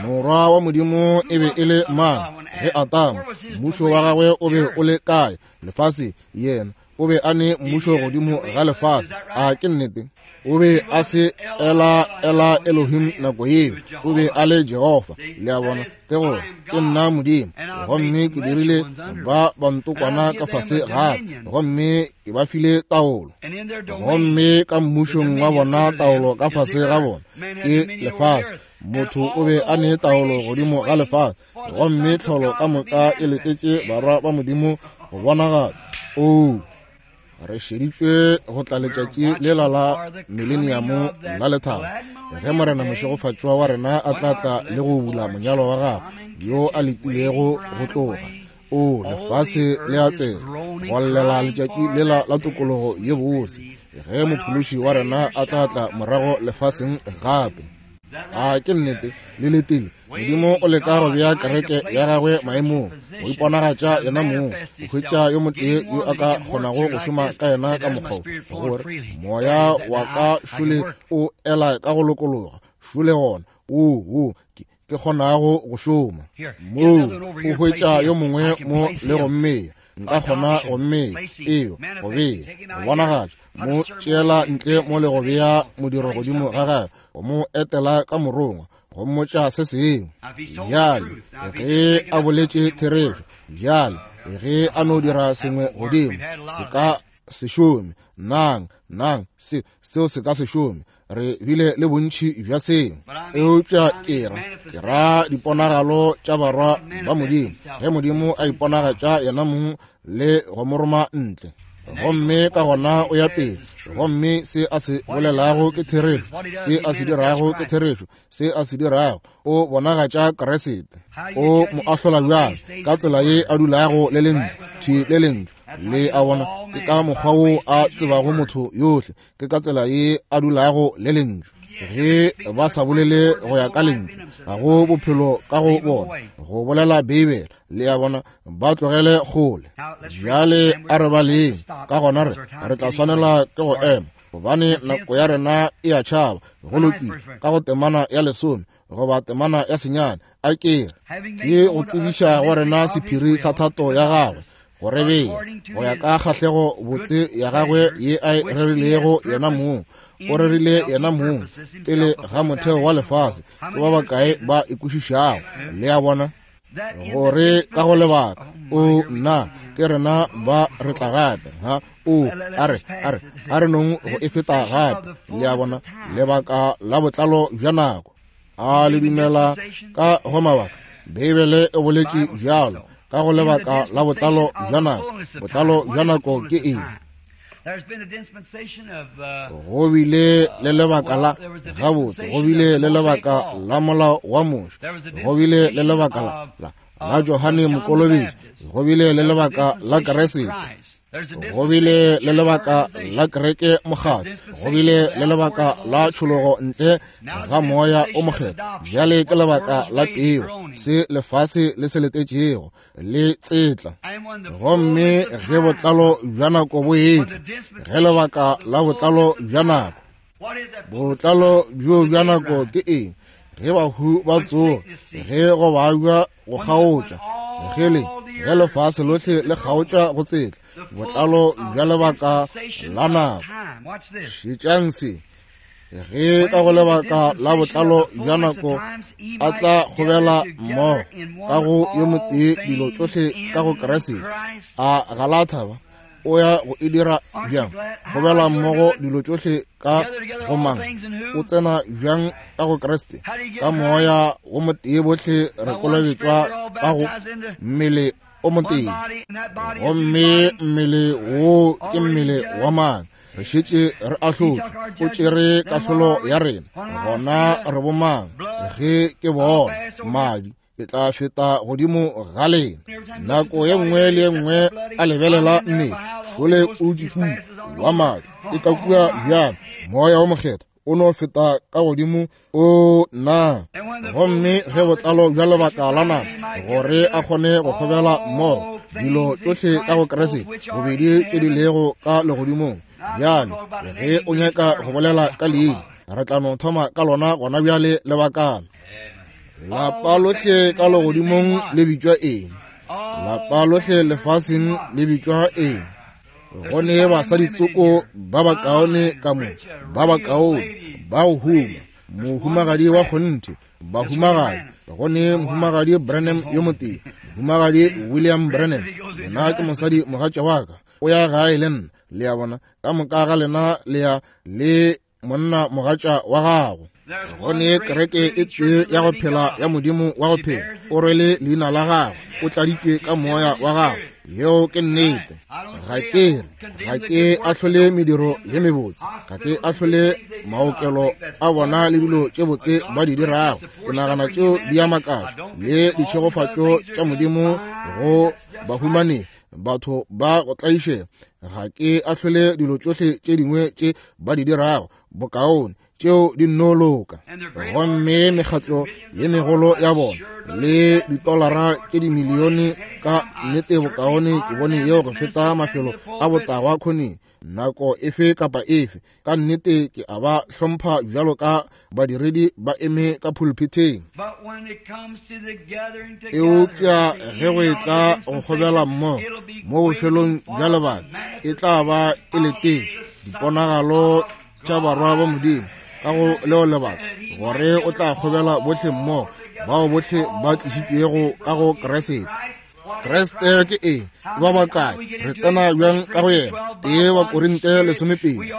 Morwa wa Modimo e be e le mang ge Atamo? Mmušo wa gagwe o be o le kae? Lefase. Yena o be a ne mmušo godimo ga lefase. A ke nnete? O be a se ela ela Elohim nako yeo, o be a le Jehofa. Le a bona? Ke gore ke nna Modimo, gomme ke dirile ba bantokwana ka fase gape, gomme ke ba file taolo, gomme ka mmušong wa bona taolo ka fase ga bona ke lefase. Motho o be a ne taolo godimo ga lefase, gomme tlholo ka moka e letetše barwa ba Modimo go bonagala. Oo, re šeditšwe go tla letšatši lela la mileniamo la lethabo, ge Morena mošegofatšwa wa rena a tla tla le go bula monyalo wa gagwe yo a letilego go tloga. O lefase le a tsela go llela letšatši lela la tokologo ye bose, ge mophološi wa rena a tla tla morago lefaseng gape. A ke nnete? Le letile. Modimo o leka go bea kereke ya gagwe maemong, go iponagatša yena mong, go hwetša yo motee yo a ka kgonago go šoma ka yena ka mokgwa gore moya wa ka šole o ela ka go lokologa, šole gona o o ke kgonago go šoma moo. O hwetša yo mongwe mo le go mmeya, nka kgona go mmeya eo go bea go bonagatša, mo tšeela ntle mo le go bea modiro godimo ga gagwe, go mo etela ka morongwa, go mmotša se sengwe. Bjale ge a boletše therešo, bjale ge a no dira sengwe godimo, se ka se šome. Nang, nang, se, seo se ka se šome. Re bile le bontši bja seo. Eupša ke ra, ke ra diponagalo tša barwa ba Modimo, ge Modimo a iponagatša yena mong le go mo roma ntle. Gomme ka gona o ya pele, gomme se a se bolelago ke therešo, se a se dirago ke therešo, se a se dirago, o bonagatša Kriste. O mo ahlola bjang? Ka tsela ye a dulago le lentšu, thwi le lentšu. Le a bona, ke ka mokgwa wo a tsebago motho yohle, ke ka tsela ye a dulago le lentšu. Ge ba sa bolele go ya ka lentšu, ga go bophelo ka go bona, go bolela Beibele. Le a bona, ba tlogele kgole. Bjale a re baleng, ka gona re re tla swanela ke go ema, gobane nako ya rena e a tšhaba. Go lokile, ka go temana ya lesome goba temana ya senyane, a ke ke go tsebiša go rena sephiri sa thato ya gagwe, go re bea go ya ka kgahlego botse ya gagwe ye a e rerilego yena mong. O rerile yena mong pele ga motheo wa lefase. Ke ba bakae ba ikwešišago? Le a bona, gore ka go lebaka o nna ke rena ba re tla gape. Ha o a re a re a re nong go e feta gape. Le a bona, lebaka la botlalo bja nako. A le dumela ka go mabaka? Beibele e boletše bjalo, ka go lebaka la botlalo bja nako. Botlalo bja nako ke eng? Go bile le lebaka la gabotse, go bile le lebaka la molao wa Moshe, go bile le lebaka la la, la Johane Mokolobetši, go bile le lebaka la Kriste, go bile le lebaka la kereke mokgatlo, go bile le lebaka la tšhologo ntle ga moya o mokgethwa. Bjale ke lebaka la peo, se lefase le se letetšego le tsetla. Gomme ge botlalo bja nako bo etla, ge lebaka la botlalo bja nako, botlalo bjo bja nako ke eng? Ge bahu ba tsoga, ge go babja go kgaotša, ge le ge lefase lohle le kgaotša go tsetla, botlalo bja lebaka la nako. Šetšang se, ge ka go lebaka la botlalo bja nako a tla kgobela mmogo ka go yo motee dilo tšohle ka go Kriste. A ga la thaba? O ya go e dira bjang? Kgobela mmogo dilo tšohle ka go mang? O tsena bjang ka go Kriste? Ka moya wo motee bohle re kolobetšwa ka go mmele o motee. Gomme mmele wo ke mmele wa mang? Re šetše re ahlotšwe, o tšere kahlolo ya rena. Gona re bomang? Ge ke bona madi, ke tla feta godimo ga lena. Nako ye nngwe le ye nngwe a lebelela mmele, šole o dikua wa madi e ka kua bjang? Moya wo mokgethwa o no feta ka godimo o na. Gomme ge botlalo bja lebaka la nako, gore a kgone go kgobela mmogo dilo tšohle ka go Kriste, bobedi tše di lego ka legodimong. Bjale ge o nyaka go bolela ka leina, re tla no thoma ka lona gona bjale lebakana. Lapa lohle ka legodimong le bitšwa eng? Lapa lohle lefaseng le bitšwa eng? Go ne basadi tsoko ba bakaone ka mo, ba bakaone, ba go huma, mohumagadi wa kgonthe, bahumagadi. Go ne mohumagadi Branham yo motee, mohumagadi William Branham. Yena ke mosadi mogatša wa ka, o ya gae le nna. Le a bona, ka moka ga lena le ya le monna mogatša wa gago. Go ne kereke e tee ya go phela ya Modimo wa go phela, o rwele leina la gagwe, o tladitšwe ka moya wa gagwe. Yeo ke nnete. Ga ke re, ga ke ahlole mediro ye mebotse, ga ke ahlole maokelo a bona le dilo tše botse ba di dirago. Ke nagana tšeo di a makatša le ditšhegofatšo tša Modimo go bahumanegi, batho ba go tlaišega. Ga ke ahlole dilo tšohle tše dingwe tše ba di dirago bokaone, tšeo di nno loka. Gomme mekgatlo ye megolo ya bona le ditolara tše dimilione, ka nnete bokaone ke bone yeo go feta mafelo a botagwa kgoneng nako efe kapa efe. Ka nnete ke a ba hlompha bjalo ka badiredi ba eme ka pulpiteng. Eupša ge go etla go kgobela mmogo mo bofelong bja lebaka, e tla ba e letetše diponagalo tša barwa ba Modimo Ka go leo lebaka gore o tla kgobela bohle mmogo, bao bohle ba tlišitšwego ka go Kriste. Kriste ke eng? Ba bakae? Re tsena bjang ka go yena? Tee wa Korinte lesomepedi.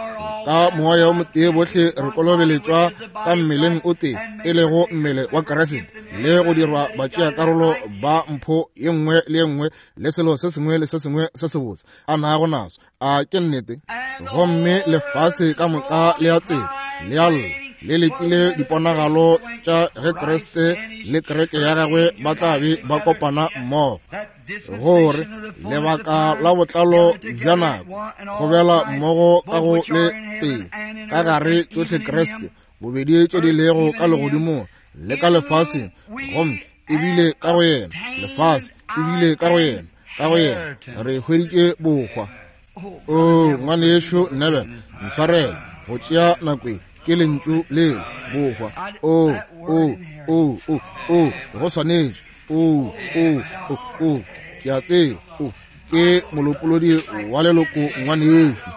Ka moya o motee bohle re kolobeletšwa ka mmeleng o tee, e lego mmele wa Kriste, le go dirwa batšeakarolo ba mpho ye nngwe le ye nngwe le selo se sengwe le se sengwe se sebotse a nago naso. A ke nnete? Gomme lefase ka moka le a tsela, le a lla, le letile diponagalo tša ge Kriste le kereke ya gagwe ba tla be ba kopana mmogo, gore lebaka la botlalo bja nako kgobela mmogo ka go le tee ka gare tsohle Kriste, bobedi tše di lego ka legodimong le ka lefaseng, gomme ebile ka go yena lefase, ebile ka go yena, ka go yena re hweditše bohwa. O ngwanešu Neville, ntshwarele go tšea nako e, ke lentšu le bohwa. O o o o o go swanetše. O o o o ke a tseba. O ke molopolodi wa leloko ngwanešu.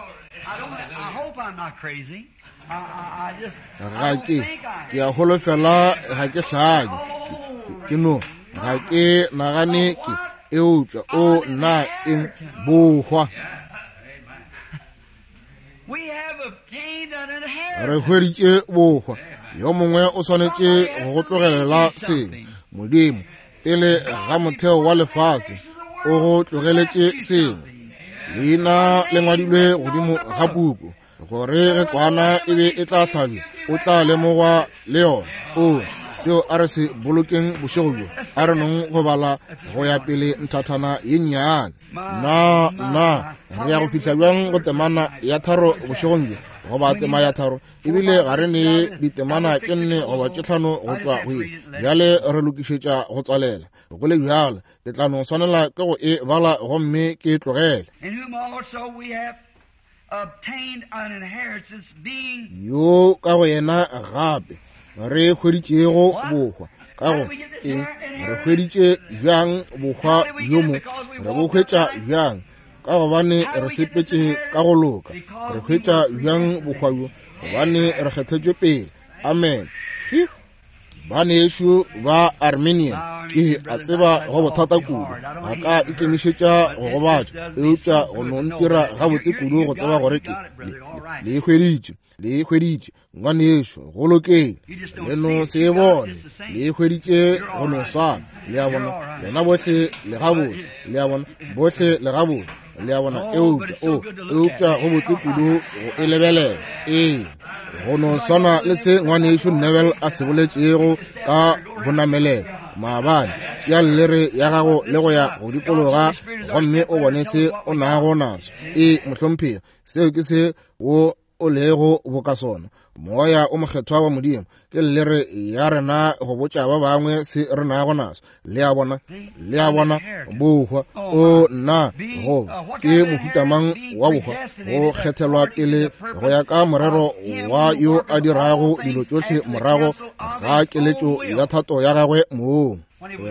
Ga ke ke a holofela ga ke hlanye, ke no ga ke nagane ke, eupša o nna eng bohwa. Re hweditše bohwa. Yo mongwe o swanetše go go tlogelela sengwe. Modimo pele ga motheo wa lefase o go tlogeletše sengwe. Leina le ngwadilwe godimo ga puku, gore ge kwana e be e tla hlabja, o tla lemogwa le yona. O seo a re se bolokeng bošego bjo, a re nong go bala go ya pele nthathana ye nnyane. Na na re ya go fihla bjang go temana ya tharo bošegong bjo, goba tema ya tharo? Ebile ga re ne ditemana tše nne goba tše tlhano go tšwa go ye. Bjale re lokišetša go tswalela. Go le bjalo, ke tla no swanela ke go e bala gomme ke e tlogele. Yo ka go yena gape re hweditšego bohwa. Ka go eng? Re hweditše bjang bohwa bjo mo? Re bo hwetša bjang? Ka gobane re sepetše ka go loka. Re hwetša bjang bohwa bjo? Gobane re kgethetšwe pele. Amen. Fiu. Banešu ba Armenian, ke a tseba go bothata kudu, ga ka ikemišetša go gobatša, eupša go no ntira gabotse kudu go tseba gore ke le, le e hweditše, le e hweditše ngwanešu, go lokeng, le no se e bone, le e hweditše go no swana. Le a bona, lena bohle le gabotse, le a bona, bohle le gabotse, le a bona, eupša o eupša go botse kudu go e lebelela. Ee, go no swana le se ngwanešu Neville a se boletšego ka bonamelelo maabane. Tšea llere ya gago le go ya go dikologa gomme o bone se o nago naso. Ee, mohlomphegi, seo ke se wo o lego boka sona. Moya o mokgethwa wa Modimo ke llere ya rena go botša ba bangwe se re nago naso. Le a bona, le a bona bohwa. O nna goba ke mohuta mang wa bohwa? Go kgethelwa pele go ya ka morero wa yo a dirago dilo tšohle morago ga keletšo ya thato ya gagwe mong.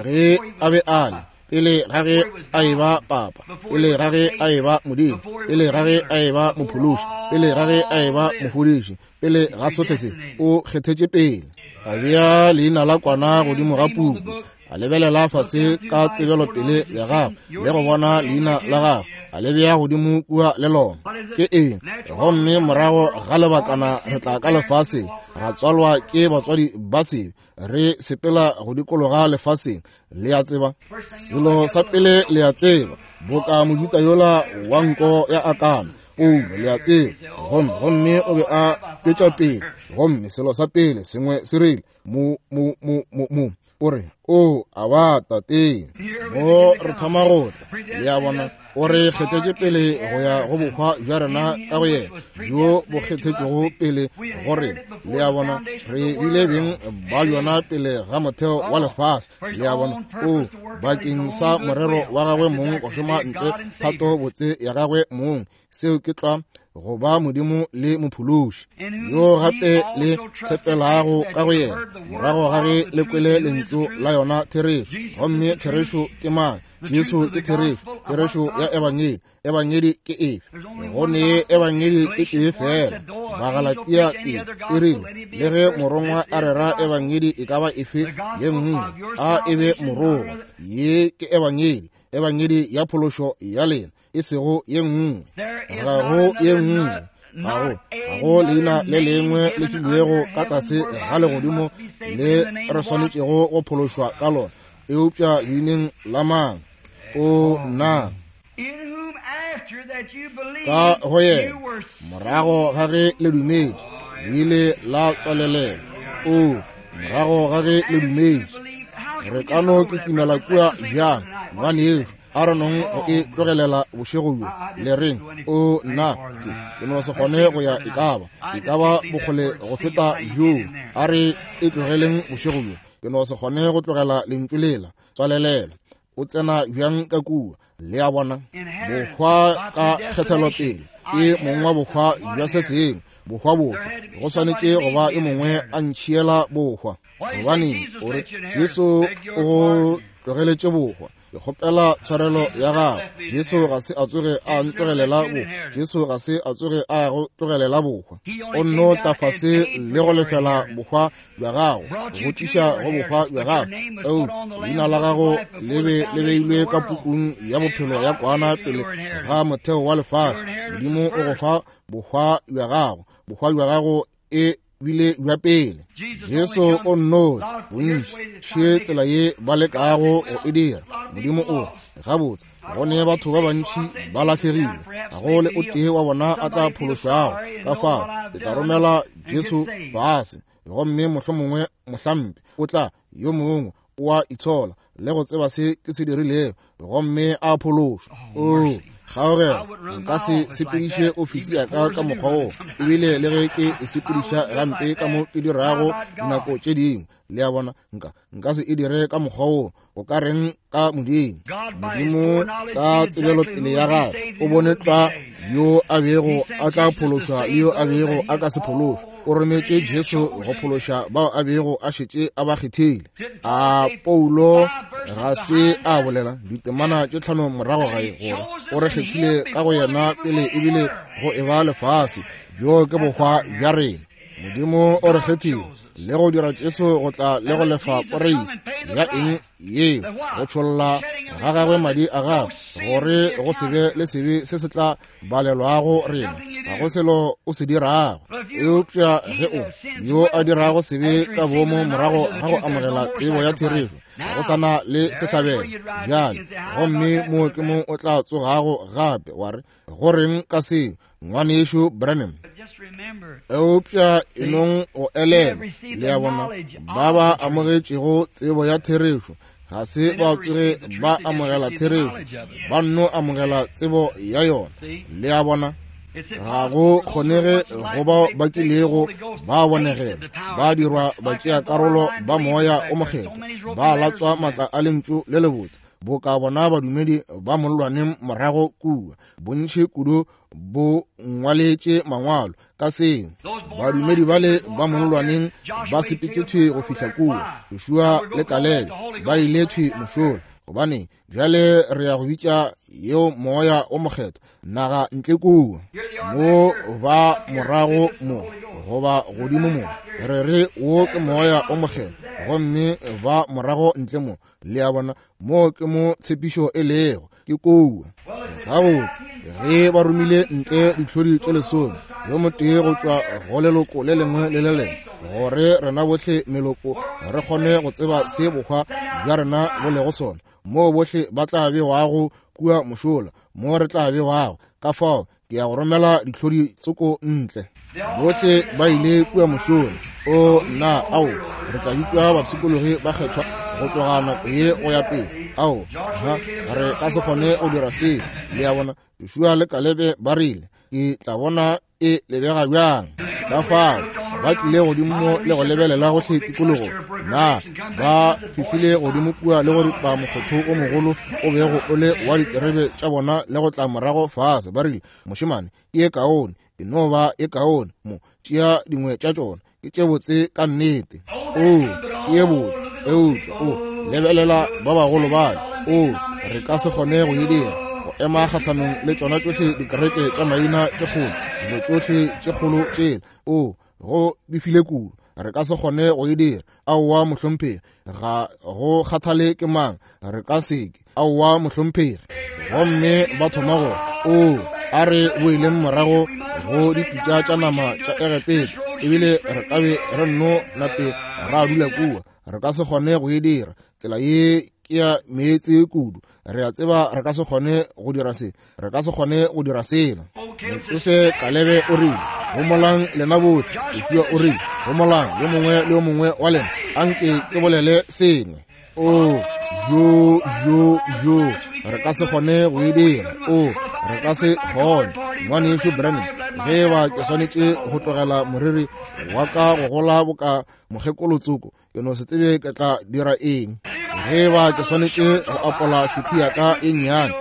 Ge a be a le pele ga ge a eba papa, pele ga ge a eba Modimo, pele ga ge a eba mophološi, pele ga ge a eba mofodiši, pele ga sohle se, o kgethetše pele. A bea leina la kwana godimo ga puku, a lebelela fase ka tsebelopele ya gagwe le go bona leina la gagwe, a le bea godimo kua le lona. Ke eng? Gomme morago ga lebakana re tla ka lefaseng, ra tswalwa ke batswadi ba sebe, re sepela go dikologa lefaseng. Le a tseba, selo sa pele le a tseba, boka Mojuta yola wa nko ya akana, Paulo, le a tseba, gomme gomme o be a tšwetša pele, gomme selo sa pele sengwe se rile mo mo mo mo mo o re o a ba tate. Mo re thoma go tla, le a bona, o re kgethetše pele go ya go bohwa bja rena ka go yena, bjo bo kgethetšwego pele go rena. Le a bona, re bile beng ba yona pele ga motheo wa lefase. Le a bona, o bakeng sa morero wa gagwe mong go šoma ntle thato botse ya gagwe mong. Seo ke tlwa go ba Modimo le mophološi, yo gape le tshepelago ka go yena morago ga ge le kwele lentšu la yona therešo. Gomme therešo ke mang? Jesu ke therešo, therešo ya ebangedi. Ebangedi ke efe? Go ne ebangedi e tee fela. Bagalatia tee e rile, le ge morongwa a rera ebangedi e ka ba efe ye nngwe, a e be morongwa. Ye ke ebangedi, ebangedi ya phološo ya lena, e sego ye nngwe. Ga go ye nngwe, ga go ga go leina le lengwe le filwego ka tlase ga legodimo le re swanetšego go phološwa ka lona, eupša leineng la mang? O nna ka go yena, morago ga ge le dumetše, le ile la tswalelelwa. O morago ga ge le dumetše, re ka no kitimela kua bjang, ngwanešu? A re nong go e tlogelela bošego bjo, le reng? O nna, ke ke no se kgone go ya e ka ba e ka ba bokgole go feta bjoo. A re e tlogeleng bošego bjo, ke no se kgone go tlogela lentšu lela. Tswalelela. O tsena bjang ka kua? Le a bona, bohwa ka kgethelopele ke mong wa bohwa bja se sengwe. Bohwa bofe? Go swanetše go ba e mongwe a ntšhiela bohwa. Gobane o re Jesu o go tlogeletše bohwa, ke kgopela tshwarelo ya gago. Jesu ga se a tsoge a ntlogelela bohwa. Jesu ga se a tsoge a go tlogelela bohwa. O nno tla fase le go lefela bohwa bja gago, go tliša go bohwa bja gago. Eo leina la gago le be le beilwe ka pukung ya bophelo ya kwana pele ga motheo wa lefase. Modimo o go fa bohwa bja gago. Bohwa bja gago e bile bja pele. Jesu o nno bontši še tsela ye ba lekago go e dira. Modimo o gabotse, go ne batho ba bantši ba lahlegile, ga go le o tee wa bona a tla phološwago. Ka fao ke tla romela Jesu fase, gomme mohlomongwe mohlampe o tla yo mongwe o a itshola le go tseba se ke se dirilego, gomme a phološwa. O kgaogelo, nka se sepediše ofisi ya ka ka mokgwa wo, ebile le ge ke e sepediša gampe ka mo ke dirago dinako tše dingwe. Le a bona, nka nka se e dire ka mokgwa wo. O ka reng ka Modimo? Modimo ka tsebelopele ya gagwe o bone tlwa yo a bego a tla phološwa le yo a bego a ka se phološwe. O rometše Jesu go phološa bao a bego a šetše a ba kgethile. A Paulo ga se a bolela ditemana tše tlhano morago gae gore o re kgethile ka go yena pele ebile go e ba lefase. Bjo ke bohwa bja rena. Modimo o re kgethile le go dira Jesu go tla le go lefa poreisi ya eng yeo, go tšholla ga gagwe madi a gagwe, gore go se be le sebe se se tla balelwago rena. Ga go selo o se dirago, eupša ge o yo a dirago sebe ka boomo morago ga go amogela tsebo ya therešo, ga go sana le sehlabelo bjale, gomme mo ke mo o tla tsogago gape wa re, go reng ka seo, ngwanešu Branham? Eupša enong go elelwa, le a bona, ba ba amogetšego tsebo ya therešo ga se ba tsoge ba amogela therešo, ba nno amogela tsebo ya yona. Le a bona, ga go kgonege go bao ba kilego ba bonegela, ba dirwa ba tšea karolo ba moya o mokgethwa, ba latswa matla a lentšu le lebotse, boka bona badumedi ba mollwaneng morago kua. Bontši kudu bo ngwaletše mangwalo ka seo. Badumedi bale ba mollwaneng ba sepetše thwi go fihla kua. Joshua le Kalebe ba ile thwi mošola. Gobane bjale re ya go bitša yeo moya o mokgethwa, naga ntle kua mo ba morago mo goba godimo mo, re re wo ke moya o mokgethwa, gomme ba morago ntle mo. Le a bona, mo ke mo tshepišo e lego, ke kua. Gabotse, ge ba romile ntle ditlhodi tše lesome, yo motee go tšwa go leloko le lengwe le le lengwe, gore rena bohle meloko re kgone go tseba se bohwa bja rena bo lego sona, moo bohle ba tla bewago kua mošola, mo re tla bewago. Ka fao ke ya go romela ditlhodi tsoko ntle. Bohle ba ile kua mošola. O nna, ao, re tla bitšwa bapshikologi ba kgethwa go tloga nako ye go ya pele. Ao, ha, re ka se kgone go dira seo. Le a bona, Joshua le Kalebe ba rile, ke tla bona e lebega bjang. Ka fao ba tlile godimo le go lebelela gohle tikologo. Na ba fihlile godimo kua le go ripa mokgotho o mogolo o bego o le wa diterebe tša bona le go tla morago fase. Ba rile, mošemane, ke e kaone, e no ba e kaone mo, tšea dingwe tša tšona, ke tše botse ka nnete. O, ke ye botse, eupša o lebelela ba bagolo bale. O, re ka se kgone go e dira. Go ema kgahlanong le tšona tšohle dikereke tša maina tše kgolo, dilo tšohle tše kgolo tšela. O go befile kudu, re ka se kgone go e dira. Aowa mohlomphegi, ga go kgathale ke mang, re ka seke. Aowa mohlomphegi. Gomme ba thoma go o a re boeleng morago go dipitša tša nama tša Egepeta, ebile re ka be re nno nape ra dula kua. Re ka se kgone go e dira. Tsela ye ke ya meetse kudu. Re a tseba re ka se kgone go dira se, re ka se kgone go dira sela. Motsofe Kalebe o rile, homolang lena bohle. Joshua o rile, homolang yo mongwe le yo mongwe wa lena, anke ke bolele sengwe. O jo jo jo, re ka se kgone go e dira. O re ka se kgone. Ngwanešu Branham, ge ba ke swanetše go tlogela moriri wa ka go gola boka mokgekolotsoko, ke no se tsebe ke tla dira eng. Ge ba ke swanetše go apola šuthi ya ka e nnyane,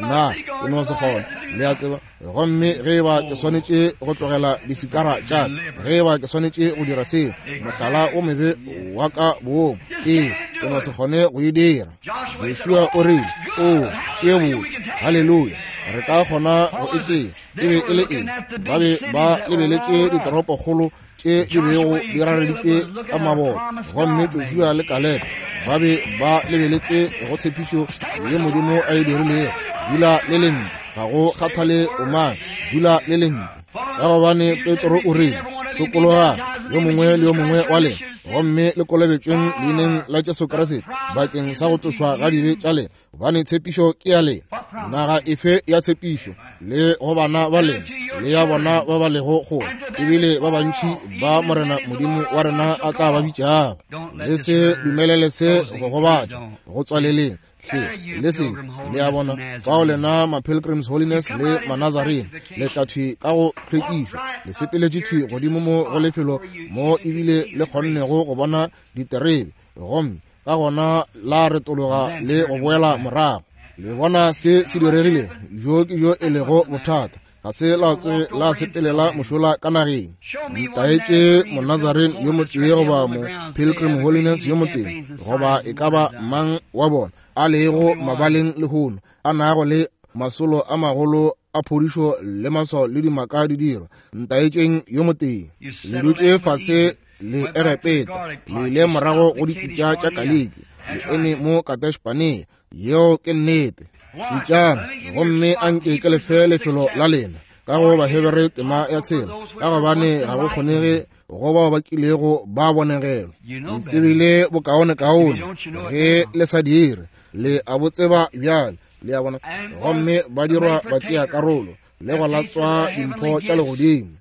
nna ke no se kgone, le a tseba. Gomme ge ba ke swanetše go tlogela disikara tša ka, ge ba ke swanetše go dira seo, mohlala o mebe wa ka boomo, ee, ke no se kgone go e dira. Joshua o rile, o ke botse, haleluya, re ka kgona go e tšea. E be e le eng? Ba be ba lebeletše ditoropokgolo tše di bego di rareditšwe ka maboto, gomme Joshua le Kalebe ba be ba lebeletše go tshepišo ye Modimo a e dirilego. Dula le lentšu, ga go kgathale o mang, dula le lentšu. Ka gobane Petro o rile, sokologang yo mongwe le yo mongwe wa lena, gomme le kolobetšweng leineng la Jesu Kriste bakeng sa go tlošwa ga dibe tša lena, gobane tshepišo ke ya lena. Naga efe ya tshepišo le go bana ba lena le ya bona ba ba lego kgole, ebile ba bantši ba Morena Modimo wa rena a tla ba bitšago. Le se dumelele se go gobatša, go tswaleleng hle, le se le a bona. Bao lena ma-Pilgrims Holiness le ma-Nazarene le tla thwi ka go hlwekišwa, le sepeletše thwi godimo mo go lefelo mo ebile le kgonnego go bona diterebe, gomme ka gona la retologa le go boela morago. Le bona se se diregile, jo ke jo e lego bothata. Ga se la tswe la sepelela mošola ka nageng. Ntaetše mo-Nazarene yo motee goba mo-Pilgrim Holiness yo motee, goba e ka ba mang wa bona a lego mabaleng lehono, a nago le masolo a magolo a phodišo le maswao le dimaka di dirwa. Ntaetšeng yo motee. Le dutše fase le Egepeta, le ile morago go dipitša tša Kaliki, le eme mo Kadesh-Barnea. Yeo ke nnete. Šetšang, gomme anke ke lefe lefelo la lena ka go Bahebere tema ya tshela, ka gobane ga go kgonege go bao ba kilego ba bonegelwa. Le tsebile bokaonekaone ge le sa dire, le a bo tseba bjale, le a bona. Gomme ba dirwa ba tšea karolo le go latswa dimpho tša legodimo,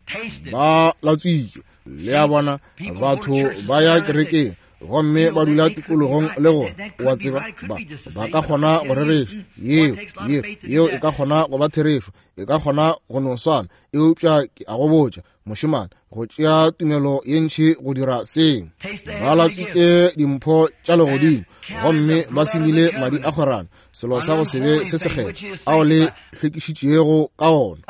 ba latswitše, le a bona. Batho ba ya kerekeng gomme ba dula tikologong le gore wa tseba ba ba ka kgona go rereša yeo yeo yeo e ka kgona go ba therešo, e ka kgona go no swana, eupša ke a go botša mošemane, go tšea tumelo ye ntši go dira seo. Ba latswitše dimpho tša legodimo gomme ba semile madi a kgwerano, selo sa go se be se sekgethwa ao le hlwekišitšego ka ona.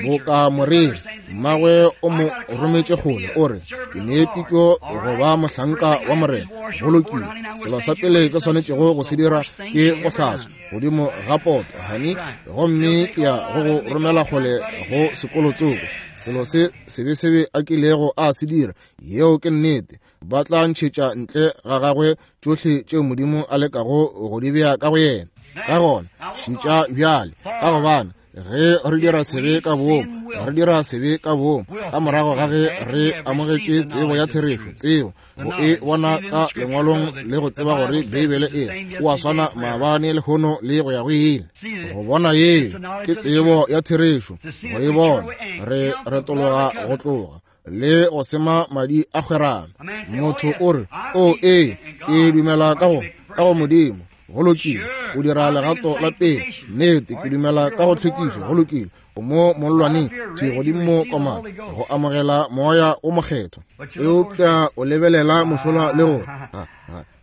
Boka moreri, mmagwe o mo rometše kgole, o re, ke ne pitšo go ba mohlanka wa Morena. Go lokile, selo sa pele ke swanetšego go se dira ke go hlatswa godimo ga poto, honey, gomme ke ya go go romela kgole go sekolotsoko. Selo se sebesebe a kilego a se dira, yeo ke nnete. Ba tla ntšhetša ntle ga gagwe tšohle tšeo Modimo a lekago go di bea ka go yena. Ka gona šetša bjale, ka gobane ge re dira sebe ka boomo, re dira sebe ka boomo ka morago ga ge re amogetše tsebo ya therešo, tsebo go e bona ka lengwalong le go tseba gore Beibele e o a swana maabane lehono le go ya go ile. Go bona yeo ke tsebo ya therešo, go e bona re retologa go tloga le go sema madi a kgwerano. Motho o re, o ee, ke dumela ka go ka go Modimo. Go lokile, o dira legato la pele. Nnete, ke dumela ka go tlhwekišo. Go lokile, o mo mollwaneng thwi godimo mo komana go amogela moya o mokgethwa. Eupša o lebelela mošola le gore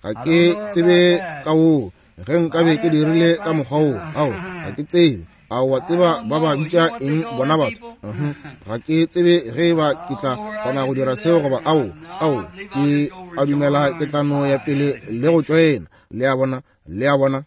ga ke tsebe ka woo, ge nkabe ke dirile ka mokgwa woo, ao ga ke tsebe. A wa tseba ba ba bitša eng bona batho? Ga ke tsebe ge ba ke tla kgona go dira seo goba ao, ao ke a dumela ke tla no ya pele le go tšoena. Le a bona, Le a bona?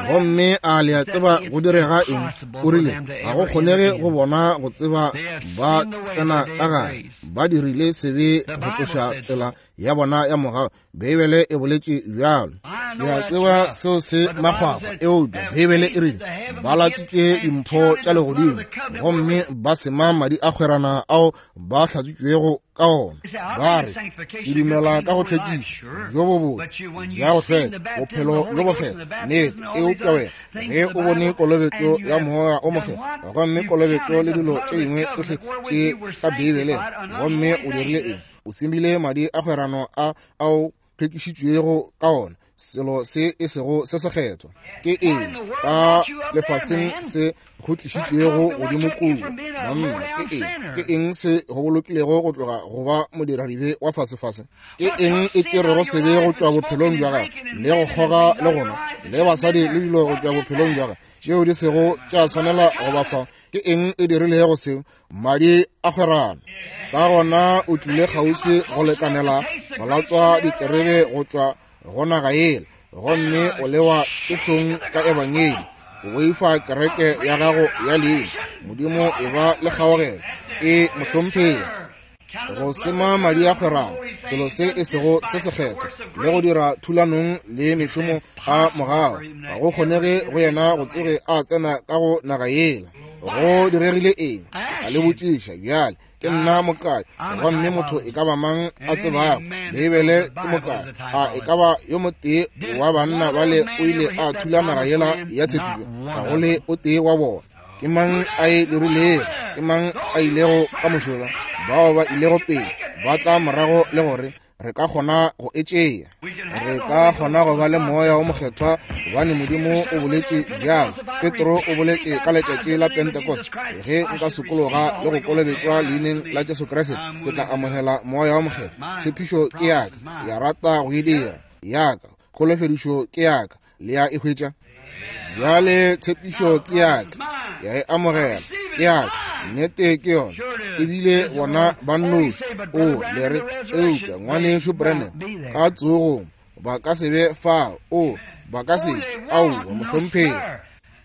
Gomme a le a tseba go direga eng? O rile ga go kgonege go bona go tseba ba tsena ka gare. Ba dirile sebe go tloša tsela ya bona ya mogau. Beibele e boletše bjalo. Ke a tseba seo se makgwakgwa, eupša Beibele e rile ba latswitše dimpho tša legodimo gomme ba sema madi a kgwerana ao ba hlatswitšwego ka ona. Ba re ke dumela ka go hlwekiša bjo bo botse bja go hlweka, bophelo bjo bo kgethwa, nnete. Eupša wena ge o bone kolobetšo ya Moya o Mokgethwa gomme kolobetšo le dilo tše dingwe tsohle tše ka Beibeleng, gomme o dirile eng? O semile madi a kgwerano a ao hlwekišitšwego ka ona, selo se e sego se sekgethwa. Ke eng ka lefaseng se go tlišitšwego godimo kua? Monna, ke eng? Ke eng se go bolokilego go tloga go ba modiradibe wa fasefase? Ke eng e tšerego sebe go tšwa bophelong bja gago, le go kgoga le gona le basadi le dilo go tšwa bophelong bja gago tšeo di sego tša swanela go ba fa? Ke eng e dirilego seo? Madi a kgwerano. Ka gona o tlile kgauswi go lekanela go latswa diterebe go tšwa go naga yela, gomme o lewa ke hlong ka ebangedi. O boifa kereke ya gago ya leina. Modimo e ba le kgaogelo, e mohlomphegi. Go sema madi a kgwerano, selo se e sego se sekgethwa, le go dira thulanong le mešomo a mogau, ga go kgonege go yena go tsoge a tsena ka go naga yela. Go diregile eng? A le botšiša bjale. Ke nna mokai, gomme motho e ka ba mang a tsebago Beibele ke mokai. A e ka ba yo motee wa banna bale o ile a thula naga yela ya tshepišo? Ga go le o tee wa bona. Ke mang a e dirilego? Ke mang a ilego ka mošola? Bao ba ilego pele ba tla morago le gore re ka kgona go e tšea. Re ka kgona go ba le Moya o Mokgethwa gobane Modimo o boletše bjalo. Petro o boletše ka letšatši la Pentecost, ge nka sokologa le go kolobetšwa leineng la Jesu Kriste, ke tla amogela Moya o Mokgethwa. Tshepišo ke yaka, ya rata go e dira yaka, kholofedišo ke yaka, le ya e hwetša. Bjale tshepišo ke yaka, ya e amogela, ke yaka, nnete ke yona. Ebile bona ba nnoši. O le re, eupša ngwanešu Branham, ka tsogong ba ka se be fao. O ba ka se ke. Aowa, mohlomphegi.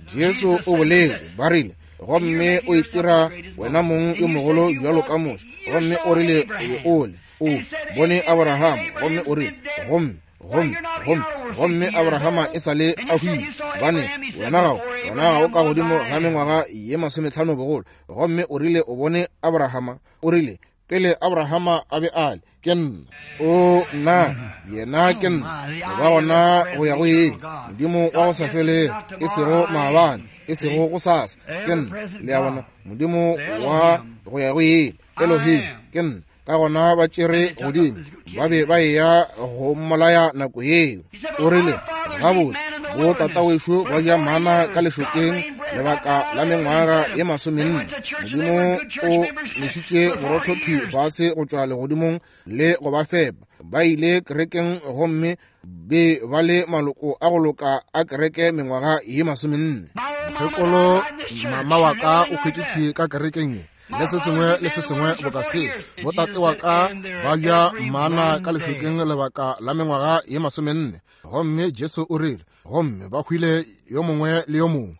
Jesu o boletše, ba rile, gomme o itira wena mong yo mogolo bjalo ka Moshe, gomme o rile o be o le, o bone Abraham, gomme o rile, gomme gomme gomme gomme Abrahama e sa le a hwile, gobane wena gago wena ga o ka godimo ga mengwaga ye masometlhano bogolo, gomme o rile o bone Abrahama. O rile pele Abrahama a be a le, ke nna. O nna, yena ke nna, go ba gona go ya go ile, Modimo wa go sa felego, e sego maabane, e sego go sasa, ke nna. Le a bona? Modimo wa go ya go ile, Elohim, ke nna. Ka gona ba tšere godimo, ba be ba eya go mmolaya nako yeo. O rile, gabotse, bo tatawešo ba ja mana ka lešokeng lebaka la mengwaga ye masomenne. Modimo o nešitše borotho thwi fase go tšwa legodimong le go ba fepa. Ba ile kerekeng gomme be ba le maloko a go loka a kereke mengwaga ye masomenne. Mokgekolo mama wa ka o hwetše thwi ka kerekeng ye, le se sengwe le se sengwe boka se. Botate wa ka ba ja mana ka lešokeng lebaka la mengwaga ye masomenne, gomme Jesu o rile, gomme ba hwile yo mongwe le yo mongwe.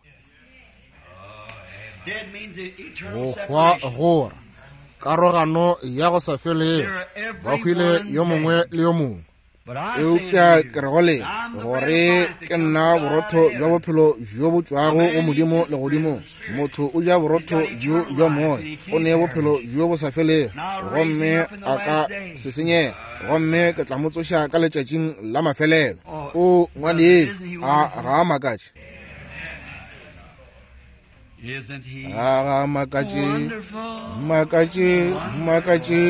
Go hwa gora karogano ya go sa felego, ba hwile yo mongwe le yo mongwe. Eupša ke re go lena gore ke nna borotho bja bophelo bjo bo tšwago go Modimo legodimong. Motho o ja borotho bjo bja moya, o ne bophelo bjo bo sa felego, gomme a ka se senyega, gomme ke tla mo tsoša ka letšatšing la mafelelo. O ngwanešu, a ga a makatše? A ga a makatše? Makatše, makatše.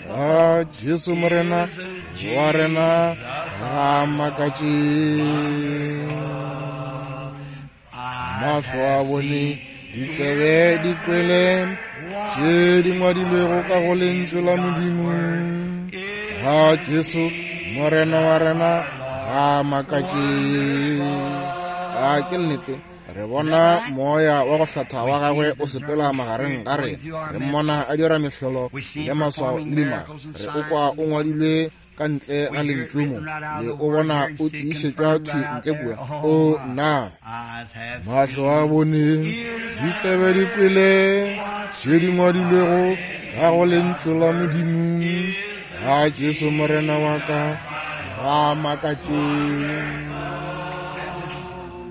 A Jesu Morena wa rena ga a makatše. Mahlo a bone, ditsebe di kwele tše di ngwadilwego ka go lentšu la Modimo. Ga Jesu Morena wa rena ga a makatše. A ke nnete? Re bona moya wa go hlatha wa gagwe o sepela magareng ga rena. Re mmona a dira mehlolo le maswao le dimaka. Re o kwa o ngwadilwe ka ntle ga lentšu mo, le o bona o tiišetšwa thwi ntle kua. O nna, mahlo a bone, ditsebe di kwele tše di ngwadilwego ka go lentšu la Modimo. Ga Jesu Morena wa ka ga makatše.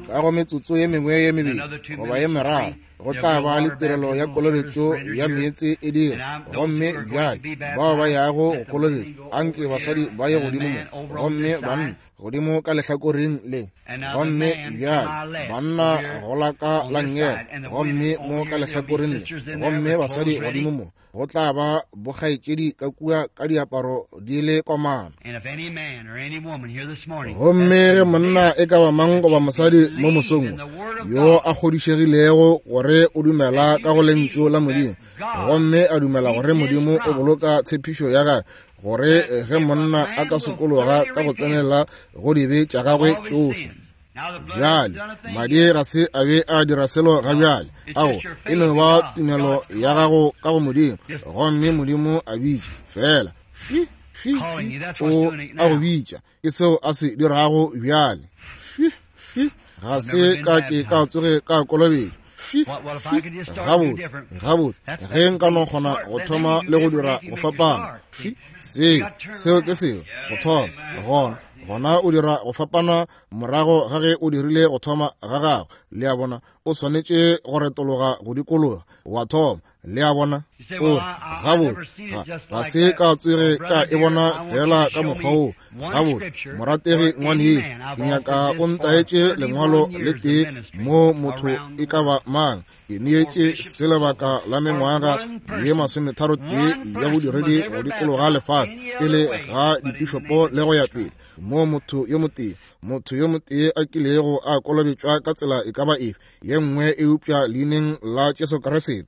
Ka go metsotso ye mengwe ye mebedi goba ye meraro go tla ba le tirelo ya kolobetšo ya meetse e dira. Gomme bjale bao ba yago go kolobetšo, anke basadi ba ye godimo mo, gomme banna godimo ka lehlakoreng le. Gomme bjale banna go la ka la nngele, gomme mo ka lehlakoreng le, gomme basadi godimo mo. Go tla ba bokgaetšedi ka kua ka diaparo di le komana. Gomme ge monna e ka ba mang goba mosadi mo mosong yo a kgodišegilego gore o dumela ka go lentšu la Modimo, gomme a dumela gore Modimo o boloka tshepišo ya gagwe, gore ge monna a ka sokologa ka go tsenela go dibe tša gagwe tšohle. Bjale madi ga se a be a dira selo ga bjale. Ao, e no ba tumelo ya gago ka go Modimo, gomme Modimo a bitša fela. Fi, fi, fi, o a go bitša. Ke seo a se dirago bjale. Fi, fi, ga se ka ke ka tsoge ka kolobetšwa. Fi, fi, gabotse, gabotse, ge nka no kgona go thoma le go dira go fapana. Fi, seo, seo ke seo, go thoma, gona, gona o dira go fapana morago ga ge o dirile go thoma ga gago. Le a bona, o swanetše go retologa go dikologa wa thoma. Le a bona, o re, gabotse, ga se ka tsoge ka e bona fela ka mokgwa wo. Gabotse, morategi ngwanešu, ke nyaka o ntaetše lengwalo le tee mo motho e ka ba mang. Ke neetše se lebaka la mengwaga ye masometharo tee ya bodiredi go dikologa lefase pele ga dipišopo le go ya pele, mo motho yo motee, motho yo motee a kilego a kolobetšwa ka tsela e ka ba efe ye nngwe eupša leineng la Jesu Kriste.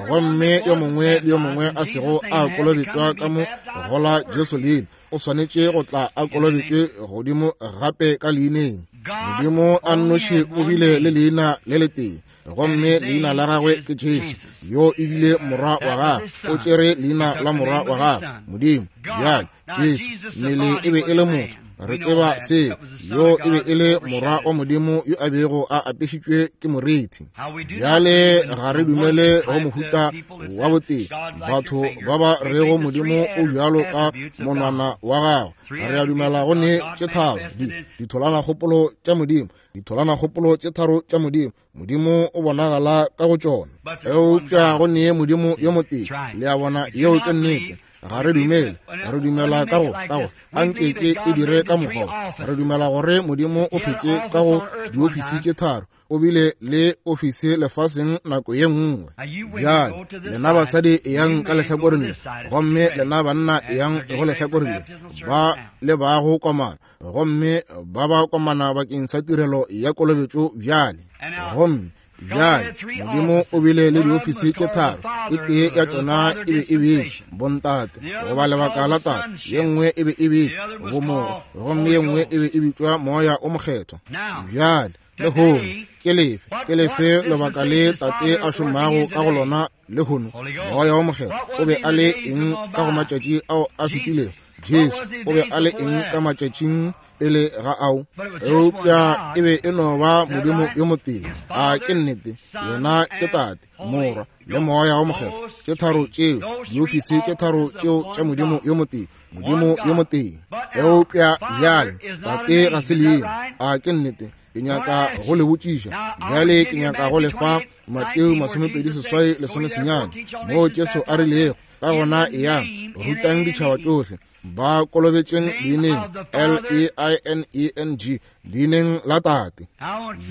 Gomme yo mongwe le yo mongwe a sego a kolobetšwa ka mo go la Jesu leina o swanetše go tla a kolobetšwe godimo gape ka leineng. Modimo a nnoši o bile le leina le letee, gomme leina la gagwe ke Jesu, yo e bile morwa wa gagwe. O tšere leina la morwa wa gagwe, Modimo. Bjale Jesu mmele e be e le motho, re tseba seo, yo e be e le morwa wa Modimo yo a bego a apešitšwe ke moriti. Bjale ga re dumele go mohuta wa botee, batho ba ba rego Modimo o bjalo ka monwana wa gagwe. Re a dumela go ne tše tharo di ditholwanakgopolo tša Modimo, ditholwanakgopolo tše tharo tša Modimo. Modimo o bonagala ka go tšona, eupša go ne Modimo yo motee. Le a bona, yeo ke nnete. Ga re dumele, re dumela ka go ka go anke ke e dire ka mokgwa. Re dumela gore Modimo o phetše ka go diofisi tše tharo, o bile le ofisi lefaseng nako ye nngwe. Bjale lena basadi eyang ka lehlakoreng le, gomme lena banna eyang go lehlakoreng le, ba le ba go komana, gomme ba ba komana bakeng sa tirelo ya kolobetšo bjale. Gomme bjale Modimo o bile le diofisi tše tharo, e tee ya tšona e be e bitšwa bontate goba lebaka la tate, ye nngwe e be e bitšwa bomorwa, gomme ye nngwe e be e bitšwa moya o mokgethwa. Bjale lehono ke lefe, ke lefe lebaka le tate a šomago ka go lona lehono? Moya o mokgethwa o be a le eng ka go matšatši ao a fetilego? Jesu o be a le eng ka matšatšing pele ga ao? Eupša e be e no ba Modimo yo motee. A ke nnete? Yena ke Tate, Morwa le Moya o Mokgethwa. Tše tharo tšeo, diofisi tše tharo tšeo tša Modimo yo motee, Modimo yo motee. Eupša bjale Tate ga se leina. A ke nnete? Ke nyaka go le botšiša bjale, ke nyaka go le fa Mateo masomepedi seswai lesome senyane, moo Jesu a rilego, ka gona eyang rutang ditšhaba tšohle, ba kolobetšeng leineng L E I N E N G, leineng la Tate.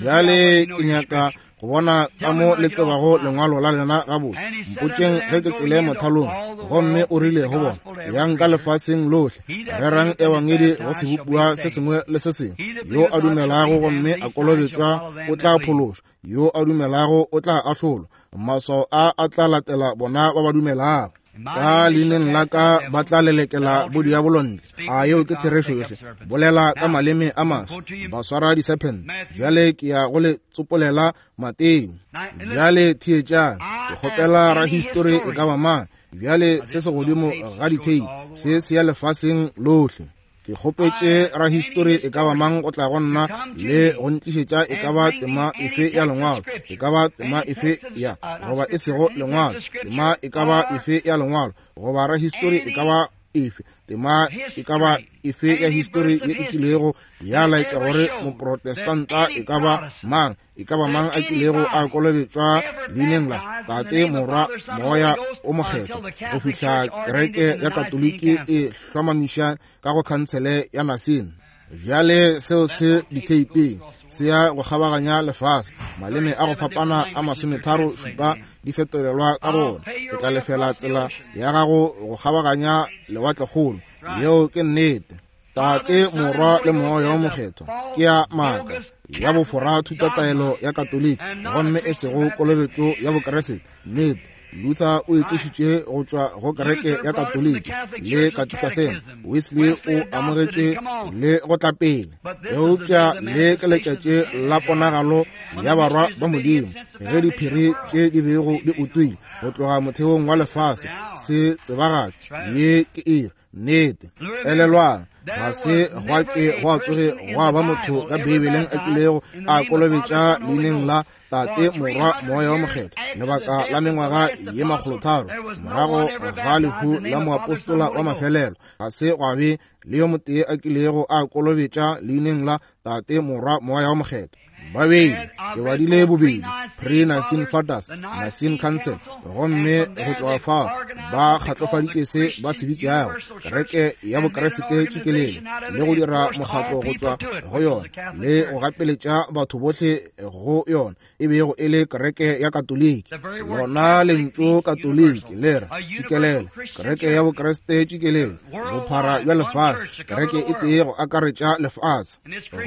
Bjale ke nyaka go bona ka mo le tsebago lengwalo la lena gabotse. Mpotšeng ge ke tšwele mothalong. Gomme o rile go bona, yang ka lefaseng lohle, rerang ebangedi go sebopiwa se sengwe le se sengwe. Yo a dumelago gomme a kolobetšwa o tla phološwa, yo a dumelago o tla ahlolwa. Maswao a a tla latela bona ba ba dumelago. Ka leineng la ka ba tla lelekela bodiabolo ntle. A yeo ke therešo yohle. Bolela ka maleme a maswa, ba swara disephente. Bjale ke ya go le tsopolela Mateo. Bjale theetšang, ke kgopela rahistori e ka ba mang. Bjale se se godimo ga dithei, se se ya lefaseng lohle. Ke kgopetše rahistori e ka ba mang go tla go nna le go ntlišetša e ka ba tema efe ya lengwalo, e ka ba tema efe ya goba e sego lengwalo, tema e ka ba efe ya lengwalo, goba rahistori e ka ba efe, tema e ka ba efe ya histori ye e kilego ya laetša gore moprotestanta e ka ba mang, e ka ba mang a kilego a kolobetšwa leineng la Tate, Morwa, Moya o Mokgethwa, go fihla kereke ya Katoliki e hlomamiša ka go khansele ya Nicene. Bjale seo se ditheipeng, se ya go kgabaganya lefase, maleme a go fapana a masometharo šupa di fetolelwa ka gona. Ke tla lefela tsela ya gago go kgabaganya lewatlekgolo. Yeo ke nnete. Tate, Morwa le Moya o Mokgethwa ke ya maaka, ya bofora thutataelo ya Katoliki, gomme e sego kolobetšo ya Bokeresete. Nnete. Luther o e tlišitše go tšwa go kereke ya Katoliki le katikasema. Wesley o amogetše le go tla pele. Eupša le ke letšatši la ponagalo ya barwa ba Modimo, ge diphiri tše di bego di utuile go tloga motheong wa lefase se tsebagatšwa. Ye ke iri. Nnete. Elelwang, ga se gwa ke gwa tsoge gwa ba motho ka Beibeleng a kilego a kolobetša leineng la Tate, Morwa, Moya wa Mokgethwa lebaka la mengwaga ye makgolotharo morago ga lehu la moapostola wa mafelelo. Ga se gwa be le yo motee a kilego a kolobetša leineng la Tate, Morwa, Moya wa Mokgethwa. Babedi, ke badile bobedi pre-Nicene Fathers, Nicene Council, gomme go tloga fao ba kgatlofaditše se ba se bitšago kereke ya Bokeresete tšikelele, le go dira mokgatlo go tšwa go yona, le go gapeletša batho bohle go yona, e bego e le kereke ya Katoliki. Lona lentšu Katoliki le re tšikelele, kereke ya Bokeresete tšikelele, bophara bja lefase, kereke e tee go akaretša lefase.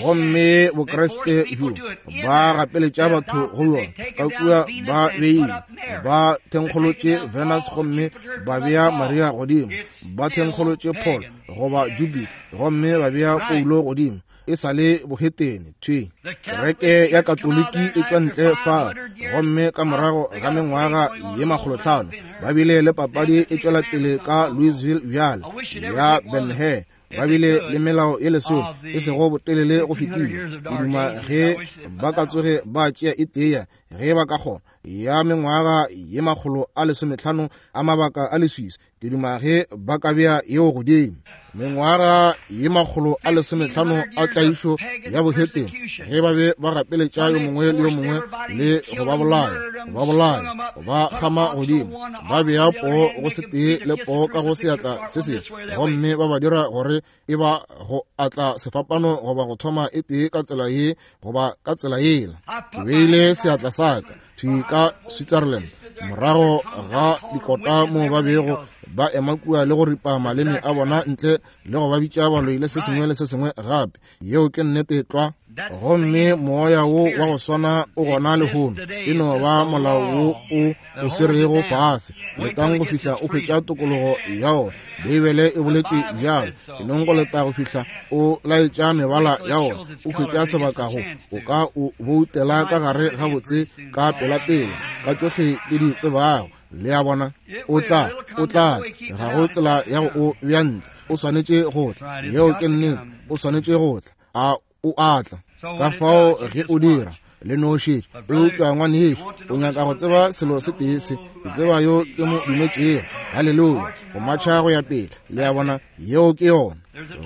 Gomme Bokeresete bjo ba gapeletša batho go yona, ka kua ba beile, ba thenkgolotše Venus gomme ba bea Maria godimo, ba thenkgolotše Paul goba Jupiter gomme ba bea Paulo godimo. E sa le bohetene thwi. Kereke ya Katoliki e tšwa ntle fa, gomme ka morago ga mengwaga ye makgolotlhano ba bile le papadi e tšwela pele ka Louisville bjale ya Ben-Hur. Ba bile le melao ye lesome e sego botelele go fetile. Ke duma ge ba ka tsoge ba tšea e tee, ge ba ka kgona, ya mengwaga ye makgolo a lesometlhano a mabaka a leswiswi. Ke duma ge ba ka bea yeo godimo. Mengwaga ye makgolo a lesometlhano a tlaišo ya bohetene, ge ba be ba gapeletša yo mongwe le yo mongwe le go ba bolaya, go ba bolaya, go ba kgama godimo, ba bea poo go se tee le poo ka go seatla se sengwe, gomme ba ba dira gore e ba go atla sefapano goba go thoma e tee ka tsela ye goba ka tsela yela. Ke beile seatla sa ka thwi ka Switzerland morago ga dikota moo ba bego ba ema kua le go ripa maleme a bona ntle le go ba bitša baloi le se sengwe le se sengwe gape. Yeo ke nnete tlwa. Gomme moya wo wa go swana o gona lehono. E no ba molao wo o o swerego fase. Letang go fihla o hwetša tokologo ya ona. Beibele e boletše bjalo. E nong go leta go fihla o laetša mebala ya ona, o hwetša sebaka go o ka o boutela ka gare gabotse ka pelapela ka tšohle ke di tsebago. Le a bona, o tla, o tla, ga go tsela ya go o bea ntle. O swanetše go tla. Yeo ke nnete. O swanetše go tla. A o a tla. Ka fao ge o dira, le no šetše. Eupša ngwanešu, o nyaka go tseba selo se tee se, ke tseba yo ke mo dumetšego. Haleluya. Go matšha go ya pele. Le a bona, yeo ke yona.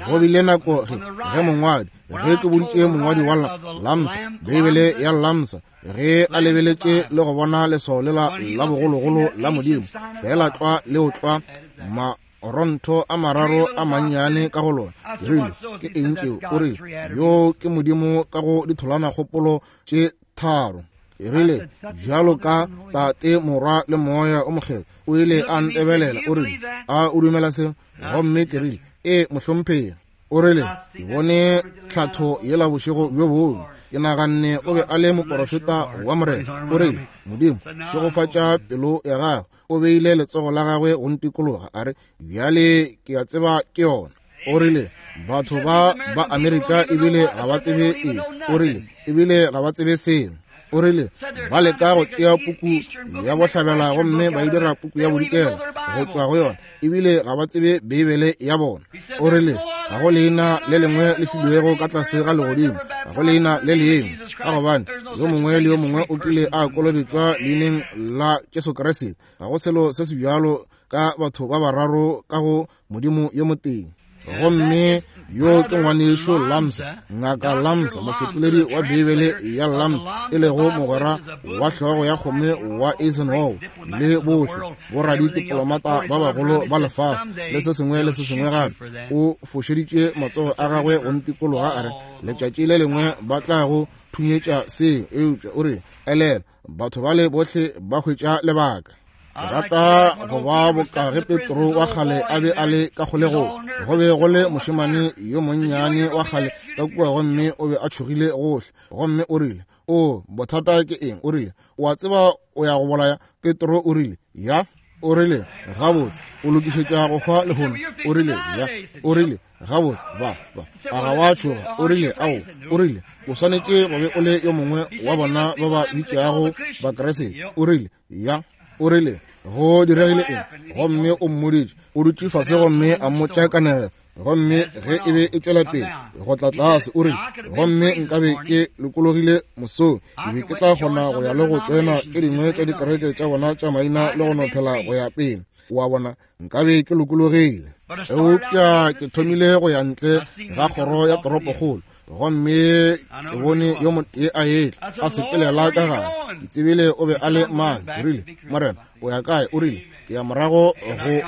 Go bile nako ge, ge mongwadi, ge ke boditše mongwadi wa Lamsa, Beibele ya Lamsa, ge a lebeletše le go bona leswao lela la bogologolo la Modimo, fela tlwa leo tlwa marontho a mararo a mannyane ka go lona. Ke rile, ke eng tšeo? O rile, yo ke Modimo ka go ditholwana kgopolo tše tharo. Ke rile, bjalo ka Tate, Morwa le Moya o Mokgethwa. O ile a ntebelela, o rile, a o dumela seo? Gomme ke rile, ee mohlomphegi. O rile, ke bone tlhatho yela bošego bjo bongwe. Ke naganne o be a le moporofeta wa Morena. O rile, Modimo, šegofatša pelo ya gago. O beile letsogo la gagwe go ntikologa, a re, bjale ke a tseba ke yona. O rile, batho ba ba Amerika ebile ga ba tsebe eng. O rile, ebile ga ba tsebe selo. O rile, ba leka go tšea puku ya bohlabela gomme ba e dira puku ya bodikela go tšwa go yona, ebile ga ba tsebe Beibele ya bona. O rile, ga go leina le lengwe le filwego ka tlase ga legodimo, ga go leina le lengwe, ka gobane yo mongwe le yo mongwe o kile a kolobetšwa leineng la Jesu Kriste. Ga go selo se se bjalo ka batho ba bararo ka go Modimo yo motee. Gomme yo ke ngwanešo Lamsa, ngaka Lamsa, mofetoledi wa Beibele ya Lamsa, e lego mogwera wa hlogo ya kgome wa Eisenhower le bohle boraditiplomata ba bagolo ba lefase le se sengwe le se sengwe gape. O fošeditše matsogo a gagwe go ntikologa, a re, letšatši le lengwe ba tla go thunyetša seo. Eupša o re, elela, batho bale bohle ba hwetša lebaka. Ke rata go ba boka ge Petro wa kgale a be a le ka kgolegong. Go be go le mošemane yo monnyane wa kgale ka kua, gomme o be a tšhogile gohle. Gomme o rile, o, bothata ke eng? O rile, o a tseba o ya go bolaya? Petro o rile, ya. O rile, gabotse, o lokišetša go hwa lehono? O rile, ya. O rile, gabotse, ba, ba, a ga wa tšhoga? O rile, ao. O rile, o swanetše go be o le yo mongwe wa bona ba ba bitšago Bakriste. O rile, ya. O rile, go diregile eng? Gomme o mmoditše. O dutše fase gomme a mmotša kanegelo. Gomme ge e be e tšwela pele go tla tlase, o rile, gomme nkabe ke lokologile mosong, ke be ke tla kgona go ya le go tšoena tše dingwe tša dikereke tša bona tša maina le go no phela go ya pele. Wa bona, nkabe ke lokologile. Eupša ke thomile go ya ntle ga kgoro ya toropokgolo, gomme ke bone yo motee a etla a sepelela ka gare. Ke tsebile o be a le mang. Ke rile, Morena, o ya kae? O rile, ke ya morago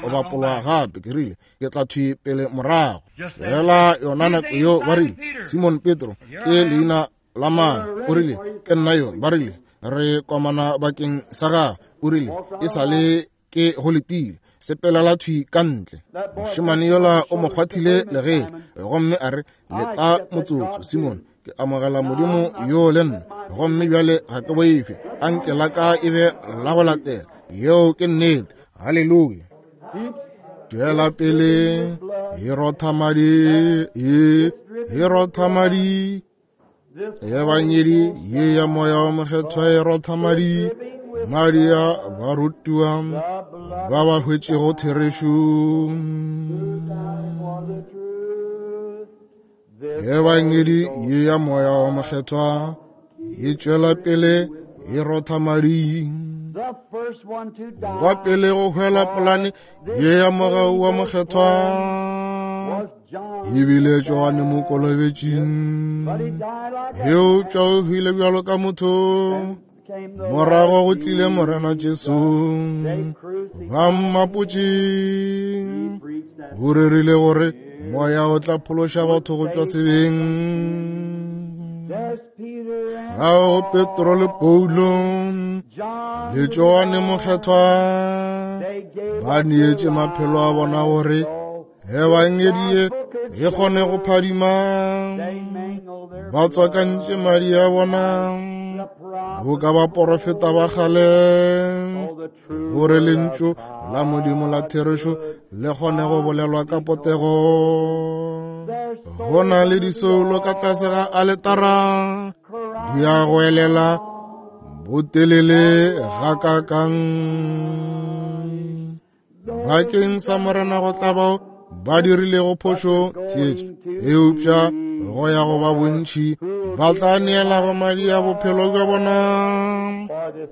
go bapolwa gape. Ke rile, ke tla thwi pele morago. Fela yona nako yo ba rile, Simon Petro ke leina la mang? O rile, ke nna yo. Ba rile, re komana bakeng sa gago. O rile, e sa le ke go letile, sepelela thwi ka ntle. Mošemane yola o mo kgwathile legele, gomme a re, leta motsotso, Simon, ke amogela Modimo yo le nna, gomme bjale ga ke boife, anke la ka e be la go latela. Yeo ke nnete. Haleluya. Tšwela pele e rotha madi, e e rotha madi. Ebangedi ye ya Moya wa Mokgethwa e rotha madi, madi a barutiwa ba ba hwetšego therešo. Ebangedi ye ya Moya wa Mokgethwa e tšwela pele e rotha madi. Wa pele go hwela polane ye ya mogau wa Mokgethwa ebile Johane Mokolobetši. Eupša o hwile bjalo ka motho, morago go tlile Morena Jesu, ba mmapotše. O rerile gore moya o tla phološa batho go tšwa sebeng. Fao Petro le Paulo le Johane Mokgethwa ba neetše maphelo a bona gore ebangedi ye e kgone go phadima. Ba tswakantše madi a bona boka baporofeta ba kgale, gore lentšu la Modimo la therešo le kgone go bolelwa ka potego. Go na le disoulo ka tlase ga aletara, di a go elela botelele gakakang. Bakeng sa Morena go tla bao ba dirilego phošo, theetša, eupša go ya go ba bontši ba tla neelago madi a bophelo bja bona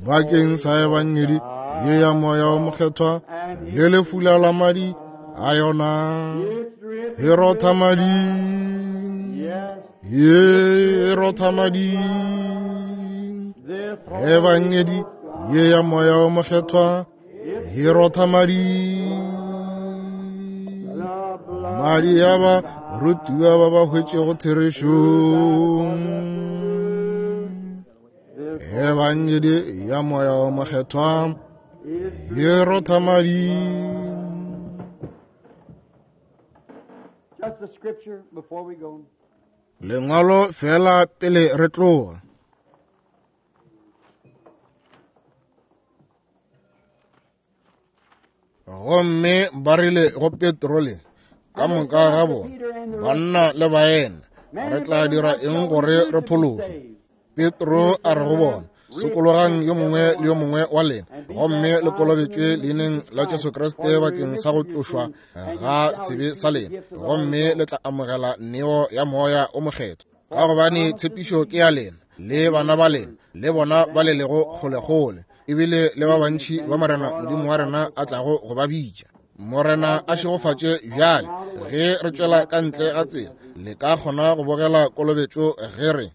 bakeng sa ebangedi ye ya Moya wa Mokgethwa le lefula la madi a yona. E rotha madi, ye e rotha madi. Ebangedi ye ya Moya wa Mokgethwa e rotha madi, madi a ba rutiwa ba ba hwetšego therešo. Ebangedi ya Moya wa Mokgethwa e rotha madi. Lengwalo fela pele re tloga. Gomme ba rile go Petro le ka moka ga bona, banna le baena, re tla dira eng gore re phološwe? Petro a re go bona, sokologang yo mongwe le yo mongwe wa lena, gomme le kolobetšwe leineng la Jesu Kriste bakeng sa go tlošwa ga sebe sa lena, gomme le tla amogela neo ya Moya o Mokgethwa. Ka gobane tshepišo ke ya lena le bana ba lena le bona ba le lego kgolekgole, ebile le ba bantši ba Morena Modimo wa rena a tlago go ba bitša. Morena a šegofatše bjale ge re tšwela ka ntle ga tsela, le ka kgona go bogela kolobetšo ge re